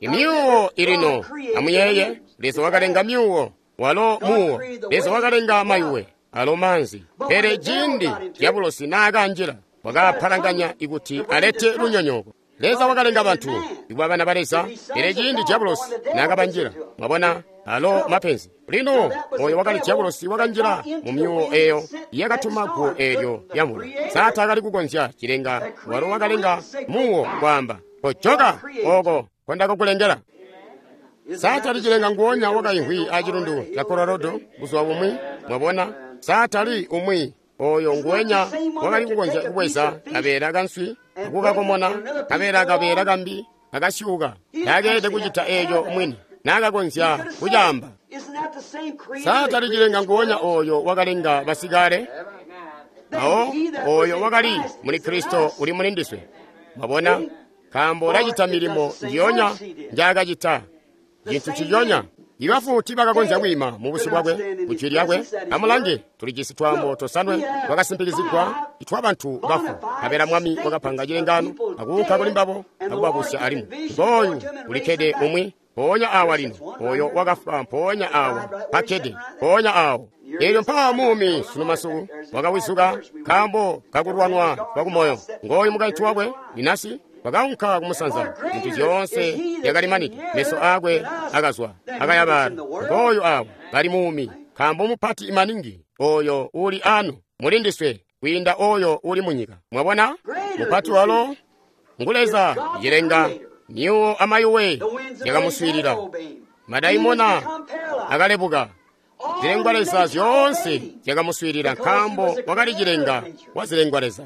Imyuwo ilino, amuyeeye, Leza wakalenga myuwo, walo muwo. Leza wakalenga mayuwe, alo maanzi. Pele ciindi dyabulosi naakanjila, wakapalanganya ikuti alete lunyonyooko. Leza wakalenga bantu ikuba bana ba Leza, pele ciindi dyabulosi naakabanjila, mwabona, alo mapenzi. Lino oyo wakali dyabulosi wakanjila mu myuwo eyo yakatuma guwo eelyo lyamvula. Saatani kukonzya cilenga, walo wakalenga muwo kwaamba, kojoka oko kondakakulengela. Saatani cilenga nguonya wakaimvwi acilundu ca Colorado buzuba bumwi, mwabona, Saatani umwi oyo nguwenya wakali kukonzya kubweza kabeela kanswi akukakomona, kabeela kabeela kambi akasyuka. Taakeelede kucita eeco mwini, naakakonzya kucaamba. Saatani cilenga nguonya oyo wakalenga basikale, awo oyo wakali muli Kristo uli muli ndiswe. Mwabona, nkaambo ulacita milimo njiyonya njaakacita, cintu ciyonya. Ibafu tiibakakonzya kwiima mu busyu bwakwe, ku jwi lyakwe. Amulange, tulijisi twaambo tosanwe twakasimpikizigwa itwa bantu bafu. Nkabela Mwami wakapanga cilengaano akuunka kuli mbabo akubabusya alimwi. Ngooyu ulikkede umwi mpoonya awa lino, oyo wakafwa mpoonya awa pakkede mpoonya awo. Eelyo mpawa muumi sunu masiku wakawizuka nkaambo kakulwanwa kwakumoyo. Ngooyu mukaintu wakwe Inasi wakaunka kumusanza, zintu zyoonse zyakalimanide, meso aakwe akazwa akayabala. Ngooyu awo kali muumi, nkaambo mupati maningi oyo uli anu muli ndiswe kwiinda oyo uli munyika. Mwabona, mupati walo ngu Leza cilenga myuwo amayuwe yakamuswiilila, madaimona akalebuka, zilengwa Leza zyoonse zyakamuswiilila, nkaambo wakali cilenga wa zilengwa Leza.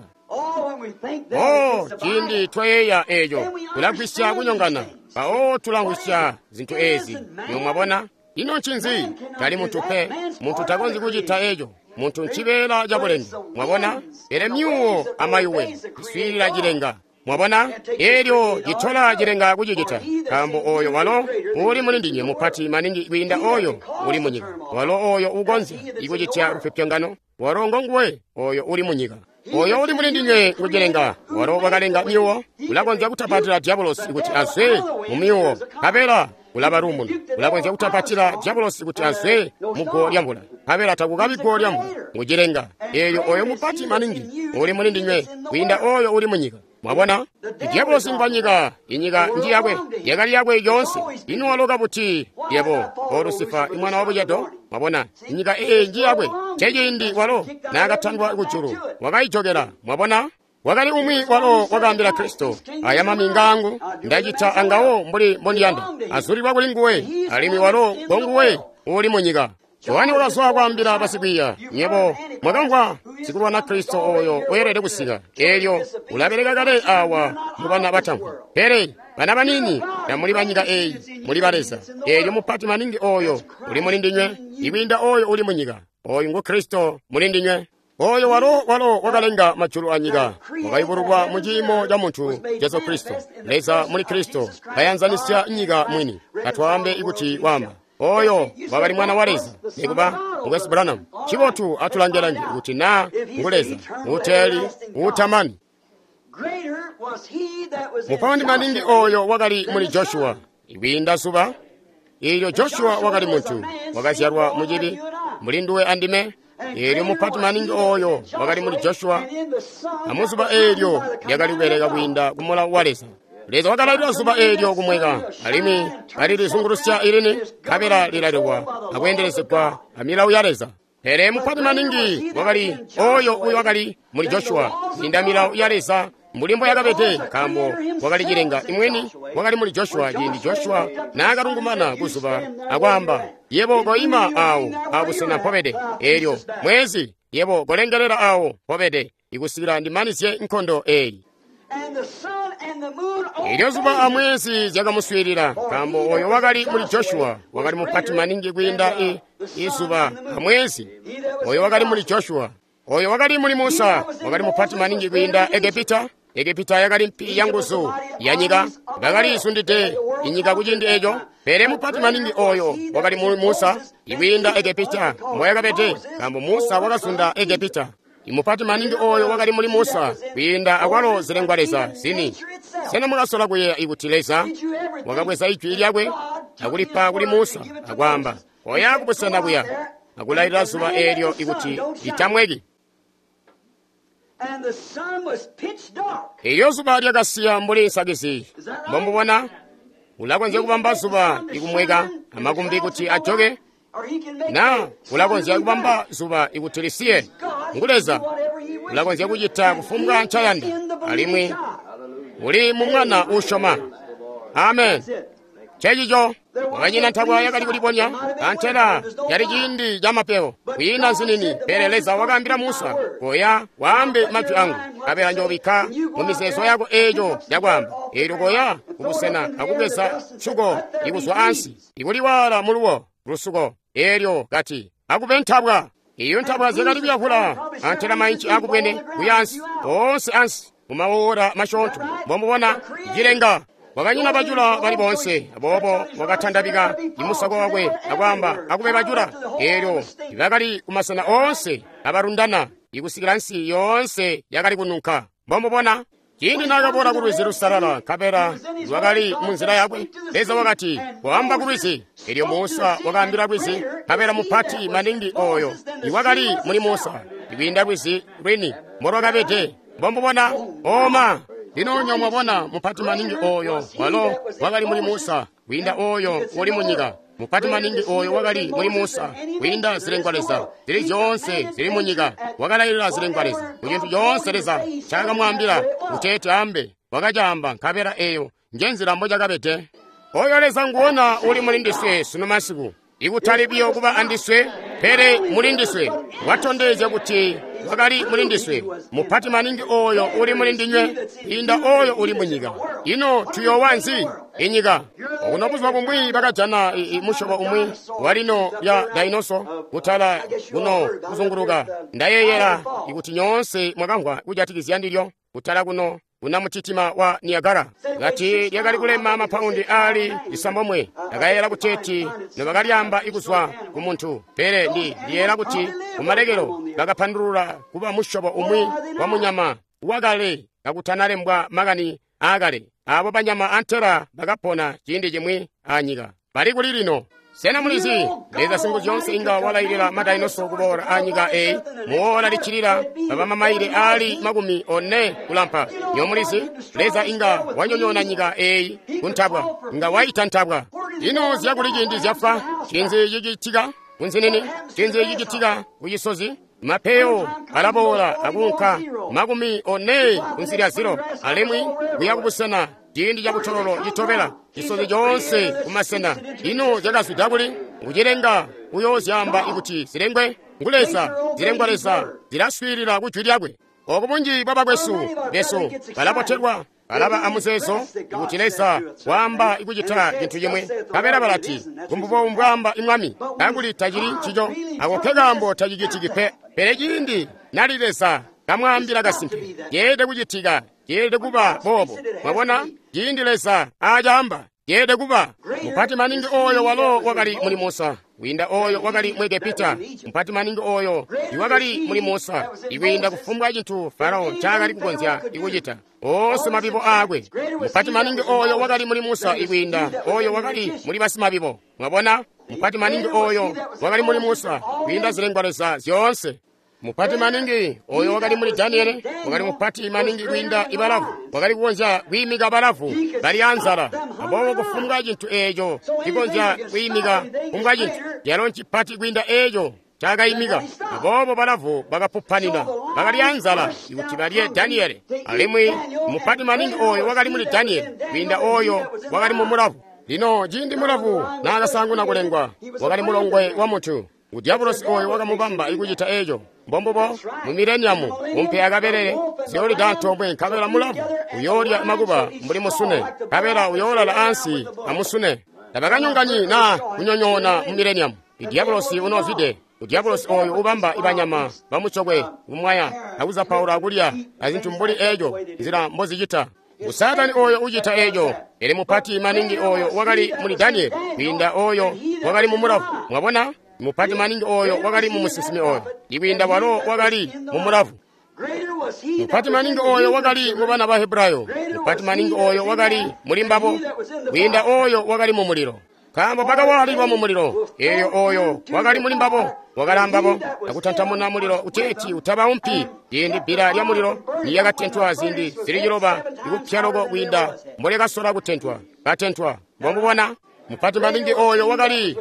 Oh, ciindi twayeeya eeco tulagwisya kunyongana, mpawo tulangwisya zintu eezi. Niyo mwabona, ino ncinzi? Tali muntu pe, muntu takonzyi kucita eeco. Muntu ncibeela cabulenge. Mwabona, pele myuwo amayuwe iswiilila cilenga. Mwabona, eelyo citola cilenga kucicita, nkaambo oyo walo uli muli ndinywe mupati maningi kwiinda oyo uli munyika. Walo oyo ukonzya ikucitya lupyopyongano, walo ngonguwe oyo uli munyika. Oyo uli muli ndinywe ngucilenga, walo wakalenga myuwo, ulakonzya kutapatila diabolosi kuti azwe mu myuwo, nkabela kulaba luumuno. Ulakonzya kutapatila diabolosi kuti azwe mu guwo lyamvula, nkabela takukabi guwo lyamvula. Ngucilenga eelyo oyo mupati maningi uli muli ndinywe kwiinda oyo uli munyika. Mwabona, diabolosi ngwa nyika, inyika nji yakwe, yakali yakwe yoonse. Ino waloka buti yebo, o Lusifa, imwana wa bucedo? Mwabona, inyika eyi nji yakwe. Ceciindi walo naakatandwa kujulu, wakayijokela. Mwabona, Wakali umwi walo wakaambila Kristo, aya mami ngaangu, ndacita angawo mbuli mbondiyanda. Azulilwa kuli nguwe, alimwi walo ngonguwe uli munyika. Yohane wakazwa kwaambila basikwiiya, nyebo mwakamvwa sikulwana Kristo oyo weelede kusika. Eelyo ulabeleka kale awa mu bana batamvwa. Pele bana banini tamuli banyika eyi, muli ba Leza. Eelyo mupati maningi oyo uli muli ndinywe, ikwiinda oyo uli munyika. Oyu ngu Kristo muli ndinywe. Oyo walo walo wakalenga majulu anyika, wakayubululwa mu ciimo ca muntu Jesu Kristo. Leza muli Kristo kayanzanisya nyika mwini. Katwaambe ikuti wamba oyo wakali mwana wa Leza, nikuba Mukwesu Branham. Chibotu atulange-lange kuti naa ngu Leza uteeli utamani. Mupaundi maningi oyo wakali muli Joshua ikwiinda zuba. Ilyo Joshua wakali muntu wakazyalwa mucibi muli nduwe andime. Eelyo mupati maningi oyo wakali muli Joshua, amuzuba eelyo lyakali kubeleka kwiinda ku mulawo wa Leza. Leza wakalailila zuba eelyo kumweka, alimwi kalilizungulusya ilini, nkabela lilalekwa akweendelezegwa amilawo ya Leza. Pele mupati maningi wakali oyo uyo wakali muli Joshua kwiinda milawo ya Leza mbuli mbo yakabede, nkaambo wakali cilenga imweni wakali muli Joshua ciindi Joshua naakalungumana kuzuba akwaamba, yebo koima awo abusena mpobede, eelyo mwezi yebo kolengelela awo mpobede, ikusikila ndimanizye nkondo eyi. Eelyo zuba amwezi zyakamuswiilila, nkaambo oyo wakali muli Joshua wakali mupati maningi kwiinda i izuba amwezi. Oyo wakali muli Joshua. Oyo wakali muli Musa wakali mupati maningi kwiinda Egepita. Egepita yakali mpi ya nguzu ya nyika, bakali isundide inyika kuciindi eco. Pele mupati maningi oyo wakali muli Musa ikwiinda Egepita mboyakabede, nkaambo Musa wakazunda Egepita. Imupati maningi oyo wakali muli Musa kwiinda akwalo zilengwa Leza zini. Sena mwakasola kuyeeya ikuti Leza wakabweza ijwi lyakwe akulipa kuli Musa akwaamba, koya kubusena kuya, akulailila zuba eelyo ikuti litamweki? Eelyo zuba lyakasiya mbuli nsakizi. Mbomubona, ulakonzya kubamba zuba ikumweka amakumbi kuti ajoke, na ulakonzya kubamba zuba ikuti lisiye. Ngu Leza, ulakonzya kucita kufumbwa ncayanda, alimwi uli mu mwana uusyoma. Amen. Ncencico wakanyina ntabwa yakali kulibonya, antela yali ciindi ca mapewo, kwiina nzinini. Pele Leza wakaambila Musa, koya waambe majwi angu, nkabela njoobikka mu mizeezo yako eeco yakwaamba. Eelyo koya kubusena akubweza nsuko ikuzwa ansi, ikuliwaala muluwo lusuko. Eelyo kati akube ntabwa. Iyo ntabwa zyakali kuyavula antela mainci akubwene kuya ansi, oonse ansi mumawola masyoonto. Mbomubona cilenga wakanyina bajula bali bonse, aboobo wakatandabika imusako wakwe akwaamba, akube bajula. Eelyo bakali kumasena oonse abalundana ikusikila nsi yoonse yakali kununka. Mbomubona ciindi naakaboola ku lwizi lusalala, nkabela lwakali munzila yakwe, Leza wakati, koamba ku lwizi. Eelyo Musa wakaambila lwizi, nkabela mupati maningi oyo iwakali muli Musa ikwiinda lwizi lwini mbolwakabede. Mbomubona oma. Lino nyo mwabona mupati maningi oyo walo wakali muli Musa kwiinda oyo uli munyika. Mupati maningi oyo wakali muli Musa kwiinda zilengwa Leza zili zyoonse zili munyika. Wakalailila zilengwa Leza ku cintu coonse Leza ncakamwaambila kuteeti ambe, wakacaamba, nkabela eyo njenzila mbocakabede. Oyo Leza nguwona uli muli ndiswe sunu masiku, ikutali biyo kuba andiswe, pele muli ndiswe. Watondezya kuti wakali muli ndiswe. Mupati maningi oyo uli muli ndinywe kwiinda oyo uli munyika. Ino tuyoowa nzi inyika? Okuno buzuba bumwi bakajana musyobo umwi walino lya dainoso kutala kuno kuzunguluka. Ndayeeyela ikuti nyoonse mwakamvwa kujatikizya ndilyo kutala kuno kuna mutitima wa Niagara. Kati lyakali kulema mapaundi ali isambomwe. Ndakayeeyela kuteeti nobakalyamba ikuzwa ku muntu, pele ndi ndiyeeyela kuti kumalekelo bakapandulula kuba musyobo umwi wa munyama wakale kakutanalembwa makani aakale. Abo banyama antela bakapona ciindi cimwi anyika. Bali kuli lino. Sena mulizi Leza Singuzyoonse inga walailila madainoso kuboola anyika eyi muwola liccilila baba mamaile ali makumi one kulampa. Nyo mulizi Leza inga wanyonyoona nyika eyi kuntabwa, inga waita ntabwa. Ino zyakuli ciindi zyafa, cinzi cicitika kunzinini, cinzi cicitika kucisozi. Mapeyo alaboola akuunka makumi one kunsi lya ziro, alimwi kuya kubusena ciindi cabutololo citobela cisozi coonse kumasena. Ino zyakazwida kuli? Ngucilenga uyoozyaamba ikuti zilengwe ngu Leza, zilengwa Leza zilaswiilila ku jwi lyakwe. Oku bunji bwa bakwesu besu balabotelwa, balaba amuzeezo kuti Leza waamba kucita cintu cimwe, nkabela balati kumbubo mbwaamba imwami, kakuli tacili ncico. Ako nke kaambo tacicitiki pe. Pele ciindi nali Leza kamwaambila kasimpe, ceelede kucitika, ceelede kuba boobo. Mwabona, ciindi Leza aacaamba, ceelede kuba. Mupati maningi oyo walo wakali muli Musa, kwiinda oyo wakali mu Egepita. Mupati maningi oyo iwakali muli Musa, ikwiinda kufumbwa cintu Farao ncaakali kukonzya kucita, oonse mabibo aakwe. Mupati maningi oyo wakali muli Musa, ikwiinda oyo wakali muli basimabibo. Mwabona, mupati maningi oyo wakali muli Musa, kwiinda zilengwa Leza zyoonse. Mupati maningi oyo wakali muli Daniele, wakali mupati maningi kwiinda ibalavu, wakali kukonzya kwiimika balavu bali anzala. Aboobo kufumbwa cintu eeco cikonzya kwiimika kufumbwa cintu, calo ncipati kwiinda eeco cakayimika. Aboobo balavu bakapupanina, bakali anzala kuti balye Daniele. Alimwi mupati maningi oyo wakali muli Daniele kwiinda oyo wakali mu mulavu. Lino ciindi mulavu naakasaanguna kulengwa, wakali mulongwe wa muntu. Udyabulosi oyo wakamubamba ikucita eeco. Mbombubo mu mileniamu umpe akabelele ziyoolida antoomwe, nkabela mulavu uyoolya makuba mbuli musune, nkabela uyoolala ansi amusune. Tabakanyonganyi naa kunyonyoona mu mileniamu. Idyabulosi unoozwide. Udyabulosi oyo ubamba ibanyama bamucokwe kumwaya akuzapaula akulya azintu mbuli eeco nzila mbozicita. Usatani oyo ucita eeco. Pele mupati maningi oyo wakali muli Danieli kwiinda oyo wakali mu mulavu. Mwabona, mupati maningi oyo wakali mu musinsimi oyo ikwiinda walo wakali mu mulavu. Mupati maningi oyo wakali mu bana ba Hebrayo. Mupati maningi oyo wakali muli mbabo kwiinda oyo wakali mu mulilo. Nkaambo bakawaalilwa mu mulilo, eelyo oyo wakali muli mbabo wakali ambabo akutantamuna mulilo uteeti utabaumpi. Ciindi bbila lya mulilo nilyakatentwa ziindi zili ciloba ikupya loko kwiinda mbolyakasola kutentwa, katentwa. Mbomubona, mupati maningi oyo wakali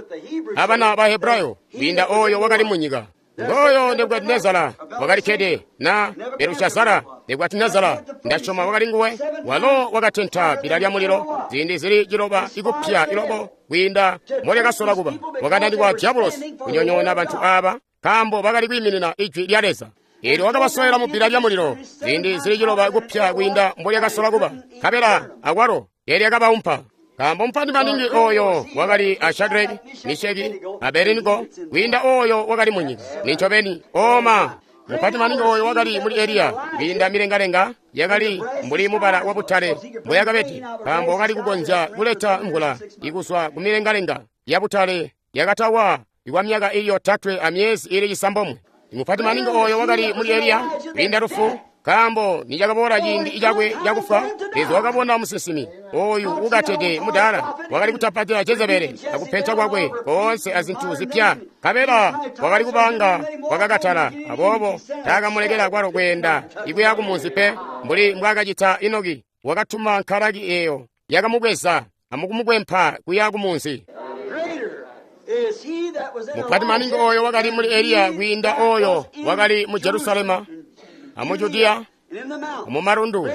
abana ba Hebrayo kwiinda oyo wakali munyika. Ngoyo Nebukadinezara wakali kkede na Belushazara. Nebukadinezara ndasyoma wakali nguwe, walo wakatenta bbila lya mulilo ziindi zili ciloba ikupya iloko kwiinda mbolyakasola kuba. Wakananikwa Diabulosi kunyonyoona bantu aaba nkaambo bakali kwiiminina ijwi lya Leza. Eelyo wakabasowela mu bbila lya mulilo ziindi zili ciloba kupya kwiinda mbolyakasola kuba, nkabela akwalo lyakabaumpa. Nkaambo mupati maningi oyo wakali a Shadraki, Misheki, Abednego kwiinda oyo wakali munyika. Nincobeni, oma mupati maningi oyo wakali muli Eliya kwiinda milengalenga yakali mbuli mubala wa butale mboyakabede, nkaambo wakali kukonzya kuleta mvula ikuzwa ku milengalenga ya butale yakatawa ikwa myaka ili yotatwe amyezi ili cisambomwe. Mupati maningi oyo wakali muli Eliya kwiinda lufu, nkaambo nicakaboola ciindi cakwe cakufa, Leza wakabona musinsimi oyu ukatede mudaala wakali kutapatila Jezebeli akupenta kwakwe koonse azintu zipya, nkabela wakali kubanga wakakatala. Aboobo taakamulekela kwalo kweenda ikuya kumunzi pe, mbuli mbwaakacita Enoki. Wakatuma nkalaki eeyo yakamubweza amukumukwempa kuya kumunzi. Mupati maningi oyo wakali muli Eliya kwiinda oyo wakali mu Jerusalema amu Judiya amu malundu.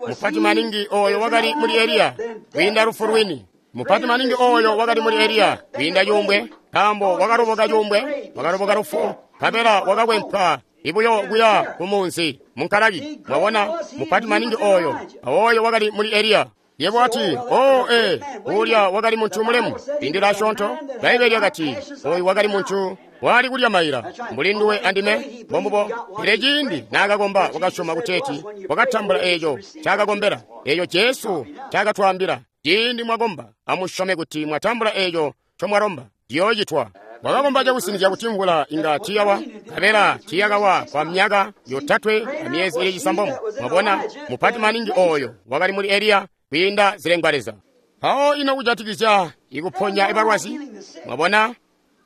Mupati maningi oyo wakali muli Eliya kwiinda lufu lwini. Mupati maningi oyo wakali muli Eliya kwiinda cuumbwe, nkaambo wakaloboka cuumbwe, wakaloboka lufu, nkabela wakakwempa ibuyo kuya kumunzi munkalaki. Mwabona, mupati maningi oyo oyo wakali muli Eliya. Yebo ati, oh ee, ulya wakali muntu mulemu indila asyoonto. Bbaibele lyakati oyu wakali muntu wali kulya maila mbuli nduwe andime. Mbombubo. Pele ciindi naakakomba wakasyoma kuteeti wakatambula eeco ncaakakombela, eeco Jesu ncaakatwaambila. Ciindi mwakomba amusyome kuti mwatambula eeco ncomwalomba, ciyoocitwa. Wakakomba cakusinizya kuti mvula inga tiyawa, nkabela tiyakawa kwa myaka yotatwe amyezi ili cisambomwe. Mwabona, mupati maningi oyo wakali muli Eliya kwiinda zilengwa Leza. Mpawo ino kujatikizya ikuponya ibalwazi? Mwabona,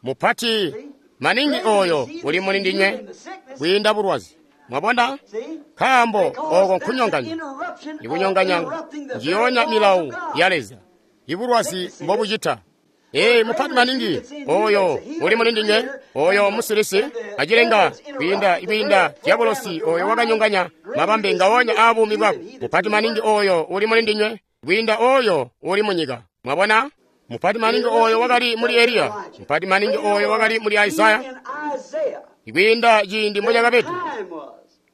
mupati maningi oyo uli muli ndinywe kwiinda bulwazi. Mwabona, nkaambo oko nkunyonganya, ikunyonganya njiyonya milawu ya Leza. Ibulwazi mbobucita. Ee, mupati maningi oyo uli muli ndinywe, oyo musilisi acilenga kwiinda kwiinda dyabolosi oyo wakanyonganya mabambe ngaonya a buumi bwako. Mupati maningi oyo uli muli ndinywe kwiinda oyo uli munyika. Mwabona? Mupati maningi oyo wakali muli Eliya, mupati maningi oyo wakali muli Isaya, kwiinda ciindi mbo cakabede,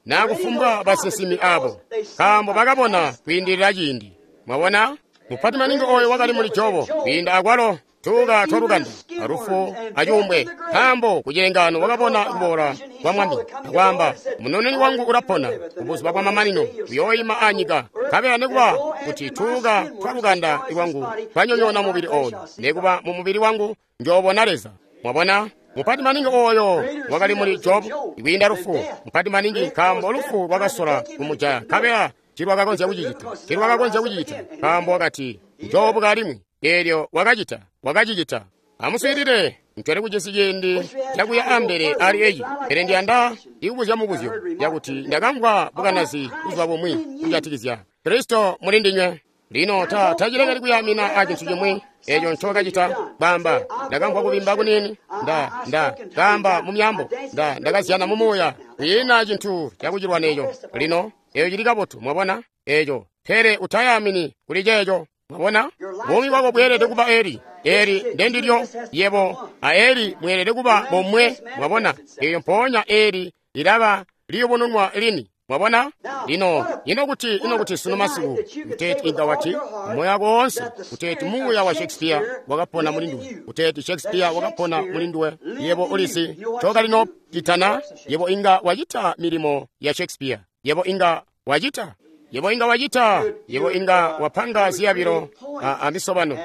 na kufumbwa basinsimi abo, nkaambo bakabona kwiindilila ciindi. Mwabona? Mupati maningi oyo wakali muli Jobo, kwiinda akwalo tuuka twa lukanda, alufu acuumbwe, nkaambo kucilengano wakabona kuboola kwa Mwami, akwaamba, munoneni wangu ulapona, kubuzuba bwa mamanino uyooyima anyika, nkabela nekuba kuti tuuka twa lukanda lwangu twanyonyoona mubili oyu, nekuba mu mubili wangu njoobona Leza. Mwabona? Mupati maningi oyo wakali muli Jobu kwiinda lufu, mupati maningi nkaambo lufu lwakasola kumujaya, nkabela tilwakakonzya kucicita, tilwakakonzya kucicita, nkaambo wakati njoobuka alimwi. Eelyo wakacita, wakacicita. Amuswiilile, ntwali kujisi ciindi cakuya ambele ali eci, pele ndiyanda ikubuzya mubuzyo yakuti ndakamvwa bukanazi buzuba bumwi kujatikizya Kristo muli ndinywe. Lino ta tacilekeli kuyamina a cintu cimwi eco ncokacita. Kwaamba, ndakamvwa kubimba kuniini, nda nda kaamba mu myambo, nda ndakazyana mu muuya. Kwiina cintu cakucilwana eco. Lino eco cili kabotu, mwabona eco, pele utayamini kuli ceeco. Mwabona? Buumi bwako bweelede kuba eli. Eli ndendilyo yebo a eli mweelede kuba bomwe. Mwabona? Eyo mpoonya eli lilaba liyubununwa lini. Mwabona? Lino, ino kuti, ino kuti sunu masiku, kuteeti inga wati, moyo wako woonse, kuteeti muuya wa Shakespeare wakapona muli nduwe, kuteeti Shakespeare wakapona muli nduwe, yebo ulisi, cokalino citana, yebo inga wacita milimo ya Shakespeare, yebo inga wacita. Yebo inga wacita, yebo inga wapanga ziyabilo a, a misobano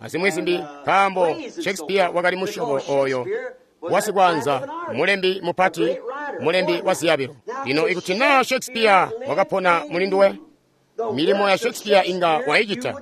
azimwi zimbi, nkaambo Shakespeare wakali musyobo oyo wasikwaanza, mulembi mupati, mulembi wa ziyabilo. Lino ikuti na Shakespeare wakapona muli nduwe, milimo ya Shakespeare inga waicita.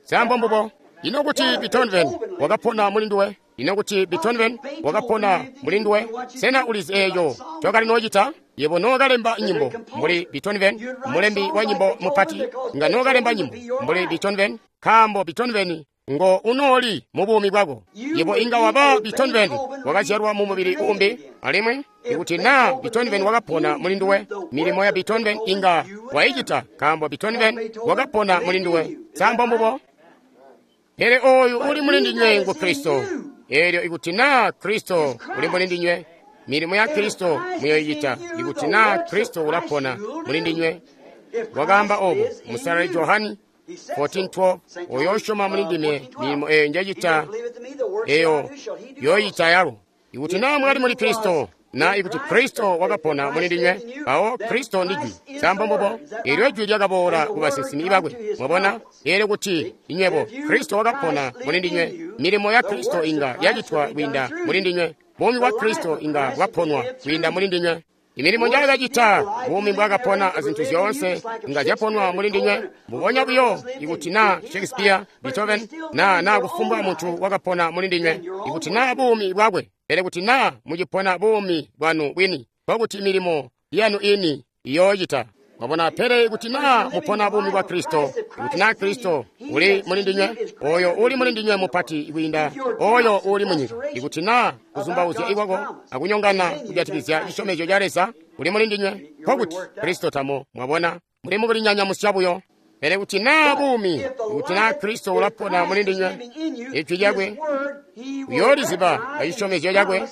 Sambo mbubo. Ino kuti Beethoven wakapona muli nduwe? Ino kuti Beethoven wakapona muli nduwe? Sena ulizi eeco cokali noocita? Yebo nookalemba nyimbo mbuli Beethoven, mulembi wa nyimbo mupati, nga nookalemba nyimbo mbuli Beethoven, nkaambo Beethoven ngo unooli mu buumi bwako. Yebo inga waba Beethoven wakazyalwa mu mubili umbi, alimwi ikuti na Beethoven wakapona muli nduwe, milimo ya Beethoven inga waicita, nkaambo Beethoven wakapona muli nduwe. Sambo mbubo. Pele oyu uli muli ndinywe ngu Kristo. Eelyo ikuti na Kristo uli muli ndinywe, milimo ya Kristo muyoicita. Ikuti na Kristo ulapona muli ndinywe, wakaamba obo musalali Johani fourteen twelve, oyo usyoma muli ndime, milimo eyo njacita eyo yoyita yalo. Ikuti na mwali muli Kristo, na ikuti Kristo wakapona muli ndinywe, mpawo Kristo ndi Jwi. Sambo mbubo. Eelyo Jwi lyakaboola ku basinsimi bakwe. Mwabona? Eelyo kuti inywebo Kristo wakapona muli ndinywe, milimo ya Kristo inga yacitwa kwiinda muli ndinywe. Buumi bwa Kristo inga bwaponwa kwiinda muli ndinywe. Imilimo njaakacita, buumi mbwaakapona azintu zyoonse inga zyaponwa muli ndinywe. Mbubonya buyo ikuti na Shakespeare, Beethoven, na na kufumbwa muntu wakapona muli ndinywe, ikuti na buumi bwakwe, pele kuti na mucipona buumi bwanu bwini, nkokuti milimo yanu ini iyoocita. Mwabona? Pele ikuti na mupona buumi bwa Kristo, ikuti na Kristo uli muli ndinywe, oyo uli muli ndinywe mupati kwiinda oyo uli munyika. Ikuti na kuzumbauzya ikwako akunyongana kujatikizya cisyomezyo ca Leza uli muli ndinywe, nkokuti Kristo tamo. Mwabona? Muli mukulinyanyamusya buyo. Pele kuti na buumi, ikuti na Kristo ulapona muli ndinywe, ijwi lyakwe uyooliziba acisyomezyo cakwe,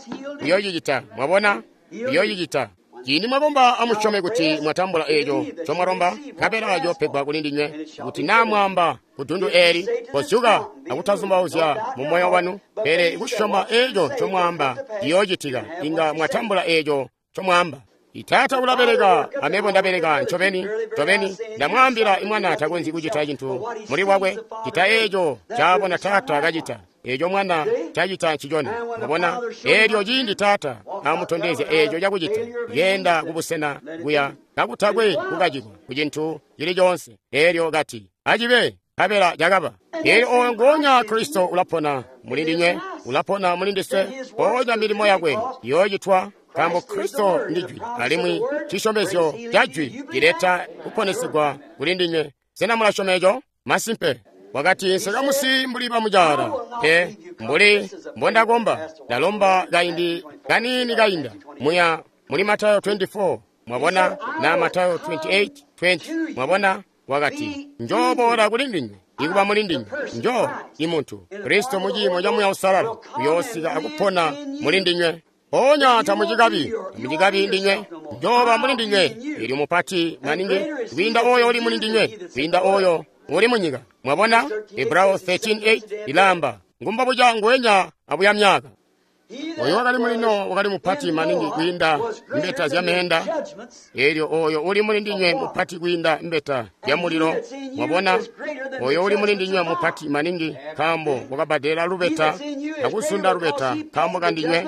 uyoocicita. Mwabona? Uyoocicita. Ciindi mwakomba amusyome kuti mwatambula eeco ncomwalomba, nkabela ciyopegwa kuli ndinywe. Kuti naa mwaamba ku dundu eeli, kozyuka akutazumbauzya mu moyo wanu, pele kusyoma eeco ncomwaamba ciyoocitika, inga mwatambula eeco ncomwaamba. Taata ulabeleka, amebo ndabeleka. Ncobeni, ncobeni, ndamwaambila, imwana takonzyi kucita cintu muli bwakwe, cita eeco ncaabona Taata kacita. Eeco mwana cacita ncicona. Mwabona? Eelyo ciindi Taata amutondezya eeco cakucita, yenda kubusena kuya kakutakwe kukacilwa ku cintu cili coonse. Eelyo kati, acibe, nkabela cakaba. Eelyo oyo nguonya Kristo ulapona muli ndinywe, ulapona muli ndiswe, mpoonya milimo yakwe iyoocitwa, nkaambo Kristo ndi Jwi, alimwi cisyomezyo ca Jwi cileta kuponesegwa kuli ndinywe. Sena mulasyoma eco? Masimpe. Wakati, nsekamusi mbuli bamucaala, pe mbuli mbondakomba, ndalomba kaindi kaniini kainda. Muya muli Matayo makumi aali ane, mwabona, na Matayo makumi aali asanu aatatu, makumi abili. Mwabona, wakati, njooboola kuli ndinywe, ikuba muli ndinywe, njo imuntu Kristo muciimo ca Muuya Uusalala uyoosika akupona muli ndinywe. Ponya tamucikabi, tamucikabi ndinywe, njoba muli ndinywe, ili mupati maningi kwiinda oyo uli muli ndinywe, kwiinda oyo uli munyika. Mwabona, Hebreo thirteen eight ilamba ngumba buca ngwenya abuya myaka. Oyo wakali muli Nowa wakali mupati maningi kwiinda mbeta zya meenda. Elyo oyo uli muli ndinywe mupati kwiinda mbeta ya mulilo. Mwabona, oyo uli muli ndinywe mupati maningi nkaambo wakabadela lubeta akusunda lubeta nkaambo kandinywe.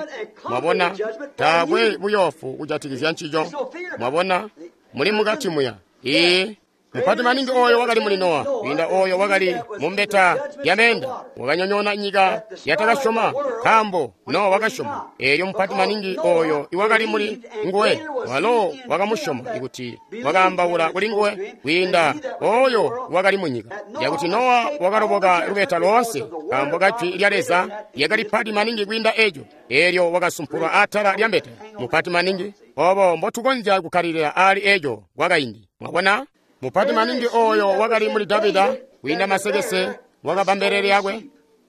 Mwabona, taakwe buyofu kujatikizya ncico. Mwabona, muli mukati muya. Ee, mupati maningi oyo wakali muli Nowa kwiinda oyo wakali mu mbeta ya meenda, wakanyonyoona nyika yatakasyoma nkaambo Nowa wakasyoma. Elyo mupati maningi oyo iwakali muli nguwe, walo wakamusyoma ikuti wakaambaula kuli nguwe kwiinda oyo wakali mu nyika. Yakuti Nowa wakaloboka lubeta loonse nkaambo kajwi lya Leza lyakali pati maningi kwiinda eco. Elyo wakasumpulwa atala lya mbeta. Mupati maningi obo mbotukonzya kukkalilila aali eco kwakaindi. Mwabona, mupati maningi oyo wakali muli Davida kwiinda masekese wakaba mbelele yakwe.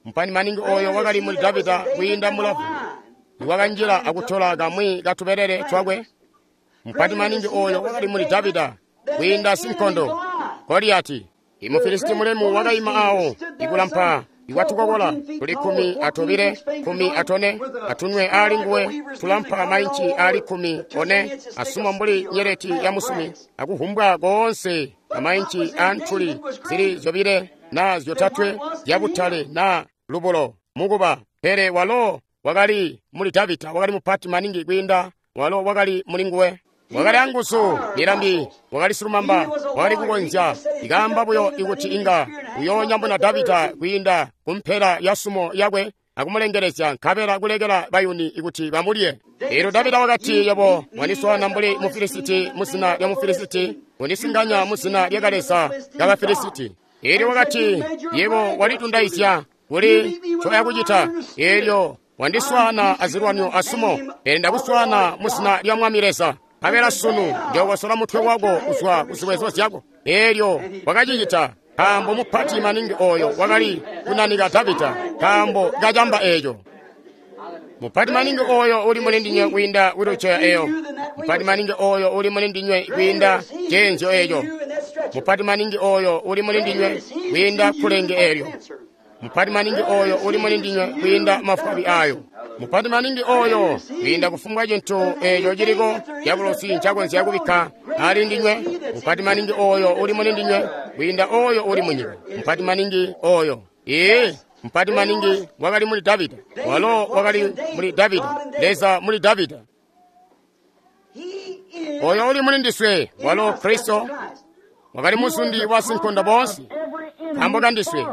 Mupati maningi oyo wakali muli Davida kwiinda mulavu iwakanjila akutola kamwi katubelele twakwe. Mupati maningi oyo wakali muli Davida kwiinda sinkondo Goliati. Imufilisiti mulemu wakaima awo ikulampa iwatukokola tuli kumi atobile kumi atone atunwe ali nguwe tulampa mainci ali kumi one asuma mbuli nyeleti ya musumi akuhumbwa koonse amainci antuli zili zyobile na zyotatwe zyabutale na lubulo mukuba. Pele walo wakali muli Davida wakali mupati maningi kwiinda walo wakali muli nguwe. Wakali anguzu milambi, wakali silumamba, wakali kukonzya ikaamba buyo ikuti inga uyoonyamuna Davida kwiinda kumpela ya sumo yakwe akumulengelezya nkabela kulekela bayuni ikuti bamulye. Elyo Davida wakati, yebo wandiswaana mbuli Mufilisiti muzina lya Mufilisiti, undisinganya muzina lya Kaleza ka Bafilisiti. Elyo wakati, yebo walitundaizya kuli ncoyakucita. Elyo wandiswaana azilwanyo asumo, pele ndakuswaana muzina lya Mwami Leza. Nkabela sunu njookosola mutwe wako kuzwa kuziwezo zyako. Elyo wakacicita nkaambo mupati maningi oyo wakali kunanika Davida nkaambo kacamba eco. Mupati maningi oyo uli muli ndinywe kwiinda wheelchair eyo. Mupati maningi oyo uli muli ndinywe kwiinda ceenzyo eco. Mupati maningi oyo uli muli ndinywe kwiinda kulenge elyo. Mupati maningi oyo uli muli ndinywe kwiinda mafwabi ayo. Mupati maningi oyo kwiinda kufumbwa cintu eco ciliko diabolosi ncakonzya kubikka ali ndinywe. Mupati maningi oyo uli muli ndinywe kwiinda oyo uli munyika. Mupati maningi oyo. Ee, mupati maningi wakali muli Davida, walo wakali muli Davida, Leza muli Davida. Oyo uli muli ndiswe, walo Kristo wakali muzundi wa sinkondo bonse nkaambo kandiswe.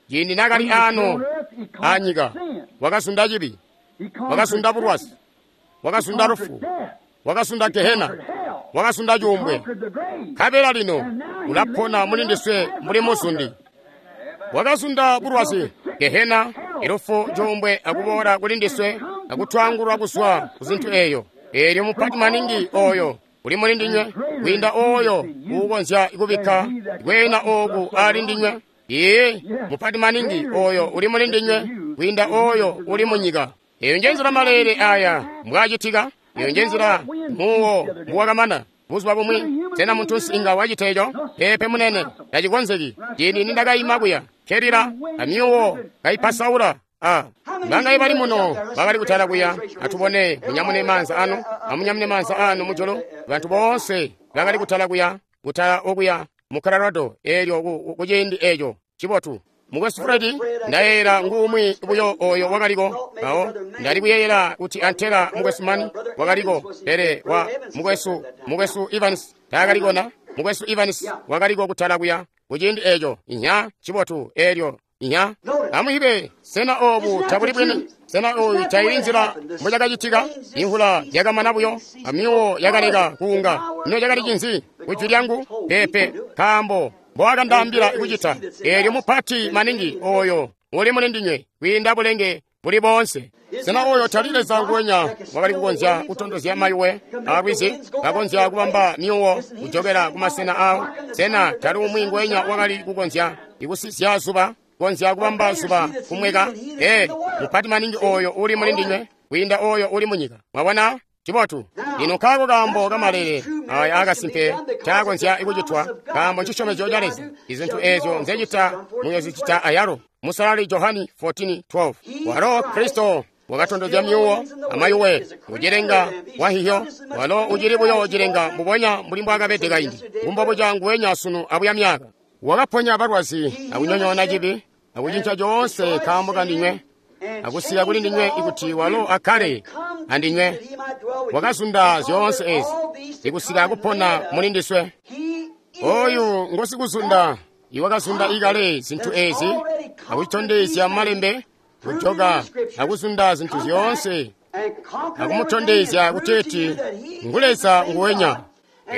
Ciindi nakali ano anyika, wakazunda cibi, wakazunda bulwazi, wakazunda lufu, wakazunda gehena, wakazunda cuumbwe. Nkabela lino ulapona muli ndiswe mbuli muzundi. Wakazunda bulwazi, gehena, ilufu, cuumbwe akuboola kuli ndiswe akutwangulwa kuzwa ku zintu eyo. Elyo mupati maningi oyo uli muli ndinywe kwiinda oyo uukonzya kubikka kweena ooku ali ndinywe. Ee, mupati maningi oyo uli muli ndinywe kwiinda oyo uli munyika. Eyo njenzila maleele aya mbwacitika. Eyo njenzila muwo mbuwakamana buzuba bumwi. Sena muntunsi inga wacita eco? Peepe munene, tacikonzeki. Ciindi nindakaima kuya kelila amyuwo kaipasaula. Ah, bangaye bali muno bakali kutala kuya. Atubone munyamune maanza anu, amunyamune maanza anu mujulu. Bantu boonse bakali kutala kuya, kutala okuya mu Colorado elyo kuciindi eco cibotu. Mukwesu Fred, ndayeeyela nguumwi buyo oyo wakaliko awo. Ndali kuyeeyela kuti antela mukwesu Mann wakaliko, pele wa mukwesu mukwesu Evans taakalikona. Mukwesu Evans wakaliko kutala kuya kuciindi eco. Inya cibotu elyo. Inya amuibe, sena obu tabuli bwini? Sena oyu taili nzila mbocakacitika? Imvula yakamana buyo, amyuwo yakaleka kuunga. Ino cakali cinzi? Kujwi lyangu? Peepe, nkaambo mbowakandaambila kucita. Eelyo mupati maningi oyo uli muli ndinywe kwiinda bulenge buli boonse. Sena oyo tali Leza nguwenya wakali kukonzya kutondozya mayuwe alwizi, kakonzya kubamba myuwo kujokela kumasena awo? Sena tali umwi nguwenya wakali kukonzya ikusizya zuba, konzya kubamba zuba kumweka? Ee, mupati maningi oyo uli muli ndinywe kwiinda oyo uli munyika. Mwabona? Cibotu. Lino nkaako kaambo kamalele aya akasimpe caakonzya kucitwa, kaambo ncisyomezyo ca Leza. Izintu eezyo nzecita muyozicita ayalo. Musalali Johani fourteen twelve. Walo Kristo wakatondozya myuwo amayuwe ucilenga wahiyo, walo ucili buyo cilenga mbubonya mbuli mbwaakabede kaindi, ngumbobuca nguwenya sunu abuya myaka. Wakaponya balwazi akunyonyoona cibi akucinca coonse kaambo kandinywe, akusiya kuli ndinywe ikuti walo akkale andinywe. Wakazunda zyoonse ezi ikusika akupona muli ndiswe. Oyu ngosikuzunda iwakazunda ikale zintu ezi akucitondezya malembe, kujoka akuzunda zintu zyoonse akumutondezya kuteeti ngu Leza nguwenya.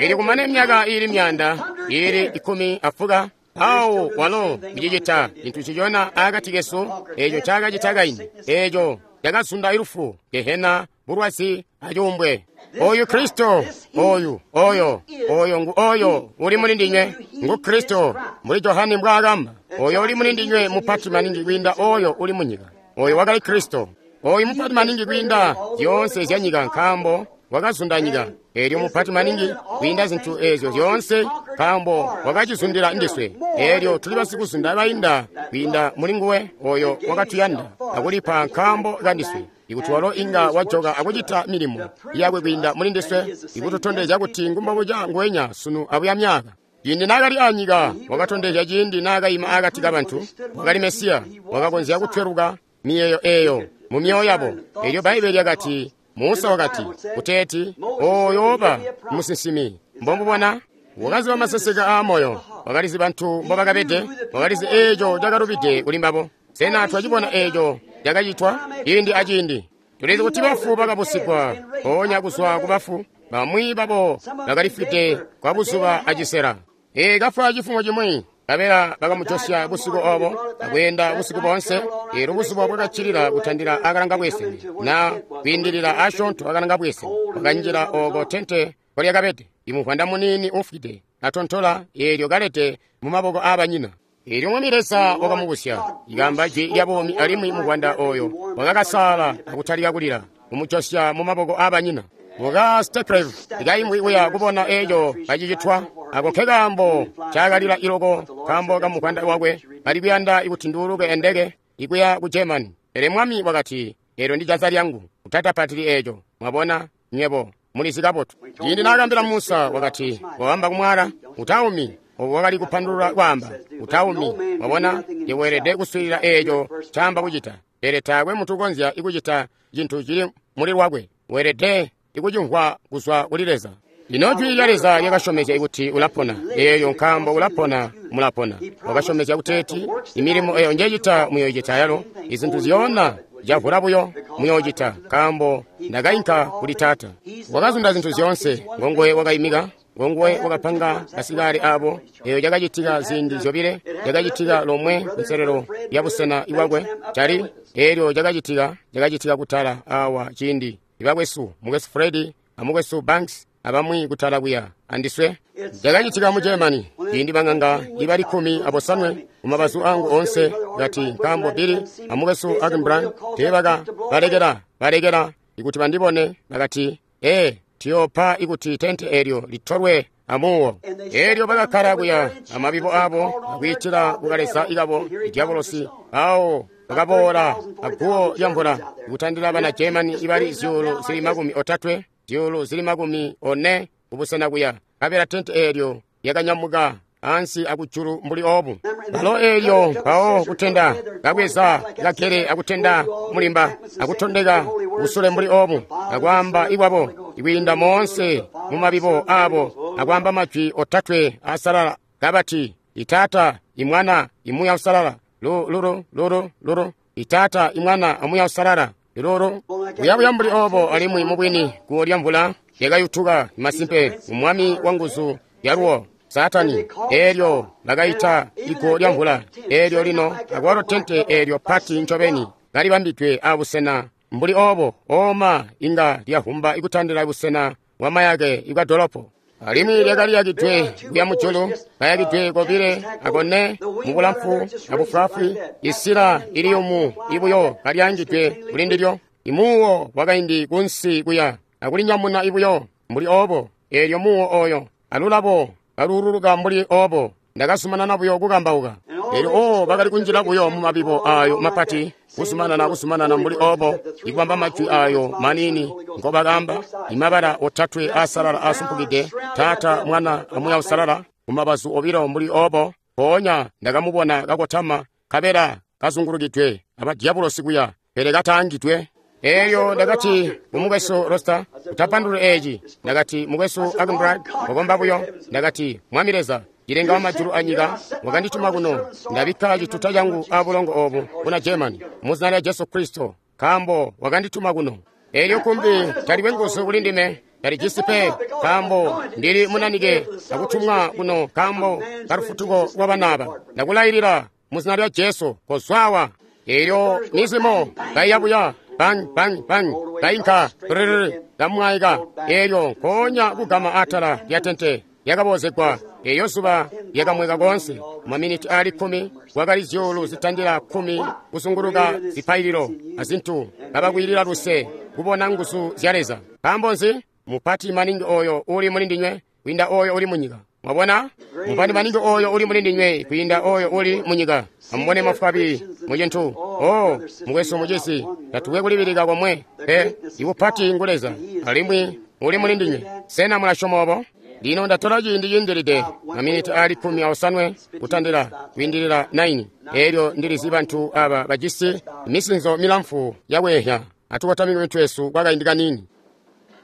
Ili kumane myaka ili myanda ili ikumi afuka awo walo kucicita cintu cicona akati kesu eco cakacita kaindi, eco cakazunda ilufu, gehena, bulwazi acuumbwe. Oyu Kristo, oyu, oyo, oyo ngu oyo uli muli ndinywe, ngu Kristo, mbuli Johani mbwaakamba. Oyo uli muli ndinywe mupati maningi kwiinda oyo uli munyika. Oyo wakali Kristo. Oyu mupati maningi kwiinda zyoonse zya nyika nkaambo wakazunda nyika. Eelyo mupati maningi kwiinda zintu ezyo zyoonse nkaambo wakacizundila ndiswe. Eelyo tuli basikuzunda bainda kwiinda muli nguwe oyo wakatuyanda akulipa nkaambo kandiswe. Ikuti walo inga wajoka akucita milimo yakwe kwiinda muli ndiswe, ikututondezya kuti ngumbobuca nguwenya sunu abuya myaka. Ciindi naakali anyika wakatondezya ciindi naakayima akati kabantu, wakali Mesiya, wakakonzya kutweluka miyeeyo eeyo mu myoyo yabo. Eelyo Bbaibele lyakati, Musa wakati, kuteeti, oyooba musinsimi. Mbombubona? Wakaziba maseseka aamoyo, wakalizi bantu mbobakabede, wakalizi eeco cakalubide kuli mbabo. Sena twacibona eeco cakacitwa ciindi aciindi? Tulizi kuti bafu bakabusigwa mpoonya kuzwa ku bafu, bamwi babo bakalifwide kwa buzuba acisela. Ee, kafwa cifumo cimwi, kabela bakamujosya busiku obo akweenda busiku boonse. Eelyo buzuba bwakaccilila kutandila akalanga bwesene, na kwiindilila asyoonto akalanga bwesene, wakanjila oko tente kolyakabede. Imuvwanda muniini ufwide atontola, eelyo kalete mu maboko aabanyina. Eelyo Mwami Leza wakamubusya, ikamba jwi lya buumi, alimwi muvwanda oyo wakakasaala akutalika kulila, kumujosya mu maboko aabanyina. Muka Steklev ikaimwi kuya kubona eeco kacicitwa, ako nkekaambo caakalila iloko nkaambo kamuvwanda wakwe kali kuyanda kuti nduuluke endeke ikuya ku Germany. Pele Mwami wakati, eelyo ndi janza lyangu, utatapatili eeco. Mwabona, nywebo mulizi kabotu. Ciindi naakambila Musa wakati, waamba kumwala, utaumi. Obo wakali kupandulula kwaamba, utaumi. Mwabona, yeweelede kuswiilila eeco caamba kucita. Pele taakwe muntu ukonzya kucita cintu cili muli lwakwe. Weelede ikucimvwa kuzwa kuli Leza. Lino jwi lya Leza lyakasyomezya kuti ulapona. Eeyo nkaambo ulapona, mulapona. Wakasyomezya kuteeti, imilimo eyo njecita muyoocita yalo, izintu zyoona javula buyo muyoocita, nkaambo ndakainka kuli Taata. Wakazunda zintu zyoonse, ngonguwe wakaimika, ngonguwe wakapanga basikale abo. Eyo cakacitika ziindi zyobile, cakacitika lomwe kunselelo ya busena ibwakwe cali. Eelyo cakacitika, cakacitika kutala awa ciindi ibakwesu, mukwesu Fred amukwesu Banks abamwi kutala kuya andiswe. Cakacitika mu Germany ciindi bang'anga ibali kkumi abosanwe mumabazu angu onse kati nkaambo Billy amukwesu Akinbrand teebaka balekela balekela ikuti bandibone, bakati, ee, tuyoopa ikuti tente eelyo litolwe amuwo. Eelyo bakakkala kuya amabibo abo akwiitila kukaleza ikabo idyabolosi. Awo bakaboola aguwo lya mvula ikutandila bana Germany ibali zyuulu zili makumi otatwe, zyuulu zili makumi one kubusena kuya. Kabela tente eelyo lyakanyamuka ansi akujulu mbuli obu. Balo eelyo mpawo kutenda kabweza kagele akutenda mulimba akutondeka kusule mbuli obu, akwaamba ikwabo ikwiinda moonse mu mabibo abo, akwaamba majwi otatwe asalala kabati, Itaata, Imwana, Imuya Usalala, lulu lulu lulu, Itaata, Imwana, Amuya Usalala, lulu. Kuyabuya mbuli obo, alimwi mubwini guwo lya mvula lyakayutuka masimpe umwami wa nguzu yaluwo. Saatani. Eelyo bakaita iguwo lya mvula. Eelyo lino akwalo tente eelyo pati ncobeni kalibambidwe abusena mbuli obo, oma inga lyavumba ikutandila busena bwa mayake ibwa dolopo. Alimwi lyakaliyakidwe kuya mujulu, kayakidwe kobile akone mubulamfu abufwaafwi, isila iliyumu ibuyo kalyangidwe kuli ndilyo. Imuwo wakaindi kunsi kuya akulinyamuna ibuyo mbuli obo. Eelyo muwo oyo alulabo kaluululuka mbuli obo. Ndakazumanana buyo kukambauka. Eelyo oo bakali kunjila buyo mumabibo ayo mapati, kuzumanana kuzumanana mbuli obo, ikubamba majwi ayo manini ngobakamba, imabala otatwe asalala asumpukide, Taata, Mwana, aMuuya Uusalala, kumabazu obilo mbuli obo. Mpoonya ndakamubona kakotama, kabela kazungulukidwe abadyabulosi kuya, pele kataangidwe. Eelyo ndakati kumukwesu Rosta, utapandulule eeci. Ndakati mukwesu Akumbrad, wakomba buyo. Ndakati, Mwami Leza, cilenga wa majulu anyika, wakandituma kuno. Ndabikka cituta changu abulongo obu buna Germany, muzina lya Jesu Kristo, nkaambo wakandituma kuno. Eelyo kumbi talikwe nguzu kuli ndime, talijisi pe, nkaambo ndili munanike akutumwa kuno nkaambo kalufutuko lwa bana. Ndakulailila muzina lya Jesu, kozwawa. Eelyo mizimo kaiya buya, bang bang bang, kainka rrrr, kamwaika. Eelyo nkoonya kugama atala lya tente lyakaboozegwa. Eeyo zuba lyakamweka koonse. Maminiti aali kkumi kwakali zyuulu zitandila kkumi kuzunguluka zipaililo azintu, kabakwiilila luse kubona nguzu zya Leza. Nkaambo nzi? Mupati maningi oyo uli muli ndinywe kwiinda oyo uli munyika. Mwabona? Mupati maningi oyo uli muli ndinywe kwiinda oyo uli munyika. Amubone mafwabi mucintu. Oh, mukwesu mucisi, tatukwe kulibilika komwe pe. Ibupati ngu Leza, alimwi uli muli ndinywe. Sena mulasyoma obo? Lino ndatola ciindi ciindilide maminiti aali kkumi aosanwe kutandila kwiindilila naini. Eelyo ndilizi bantu aba bajisi misinzo milamfu yakweehya. Atukotamike mitwe yesu kwa kaindi kaniini.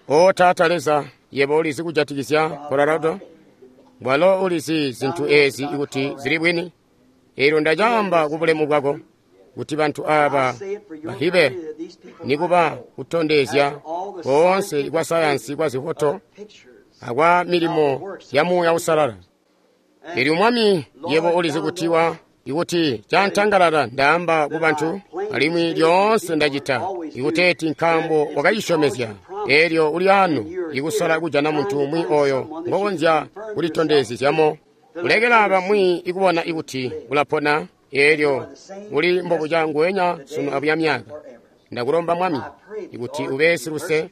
O Taata Leza, yebo ulizi kujatikizya Colorado, walo ulizi zintu eezi ikuti zili bwini. Eelyo ndacaamba kubulemu bwako kuti bantu aba bahibe nikuba kutondezya koonse kwa sayansi kwa zifoto akwa milimo ya Muuya Uusalala. Eelyo Mwami, yebo ulizi kuti wa ikuti cantangalala ndaamba ku bantu, alimwi lyoonse ndacita ikuteeti nkaambo wakacisyomezya. Eelyo uli ano ikusola kujana muntu umwi oyo ngokonzya kulitondezyezyamo, kulekela bamwi ikubona ikuti ulapona. Eelyo uli mbobuca nguwenya sunu abuya myaka. Ndakulomba Mwami ikuti ube siluse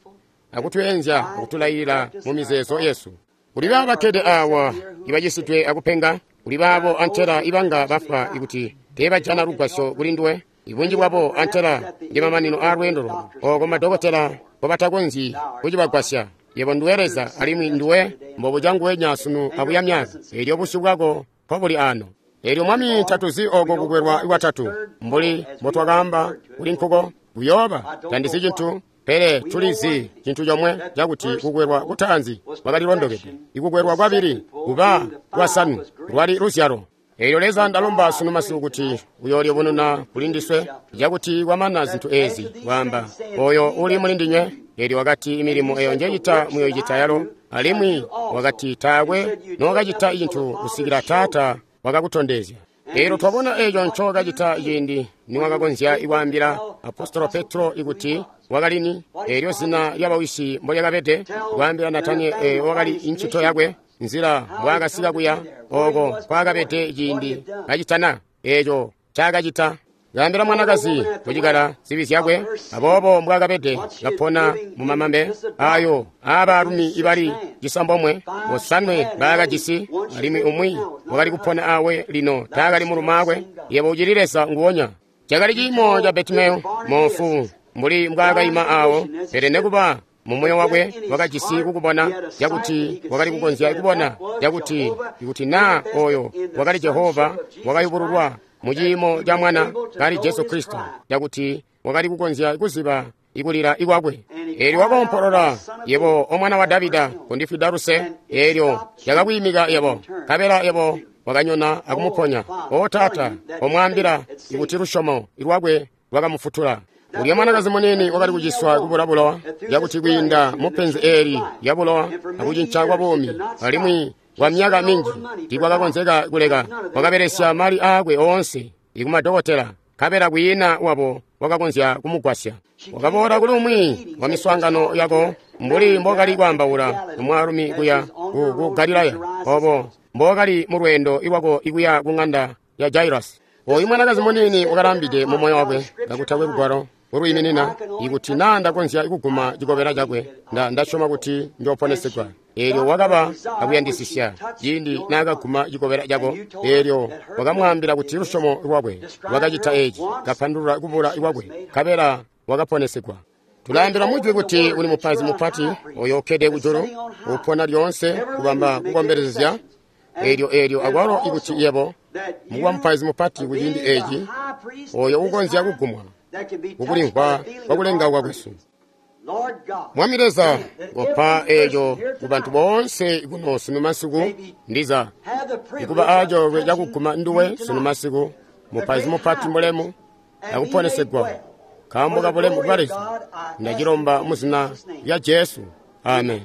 akutweenzya akutulailila mu mizeezo yesu. Kuli baabo bakkede awa ibacisidwe akupenga, kuli baabo antela ibanga bafwa ikuti teebajana lugwasyo kuli nduwe. Ibunji bwabo antela ndi mamanino a lweendo lwabo, oko madokotela mbobatakonzyi kucibagwasya. Yebo nduwe Leza, alimwi nduwe mbobuca nguwenya sunu abuya myaka. Eelyo busyu bwako mpobuli ano. Eelyo Mwami, tatuzi oko kukwelwa kwatatu mbuli mbotwakaamba kuli nkuko kuyooba. Tandizi cintu, pele tulizi cintu comwe cakuti kukwelwa kutaanzi kwakalilondokede, ikukwelwa kwabili kuba kwasanu lwali luzyalo. Eelyo Leza, ndalomba sunu masiku kuti uyoolibununa kuli ndiswe, cakuti kwamana zintu eezi kwaamba oyo uli muli ndinywe. Eelyo wakati imilimo eyo njecita muyoicita yalo, alimwi wakati taakwe nookacita cintu kusikila Taata wakakutondezya. Eelyo twabona eeco ncookacita ciindi niwakakonzya ikwaambila Apostolo Petro ikuti wakalini, eelyo zina lyabawisi mbolyakabede, kwaambila Natanieli wakali incito yakwe, nzila mbwaakasika kuya oko kwaakabede ciindi kacitana eeco ncaakacita. Kaambila mwanakazi kucikala zibi zyakwe, aboobo mbwaakabede kapona mumamambe ayo aabaalumi ibali cisambomwe, bosanwe baakajisi, alimwi umwi wakali kupona awe lino taakali mulumaakwe. Yebo ucili Leza nguwonya. Cakali ciimo ca Betimeyo moofu mbuli mbwaakaima awo, pele nekuba mumoyo wakwe wakajisi kukubona cakuti wakali kukonzya kubona cakuti ikuti naa oyo wakali Jehova wakayubululwa muciimo ca mwana kali Jesu Kristo, cakuti wakali kukonzya kuziba ikulila ikwakwe. Eelyo wakoompolola, yebo omwana wa Davida, kondifwida luse. Eelyo yakakwiimika yebo, nkabela yebo wakanyona akumuponya. O Taata, omwaambila ikuti lusyomo lwakwe lwakamufutula. Ulya mwanakazi munini wakali kuciswa kubula bulowa, cakuti kwiinda mupenzi eeli lya bulowa akucinca kwa buumi, alimwi Kwa myaka minji tikwakakonzeka kuleka. Wakabelesya mali aakwe oonse ikumadokotela, nkabela kwiina wabo wakakonzya kumugwasya. Wakaboola kuli umwi wa miswaangano yako mbuli mbokali kwaambaula mwaalumi kuya ku, ku Galilaya, obo mbokali mu lweendo iwako ikuya ku ng'anda ya Jairus. Oyu mwanakazi muniini wakalambide mu moyo wakwe kakutakwe lugwalo ulwiiminina, ikuti naa ndakonzya kuguma cikobela cakwe, nda ndasyoma kuti njooponesegwa. Eelyo wakaba akuyandisisya ciindi naakaguma cikobela cako. Eelyo wakamwaambila kuti lusyomo lwakwe lwakacita eci, kapandulula kubula kwakwe, nkabela wakaponesegwa. Tulaambila mujwi kuti uli mupaizi mupati oyo ukkede kujulu, upona lyoonse kubamba kukombelezya. Eelyo eelyo akwalo ikuti yebo mukuba mupaizi mupati kuciindi eci, oyo ukonzya kugumwa kukulimvwa kwakulengauka kwesu. Mwami Leza, kopa eeco ku bantu boonse kuno sunu masiku, ndiza ikuba acoolwe cakuguma nduwe sunu masiku, mupaizi mupati mulemu, akuponesegwa nkaambo ka bulemu bwa Leza. Ndacilomba mu zina lya Jesu, amen.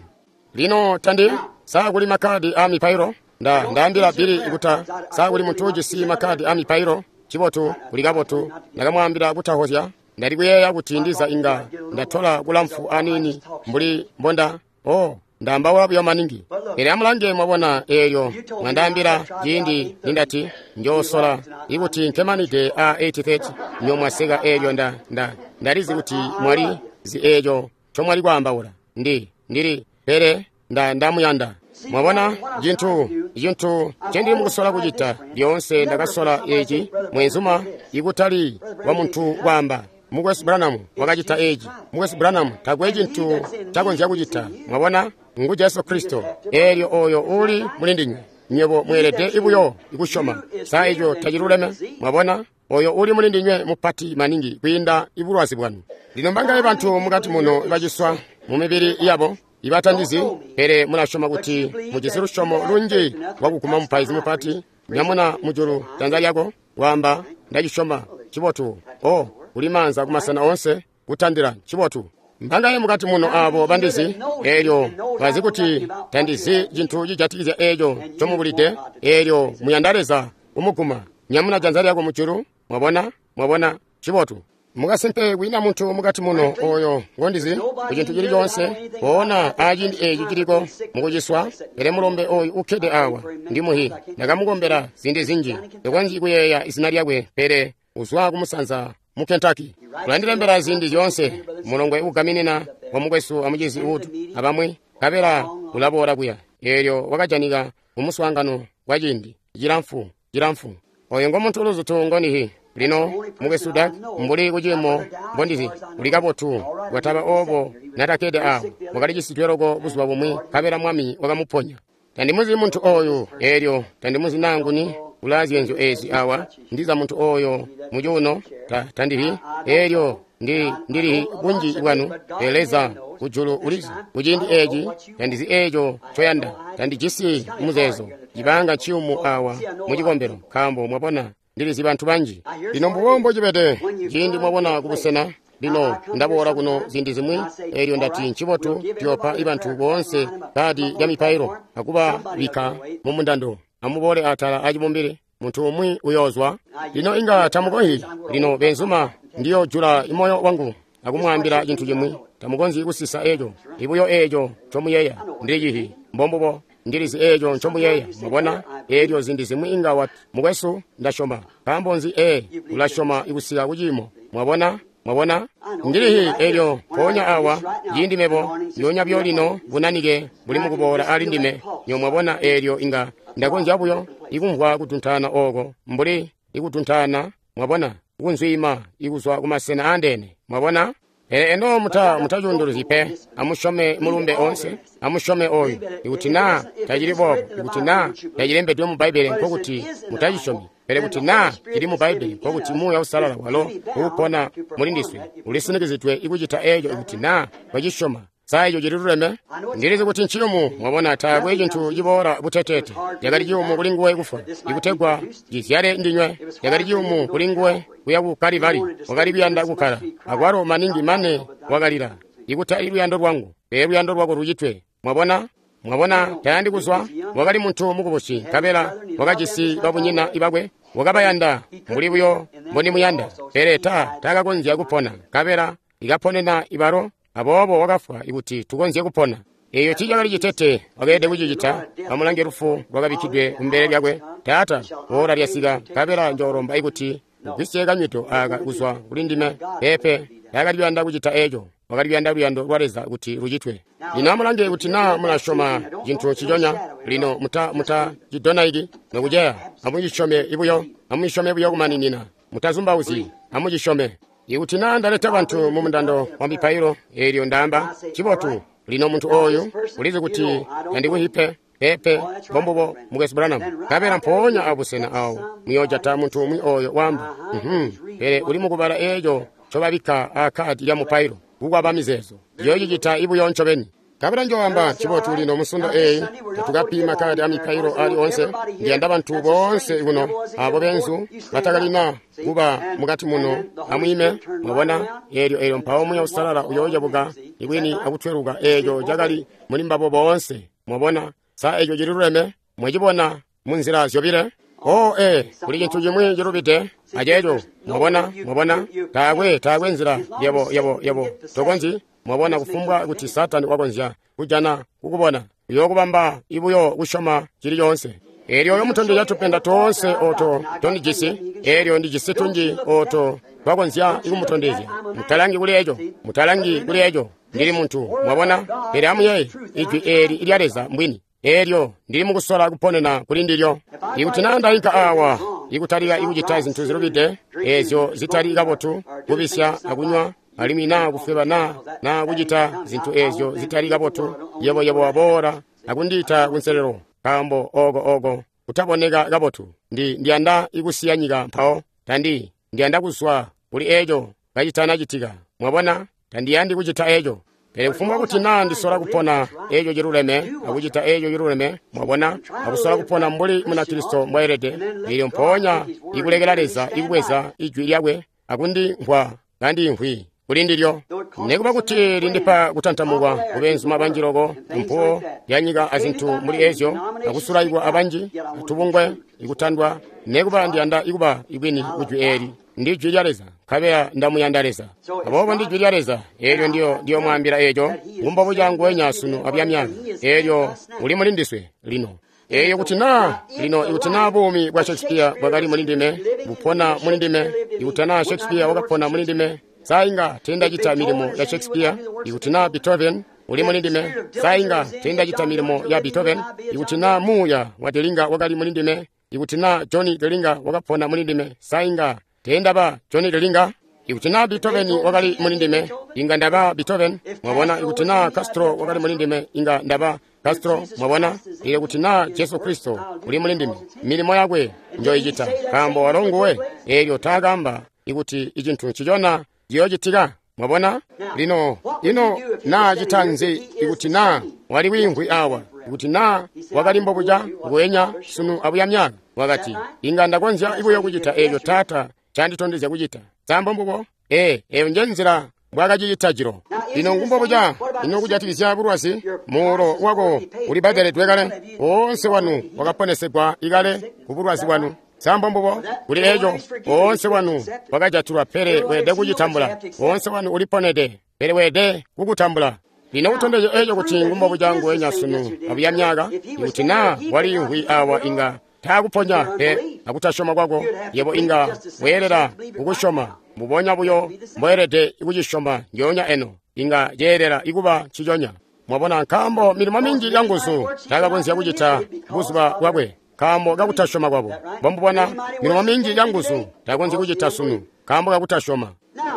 Lino tandi saa kuli makkadi a mipailo. Nda ndaambila Bili ikuta saa kuli muntu ujisi makkadi a mipailo. Cibotu kuli kabotu. Ndakamwaambila kutahozya. Ndali kuyeeya kuti ndiza inga ndatola kulamfu aniini mbuli mbonda. Oh, ndaambaula buyo maningi. Pele amulange mwabona eelyo mwandaambila ciindi nindati njoosola ikuti nkemanide a eight thirty nyomwaseka eelyo nda nda ndalizi kuti mwali zi eeco ncomwali kwaambaula. Ndi ndili pele nda ndamuyanda. Mwabona cintu cintu ncendili mukusola kucita lyoonse. Ndakasola eci mwenzuma ikutali wa muntu kwaamba Mukwesu Branham wakacita eci. Mukwesu Branham takwe cintu cakonzya kucita. Mwabona ngu Jesu Kristo. Eelyo oyo uli mulindinywe, nywebo mweelede ibuyo ikusyoma. Sa eco taciluleme? Mwabona oyo uli mulindinywe mupati maningi kwiinda ibulwazi bwanu. Lino mbangaye bantu mukati muno baciswa mu mibili yabo ibatandizi, pele mulasyoma kuti mujisi lusyomo lunji lwakuguma mupaizi mupati. Nyamuna mujulu janza lyako, waamba ndacisyoma. Cibotu. Oh, kuli maanza kumasena onse kutandila. Cibotu. Mbangaye mukati muno abo bandizi, eelyo bazi kuti tandizi cintu cijatikizya eeco ncomubulide. Eelyo muyanda Leza kumuguma, nyamuna janza lyako mujulu. Mwabona, mwabona, cibotu. Mukasimpe kwiina muntu mukati muno oyo ngondizi ku cintu cili coonse poona aciindi eci ciliko mukuciswa, pele mulombe oyu ukkede awa ndi muhi. Ndakamukombela ziindi zinji, ndikonzyi kuyeeya izina lyakwe, pele uzwa kumusanza mu Kentucky. Ulandilembela ziindi zyoonse, mulongwe ugaminina wa mukwesu amucizi Wood abamwi, nkabela ulaboola kuya. Eelyo wakajanika mumuswaangano kwa ciindi cilamfu cilamfu. Oyo ngo muntu uluzutu ngonihi. Lino mukwesu Dak, mbuli kuciimo mbondizi uli kabotu, bwataba obo natakede awo wakalicisijwe loko buzuba bumwi, nkabela Mwami wakamuponya. Tandimuzi muntu oyu, eelyo tandimuzi nanguni ulazyenzyo ezi awa. Ndiza muntu oyo mucuuno ta, tandihi. Eelyo ndi ndili bunji bwanu, pele Leza kujulu ulizi kuciindi eci tandizi eco ncoyanda. Tandijisi muzeezo cibanga ciyumu awa mucikombelo, nkaambo mwabona ndilizi bantu banji. Lino mbubombo cibede ciindi mwabona kubusena. Lino ndaboola kuno ziindi zimwi, eelyo ndati ncibotu tuyoopa ibantu boonse kadi lya mipailo akubabikka mu mundando. Amuboole atala acibumbili, muntu umwi uyoozwa. Lino inga tamukonzyi. Lino benzuma, ndiyojula imoyo wangu akumwaambila cintu cimwi. Tamukonzyi kusisa eco, ibuyo eco ncomuyeeya. Ndilicihi mbombubo, ndilizi eco ncomuyeeya. Mwabona eelyo ziindi zimwi inga wati, mukwesu ndasyoma. Nkaambo nzi? Ee, ulasyoma ikusika kuciimo. Mwabona, mwabona ndilihi eelyo mpoonya awa ciindi mebo ndyonya buyo lino bunanike buli mukuboola ali ndime. Nyo mwabona eelyo inga ndakonzya buyo ikumvwa kutuntaana oko mbuli ikutuntaana, mwabona, kunzwiima ikuzwa kumasena aandeene. Mwabona. Pele eno muta mutacunduluzyi pe. Amusyome mulumbe onse, amusyome oyu. Ikuti naa tacili boobo, ikuti naa tacilembedwe mu Bbaibbele, nkokuti mutacisyomi. Pele kuti naa cili mu Bbaibbele, nkokuti Muuya Uusalala walo uupona muli ndiswe ulisinikizidwe ikucita eeco ikuti naa twacisyoma. Sa eco cililuleme? Ndilizi kuti nciyumu. Mwabona, taakwe cintu ciboola buteteete. Cakali ciyumu kuli nguwe kufwa ikutegwa cizyale ndinywe. Cakali ciyumu kuli nguwe kuya ku Kalivari. Wakali kuyanda kukkala akwalo maningi mane wakalila, ikutali luyando lwangu, pele luyando lwako lucitwe. Mwabona? Mwabona, tayandi kuzwa. Wakali muntu mukubusi, nkabela wakajisi babunyina ibakwe, wakabayanda mbuli buyo mbondimuyanda, pele ta taakakonzya kupona, nkabela ikaponena ibalo, aboobo wakafwa ikuti tukonzye kupona. Eyo tiicakali citete, wakeelede kucicita. Amulange lufu lwakabikkidwe kumbele lyakwe. Taata, oora lyasika, nkabela njoolomba ikuti ugwisye kanywido aaka kuzwa kuli ndime. Peepe, taakali kuyanda kucita eco. Wakali kuyanda luyando lwa Leza kuti lucitwe. Lino amulange kuti naa mulasyoma cintu nciconya. Lino muta muta cidonaiki nokuceya. Amucisyome buyo, amucisyome buyo kumaninina. Mutazumbauzyi, amucisyome. Ikuti naa ndaleta bantu mu mundando wa mipailo, eelyo ndaamba, cibotu. Lino muntu oyu ulizi kuti tandikuhipe. Peepe, mbombubo, Mukwesu Branham. Nkabela mpoonya abusena awo muyoojata muntu umwi oyo waamba, mhm, pele uli mukubala eeco ncobabikka aakkaadi lya mupailo, kukwaba mizeezo. Yoocicita ibuyo ncobeni. Nkabela njoamba, cibotu lino musundo eeyi tatukapi makkaadi a mipailo ali onse. Ndiyanda bantu boonse kuno, abo beenzu batakalina kuba mukati muno, amwiime. Mwabona, eelyo eelyo mpawo Muuya Uusalala uyoocebuka ibwini akutweluka eeco cakali muli mbabo boonse. Mwabona, sa eco cililuleme? Mwacibona munzila zyobile? Oh, ee, kuli cintu cimwi cilubide aceeco. Mwabona, mwabona, taakwe taakwe nzila yebo yebo yebo tokonzyi. Mwabona, kufumbwa kuti Saatani wakonzya kujana kukubona, uyookubamba ibuyo kusyoma cili coonse. Eelyo uyomutondezya tupenda toonse oto tondijisi, eelyo ndijisi tunji oto twakonzya ikumutondezya. Mutalangi kuli eco, mutalangi kuli eco. Ndili muntu, mwabona, pele amuyeeye, ijwi eeli lya Leza mbwini. Eelyo ndili mukusola kuponena kuli ndilyo. Ikuti naa ndainka awa ikutalika ikucita zintu zilubide, eezyo zitali kabotu, kubisya akunywa, alimwi naa kufweba naa naa kucita zintu eezyo zitali kabotu, yebo yebo waboola akundiita kunselelo, nkaambo oko oko kutaboneka kabotu. Ndi ndiyanda ikusiya nyika mpawo, tandi ndiyanda kuzwa kuli eco kacitanacitika. Mwabona, tandiyandi kucita eco. Pele kufumbwa kuti naa ndisola kupona eco ciluleme akucita eco ciluleme, mwabona, akusola kupona mbuli Munakristo mbwaelede, eelyo mpoonya ikulekela Leza ikubweza ijwi lyakwe akundimvwa kandimvwi kuli ndilyo. Nekuba kuti lindipa kutantamukwa kubeenzuma banji loko, mpuwo yanyika azintu mbuli ezyo, akusulaikwa abanji, atubungwe, ikutandwa, nekuba ndiyanda ikuba ibwini kujwi eeli. Ndi jwi lya Leza, nkabela ndamuyanda Leza. Aboobo ndi jwi lya Leza, eelyo ndiyo ndiyomwaambila eeco, ngumbobu canguwenya sunu abyamyaka. Eelyo uli muli ndiswe lino. Eeyo kuti naa lino ikuti naa buumi bwa Shakespeare bwakali muli ndime, bupona muli ndime, ikuti naa Shakespeare wakapona muli ndime, sa inga teendacita milimo ya Shakespeare. Ikuti naa Beethoven uli muli ndime, sa inga teendacita milimo ya Beethoven. Ikuti naa muuya wa Delinga wakali muli ndime, ikuti naa Johnny Delinga wakapona muli ndime, sa inga teendaba Johnny Delinga. Ikuti naa Beethoven wakali muli ndime, inga ndaba Beethoven. Mwabona, ikuti naa Castro wakali muli ndime, inga ndaba Castro. Mwabona, iyo kuti naa Jesu Kristo uli muli ndime, milimo yakwe njoyicita, nkaambo walo nguwe. Eelyo taakamba ikuti icintu ncicona ciyoocitika. Mwabona, lino ino naa cita nzi ikuti naa wali wiimvwi awa, ikuti naa wakali mbobuca nguwenya sunu abuya myaka? Wakati, inga ndakonzya buyo kucita eeco Taata canditondezya kucita. Sambo mbubo? Ee, eyo nje nzila mbwakacicita jilo. Lino ngumbobuca ino kujatikizya bulwazi, muulo wako ulibbadeledwe kale. Woonse wanu wakaponesegwa ikale ku bulwazi bwanu. Sambo mbubo? Kuli eco, woonse wanu wakajatilwa, pele weelede kucitambula. Woonse wanu uliponede, pele weelede kukutambula. Lino kutondezya eco kuti ngumbobuca nguwenya sunu abuya myaka, ikuti naa waliimvwi awa inga taakuponya pe akutasyoma kwako, yebo inga weelela kukusyoma mbubonya buyo mboelede kucisyoma njoonya eno, inga ceelela ikuba nciconya. Mwabona, nkaambo milimo minji ya nguzu taakakonzya kucita buzuba bwakwe, nkaambo kakutasyoma kwabo. Mbomubona, milimo minji ya nguzu takonzyi kucita sunu, nkaambo kakutasyoma.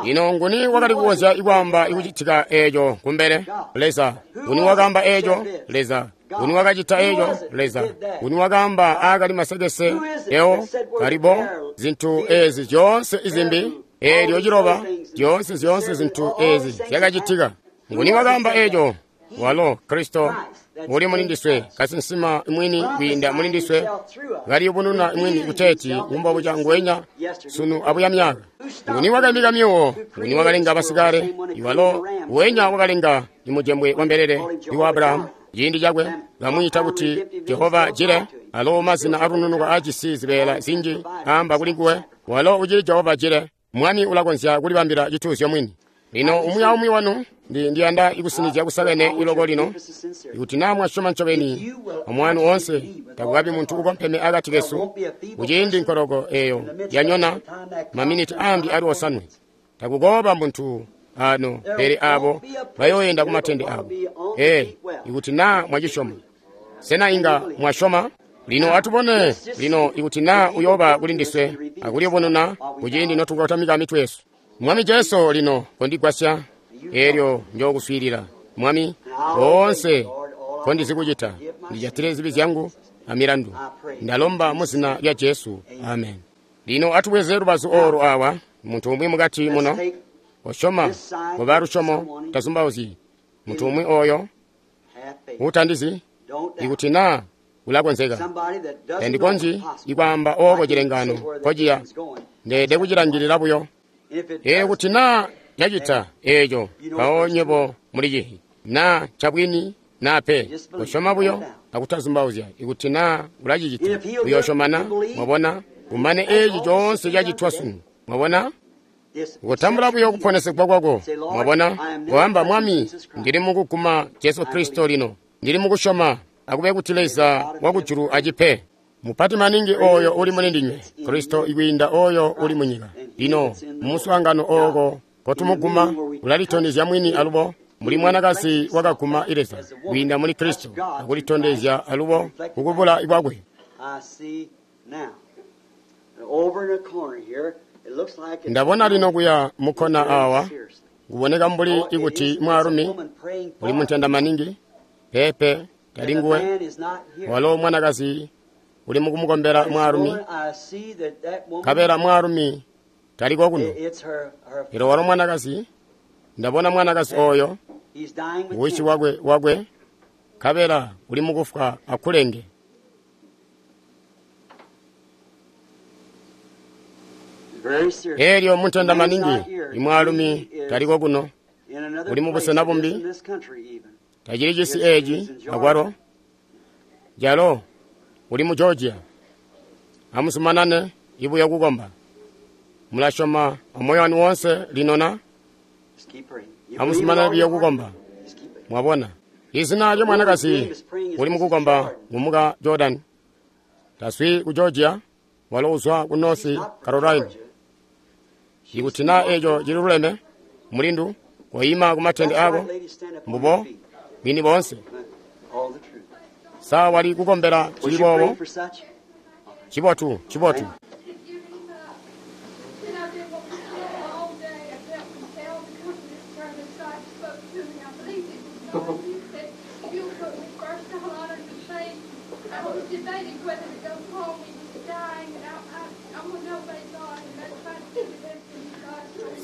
Ino nguni wakali kukonzya ikwaamba ikucitika eeco kumbele? Leza. Nguni wakaamba eeco? Leza. Nguni wakacita eeco? Leza. Nguni wakaamba aakali masekese eo kalibo zintu eezi zyoonse izimbi? Eelyo ciloba zyoonse zyoonse zintu eezi zyakacitika. Nguni wakaamba eeco? Walo Kristo uli muli ndiswe, kasinsima mwini kwiinda muli ndiswe, kaliyubununa mwini kuteeti ngumbobuca nguwenya sunu abuya myaka. Nguni wakaimika myuwo? Nguni wakalenga basikale? Iwalo nguwenya wakalenga imujembwe wa mbelele iwa Abrahamu, Ciindi cakwe bamwiita kuti Jehova Jire, alo mazina alununuko aajisi zibeela zinji aamba kuli nguwe. Walo ucili Jehova Jire. Mwami ulakonzya kulibambila cituuzyo mwini. Lino umwi aumwi wanu ndi ndiyanda ikusinizya kusakene iloko lino, ikuti naa mwasyoma ncobeni omwanu oonse, takukabi muntu ukompeme akati kesu kuciindi nkoloko eyo yanyona maminiti ambi ali osanwe. Takukooba muntu ano, pele abo bayooyenda kumatende abo. Ee, ikuti naa mwacisyoma. Sena inga mwasyoma? Lino atubone lino ikuti naa uyooba kuli ndiswe akuliyubununa kuciindi notukotamika mitwe yesu. Mwami Jesu, lino kondigwasya, elyo njookuswiilila. Mwami, boonse kondizikucita, ndijatile zibi zyangu amilandu. Ndalomba mu zina lya Jesu, amen. Lino atubweze lubazu olu awa, muntu umwi mukati muno osyoma koba lusyomo tazumbauzyi. Muntu umwi oyo utandizi, ikuti naa ulakonzeka. Tandikonzyi ikwaamba ooko cilengano nkociya, ndeede kucilangilila buyo. Ee, kuti naa cacita eeco, mpawo nywebo mulicihi naa ncabwini naa pe. Kosyoma buyo akutazumbauzya. Ikuti naa ulacicita, uyoosyomana. Mwabona, kumane eeci coonse cacitwa sunu. Mwabona, kutambula buyo kuponesegwa kwako. Mwabona, koamba, Mwami, ndili mukuguma Jesu Kristo lino, ndili mukusyoma. Akube kuti Leza wakujulu acipe. Mupati maningi oyo uli muli ndinywe, Kristo ikwiinda oyo uli munyika. Lino mumuswaangano ooko kotumuguma, ulalitondezya mwini alubo muli mwanakazi wakaguma Leza kwiinda muli Kristo, akulitondezya alubo kukubula kwakwe. Ndabona lino kuya mukkona awa, kuboneka mbuli ikuti mwaalumi uli muntenda maningi. Pepe, tali nguwe. Walo mwanakazi uli mukumukombela mwaalumi, nkabela mwaalumi taliko kuno. Pele walo mwanakazi, ndabona mwanakazi oyo wishi wakwe wakwe, nkabela uli mukufwa akulenge. Elyo muntenda maningi, imwaalumi taliko kuno, uli mubusena bumbi, tacili cisi eeci akwalo. Jalo uli mu Georgia. Amuzumanane ibuya kukomba. Mulasyoma amoyo wanu woonse lino na? Amuzumanane buyo kukomba. Mwabona, izina lya mwanakazi uli mukukomba ngumuka Jordan. Taswi ku Georgia, walo uzwa ku North Carolina. Ikuti naa eeco cililuleme, mulindu, koyima ku matende ako, mbubo bwini boonse. Sa wali kukombela cili boobo? Cibotu, cibotu.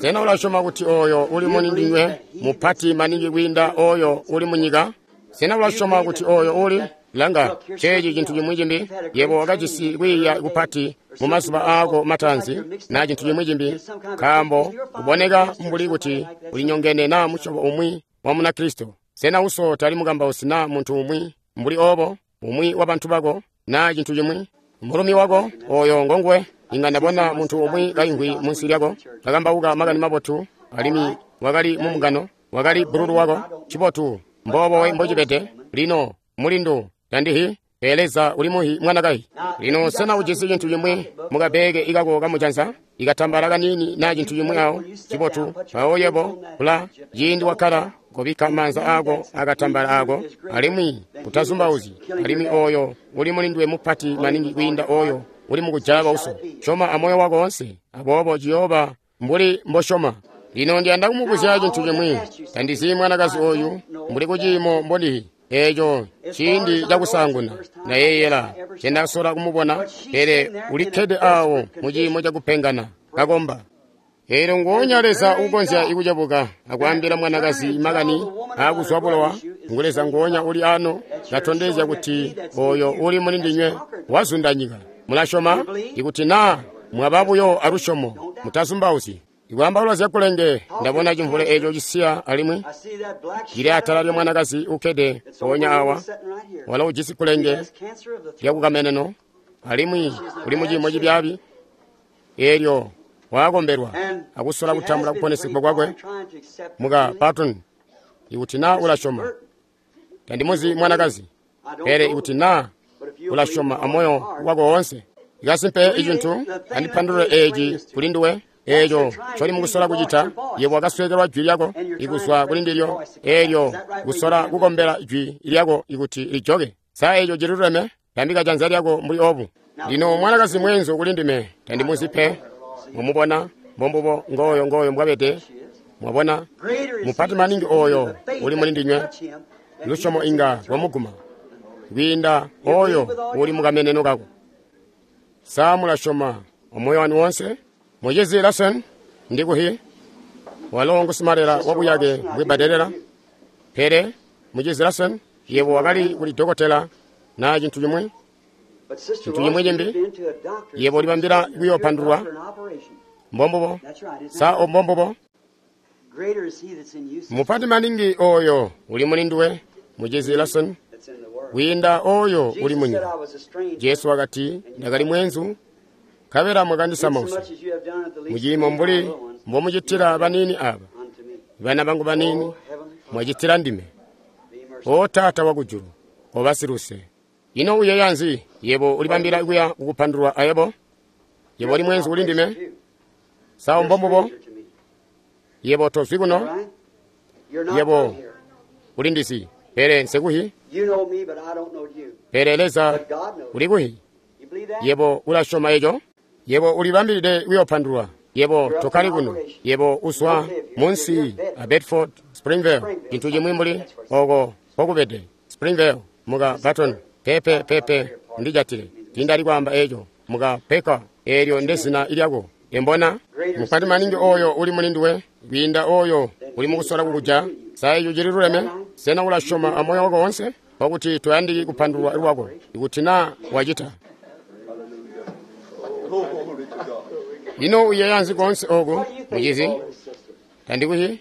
Sena ulasyoma kuti oyo uli muli ndinywe mupati maningi kwiinda oyo uli munyika? Sena ulasyoma kuti oyo uli langa ceeci cintu cimwi cimbi? Yebo wakajisi kwiiya kupati mu mazuba aako mataanzi na cintu cimwi cimbi, nkaambo kuboneka mbuli kuti ulinyongene na musyobo umwi wa Munakristo. Sena uso tali mukambausi na muntu umwi mbuli obo, umwi wa bantu bako na cintu cimwi? Mulumi wako oyo ngonguwe. Inga ndabona muntu umwi kaimvwi munsi lyako kakambauka makani mabotu, alimwi wakali mumungano, wakali bululu wako. Cibotu, mboobo mbocibede lino, mulindu, tandihi, pele Leza uli muhi mwanakazi. Lino sena ujisi cintu cimwi mukabeke ikako kamujanza, ikatambala kanini na cintu cimwi awo? Cibotu, mpawo yebo kula ciindi wakkala kobikka maanza ako akatambala ako, alimwi utazumbauzyi, alimwi oyo uli mulinduwe mupati maningi kwiinda oyo uli mukujala bauso. Syoma amoyo wako wonse, aboobo ciyooba mbuli mbosyoma. Lino ndiyanda kumubuzya cintu cimwi. Tandizi mwanakazi oyu mbuli kuciimo mbondihi. Eeco ciindi cakusaanguna ndayeeyela ncendasola kumubona, pele ulikkede awo mu ciimo cakupengana kakomba. Eelyo nguonya Leza uukonzya ikucebuka akwaambila mwanakazi makani aakuzwa bulowa, ngu Leza nguonya uli ano katondezya kuti oyo uli muli ndinywe wazunda nyika. Mulasyoma? Ikuti naa mwaba buyo alusyomo, mutazumbauzyi. Ikwaambaula zyakulenge, ndabona cimvule eeco cisiya alimwi cili atala lya mwanakazi ukkede mpoonya awa, walo ujisi kulenge lyakukameneno alimwi uli muciimo cibyaabi. Eelyo waakombelwa akusola kutambula kuponesegwa kwakwe. Muka Patton, ikuti naa ulasyoma, tandimuzi mwanakazi, pele ikuti naa ulasyoma amoyo wako woonse, ikasimpe icintu andipandulule eeci kuli nduwe. Eeco ncoli mukusola kucita, yebo wakasweekelwa jwi lyako ikuzwa kuli ndilyo, eelyo kusola kukombela jwi lyako ikuti lijoke. Sa eeco cililuleme? Tambika janza lyako mbuli obu. Lino mwanakazi mweenzu kuli ndime, tandimuzi pe. Mwamubona? Mbombubo ngooyo ngooyo mbwabede. Mwabona? Mupati maningi ooyo uli muli ndinywe, lusyomo inga lwamuguma kwiinda ooyo uli mukameneno kako. Sa mulasyoma omoyo wanu wonse? Muchizi Larson ndikuhi, walo ngusimalela wabuyake bwibadelela. Pele muchizi Larson, yebo wakali kuli dokotela na cintu cimwi, cintu cimwi cimbi, yebo ulibambila kuyopandulwa. Mbombubo. Sa ombombubo? Mupati maningi oyo uli muli nduwe, muchizi Larson, kwiinda oyo uli munyika. Jesu wakati, ndakali mwenzu, nkabela mwakandisamausya. Muciimo mbuli mbomucitila baniini aba, bana bangu baniini, mwacitila ndime. O Taata wakujulu, oba siluse. Ino uyeeya nzi? Yebo ulibambila kuya kukupandulwa ayebo? Yebo uli mwenzu kuli ndime? Sa mbombubo? Yebo tozwi kuno? Yebo uli ndizi, pele nsekuhi. Pele Leza ulikuhi. Yebo ulasyoma eco? Yebo ulibambilide kuyopandulwa. Yebo tokali kuno. Yebo uzwa munsi a Bedford, Springvale, cintu cimwi mbuli oko pokubede. Springvale, muka Barton, pepe pepe ndijatile. Tindali kwaamba eco, muka Peka, eelyo ndezina lyako. Embona? Mupati maningi oyo uli muli nduwe, kwiinda oyo uli mukusola kukuja. Sa eco cililuleme? Sena ulasyoma amoyo wako wonse? Pakuti toyandiki kupandulwa lwako, ikuti naa wacita. Ino uyeeya nzi koonse oku, muchizi? Tandikuhi?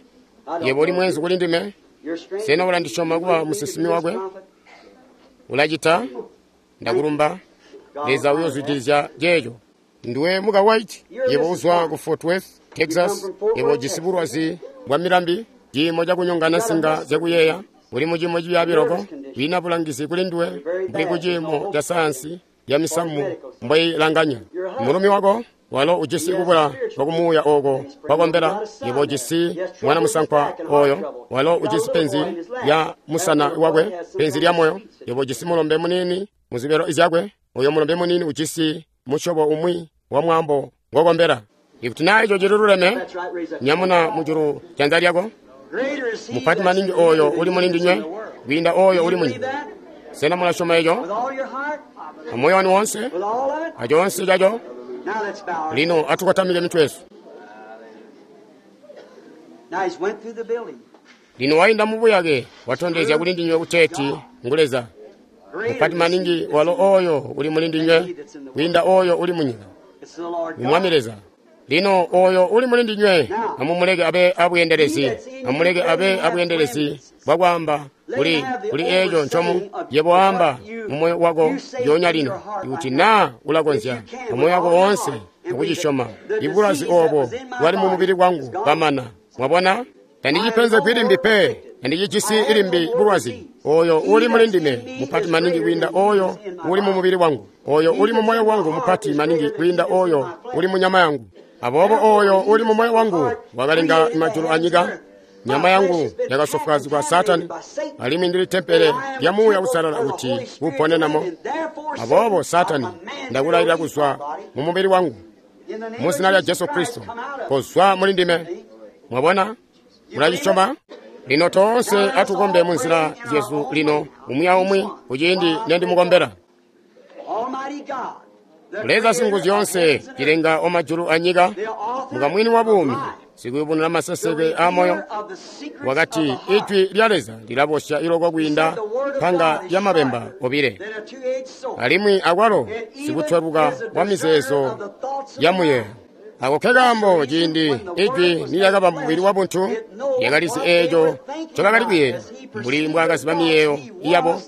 Yebo uli mwenzu kuli ndime? Sena ulandisyoma kuba musinsimi wakwe? Ulacita? Ndakulumba. Leza uyozwidilizya ceeco. Ndiwe muka White, yebo uzwa ku Fort Worth, Texas. Yebo ujisi bulwazi bwa milambi, ciimo cakunyongana nsinga zyakuyeeya. Uli muciimo cibyaabi loko, kwiina bulangizi kuli nduwe, mbuli kuciimo ca sayansi ya misamu mboilanganya. Mulumi wako walo ujisi kubula kwakumuuya oko kwakombela. Yebo ujisi mwana musankwa oyo, walo ujisi penzi lya musana wakwe, penzi lya moyo. Yebo ujisi mulombe muniini muzibelo zyakwe. Oyo mulombe muniini ujisi musyobo umwi wa mwaambo ngokombela. Ikuti naa eco cililuleme, nyamuna mujulu janza lyako. Mupati maningi oyo uli muli ndinywe kwiinda oyo uli munyika. Sena mulasyoma eco amoyo wanu wonse, acoonse caco? Lino atukotamike mitwe yesu. Lino wainda mubuyake, watondezya kuli ndinywe kuteeti ngu Leza. Mupati maningi walo oyo uli muli ndinywe kwiinda oyo uli munyika. Mwami Leza. Lino oyo uli muli ndinywe amumuleke abe abweendelezi, amuleke abe abweendelezi bwakwaamba kuli kuli eeco ncomu yebo waamba mumoyo wako lyoonya lino, ikuti naa ulakonzya amoyo wako woonse akucisyoma. Ibulwazi oobo bwali mumubili wangu bwamana. Mwabona? Tandicipenzegwi limbi pe, tandicijisi limbi bulwazi. Oyo uli muli ndime mupati maningi kwiinda oyo uli mumubili wangu. Oyo uli mumoyo wangu mupati maningi kwiinda oyo uli munyama yangu. Aboobo oyo uli mumoyo wangu wakalenga majulu anyika. Nyama yangu yakasofwaazigwa Saatani, alimwi ndili tempele lya Muuya Uusalala kuti uponenamo. Aboobo Saatani, ndakulayilira kuzwa mumubili wangu muzina lya Jesu Kristo, kozwa muli ndime. Mwabona? Mulacisyoma? Lino toonse atukombe munzila zyesu lino, umwi aumwi kuciindi nendimukombela. Leza Singuzyoonse, cilenga omajulu anyika, mukamwini wa buumi, sikuyubununa maseseke a moyo, wakati ijwi lya Leza lilabosya iloko kwiinda panga lya mabemba obile, alimwi akwalo sikutweluka wa mizeezo ya muyeeyo, Ako nkekaambo ciindi ijwi nilyakaba mubili wabuntu, lyakalizi eeco ncobakali kuyeeya, mbuli mbwaakaziba miyeeyo yabo.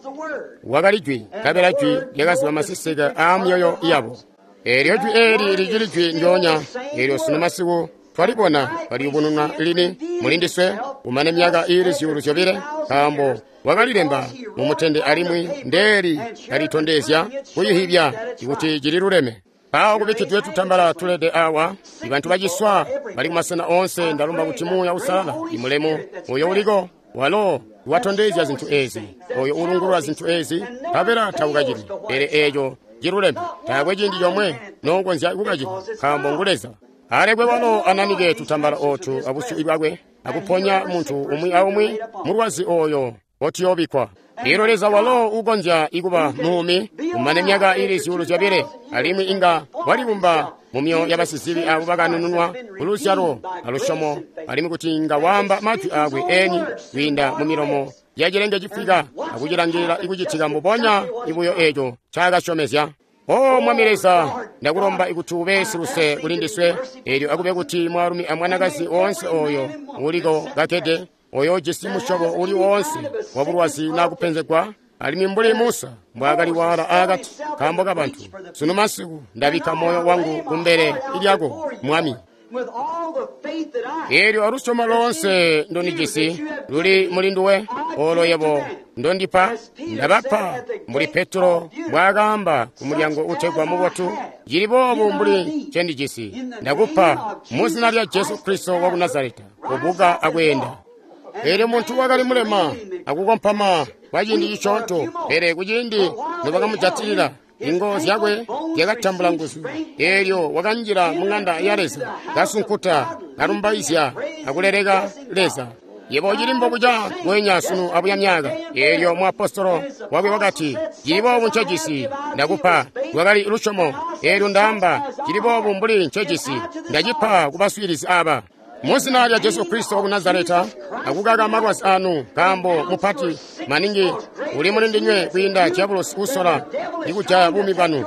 Wakali jwi, nkabela jwi lyakaziba maseseke aa myoyo yabo. Eelyo jwi eeli licili jwi ndyoonya, eelyo sunu masiku twalibona kaliyubununwa lini mulindiswe kumane myaka iili zyuulu zyobile, nkaambo wakalilemba mumutende alimwi ndeeli kalitondezya kuyihibya kuti cililuleme. Mpawo kubikkidwe tutambala tulede awa, ibantu baciswa bali kumasena oonse. Ndalomba kuti Muuya Uusalala imulemu oyo uliko walo watondezya zintu ezi, oyo ulungulula zintu ezi, nkabela taukacili, pele eeco ciluleme. Taakwe ciindi comwe nokonzya kukacita, nkaambo ngu Leza. Alekwe walo ananike tutambala ootu abusyu bwakwe akuponya muntu umwi aumwi mulwazi oyo otiyobikkwa. Elyo Leza walo ukonzya ikuba muumi kumane myaka ili zyuulu zyobile, alimwi inga walibumba mu myoyo yabasizibi abo bakanununwa kuluzyalo alusyomo, alimwi kuti inga waamba majwi aakwe eni kwiinda mu milomo ya cilenge cifwika akucilangilila ikucitika mbubonya ibuyo eeco ncaakasyomezya. O Mwami Leza, ndakulomba ikuti ube siluse kuli ndiswe, eelyo akube kuti mwaalumi amwanakazi oonse oyo uliko kakkede, oyo ujisi musyobo uli woonse wabulwazi naa kupenzegwa, alimwi mbuli Musa mbwaakali waala aakati nkaambo kabantu, sunu masiku ndabikka moyo wangu kumbele lyako, Mwami. Eelyo alusyomo loonse ndondijisi luli muli nduwe, olo yebo ndondipa, ndabapa, mbuli Petro mbwaakaamba ku mulyango utegwa Mubotu, cili boobu mbuli ncendijisi, ndakupa mu zina lya Jesu Kristo waku Nazareta, kubuka akweenda. Eelyo muntu wakali mulema akukompama kwa ciindi cisyoonto, pele kuciindi nobakamujatilila, ingo zyakwe zyakatambula nguzu. Eelyo wakanjila mu ŋanda ya Leza, kasunkuta, kalumbaizya akuleleka Leza. Yebo ucili mbobuca ngweenya sunu abuya myaka. Eelyo muapostolo wakwe wakati, cili boobu ncejisi, ndakupa. Lwakali lusyomo. Eelyo ndaamba, cili boobu mbuli ncejisi, ndacipa kubaswiilizi aba. Mu zina lya Jesu Kristo waku Nazareta, akukaka malwazi anu, nkaambo mupati maningi uli muli ndinywe kwiinda diabulosi usola ikujaya buumi bwanu.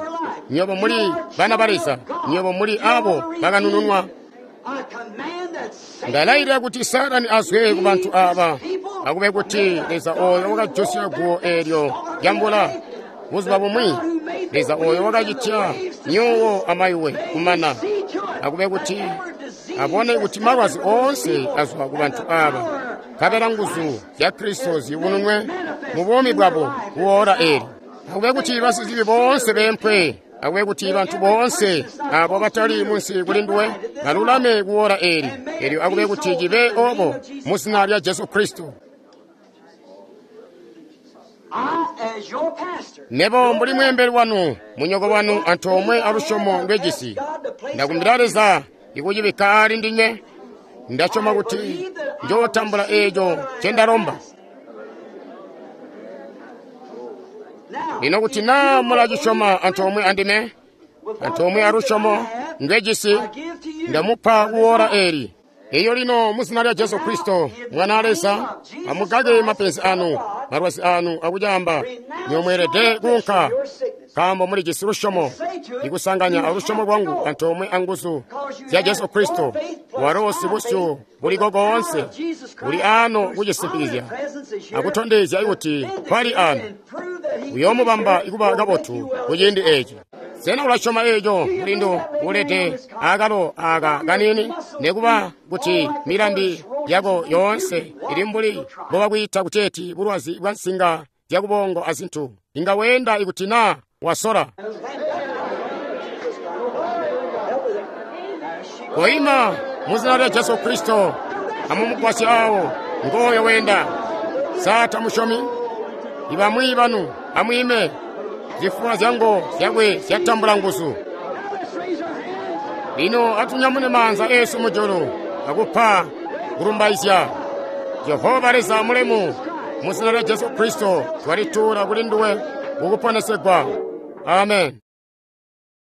Nywebo muli bana ba Leza, nywebo muli abo bakanununwa. Ndalailila kuti Saatani azwe ku bantu aba, akube kuti Leza oyo wakajosya guwo eelyo lyamvula buzuba bumwi, Leza oyo wakacitya myuuwo amayuwe kumana, akube kuti abone kuti malwazi oonse azwa ku bantu aba, nkabela nguzu zya Kristo ziyubununwe mu buumi bwabo kuwoola eeli. Akube kuti basizibi boonse beempwe, akube kuti bantu boonse abo batali munsi kuli nduwe balulame kuwoola eeli. Eelyo akube kuti cibe obo mu zina lya Jesu Kristo. Nebo mbuli mweembeli wanu, munyoko wanu antoomwe alusyomo ndwejisi, ndakumbila Leza ikucibikka aali ndinywe. Ndasyoma kuti njootambula eeco ncendalomba. Lino kuti naa mulacisyoma antoomwe andime, antoomwe alusyomo ndwejisi, ndamupa kuwoola eeli. Eyo lino mu zina lya Jesu Kristo, Mwana wa Leza, amukake mapenzi anu, malwazi anu akucaamba, nyomweelede kuunka, nkaambo mulijisi lusyomo, ikusanganya alusyomo lwangu antoomwe anguzu zya Jesu Kristo, walo sibusyu buliko koonse, uli ano kucisimpikizya akutondezya kuti kwali ano, uyoomubamba ikuba kabotu kuciindi eeci. Sena ulasyoma eeco mulindu ulede akalo aka kanini, nekuba kuti milambi yako yoonse ili mbuli mbobakwiita kuteeti bulwazi bwa nsinga zyakubongo azintu, inga weenda ikuti naa wasola. Koima mu zina lya Jesu Kristo, amumugwasye awo ngooyo weenda. Sa tamusyomi? Ibamwi banu amwiime. Zifuwa zyangu zyakwe zyatambula nguzu. Lino atunyamune maanza eesu mujulu akupa kulumbaizya Jehova Leza mulemu. Mu zina lya Jesu Kristo twalituula kuli nduwe kukuponesegwa. Amen.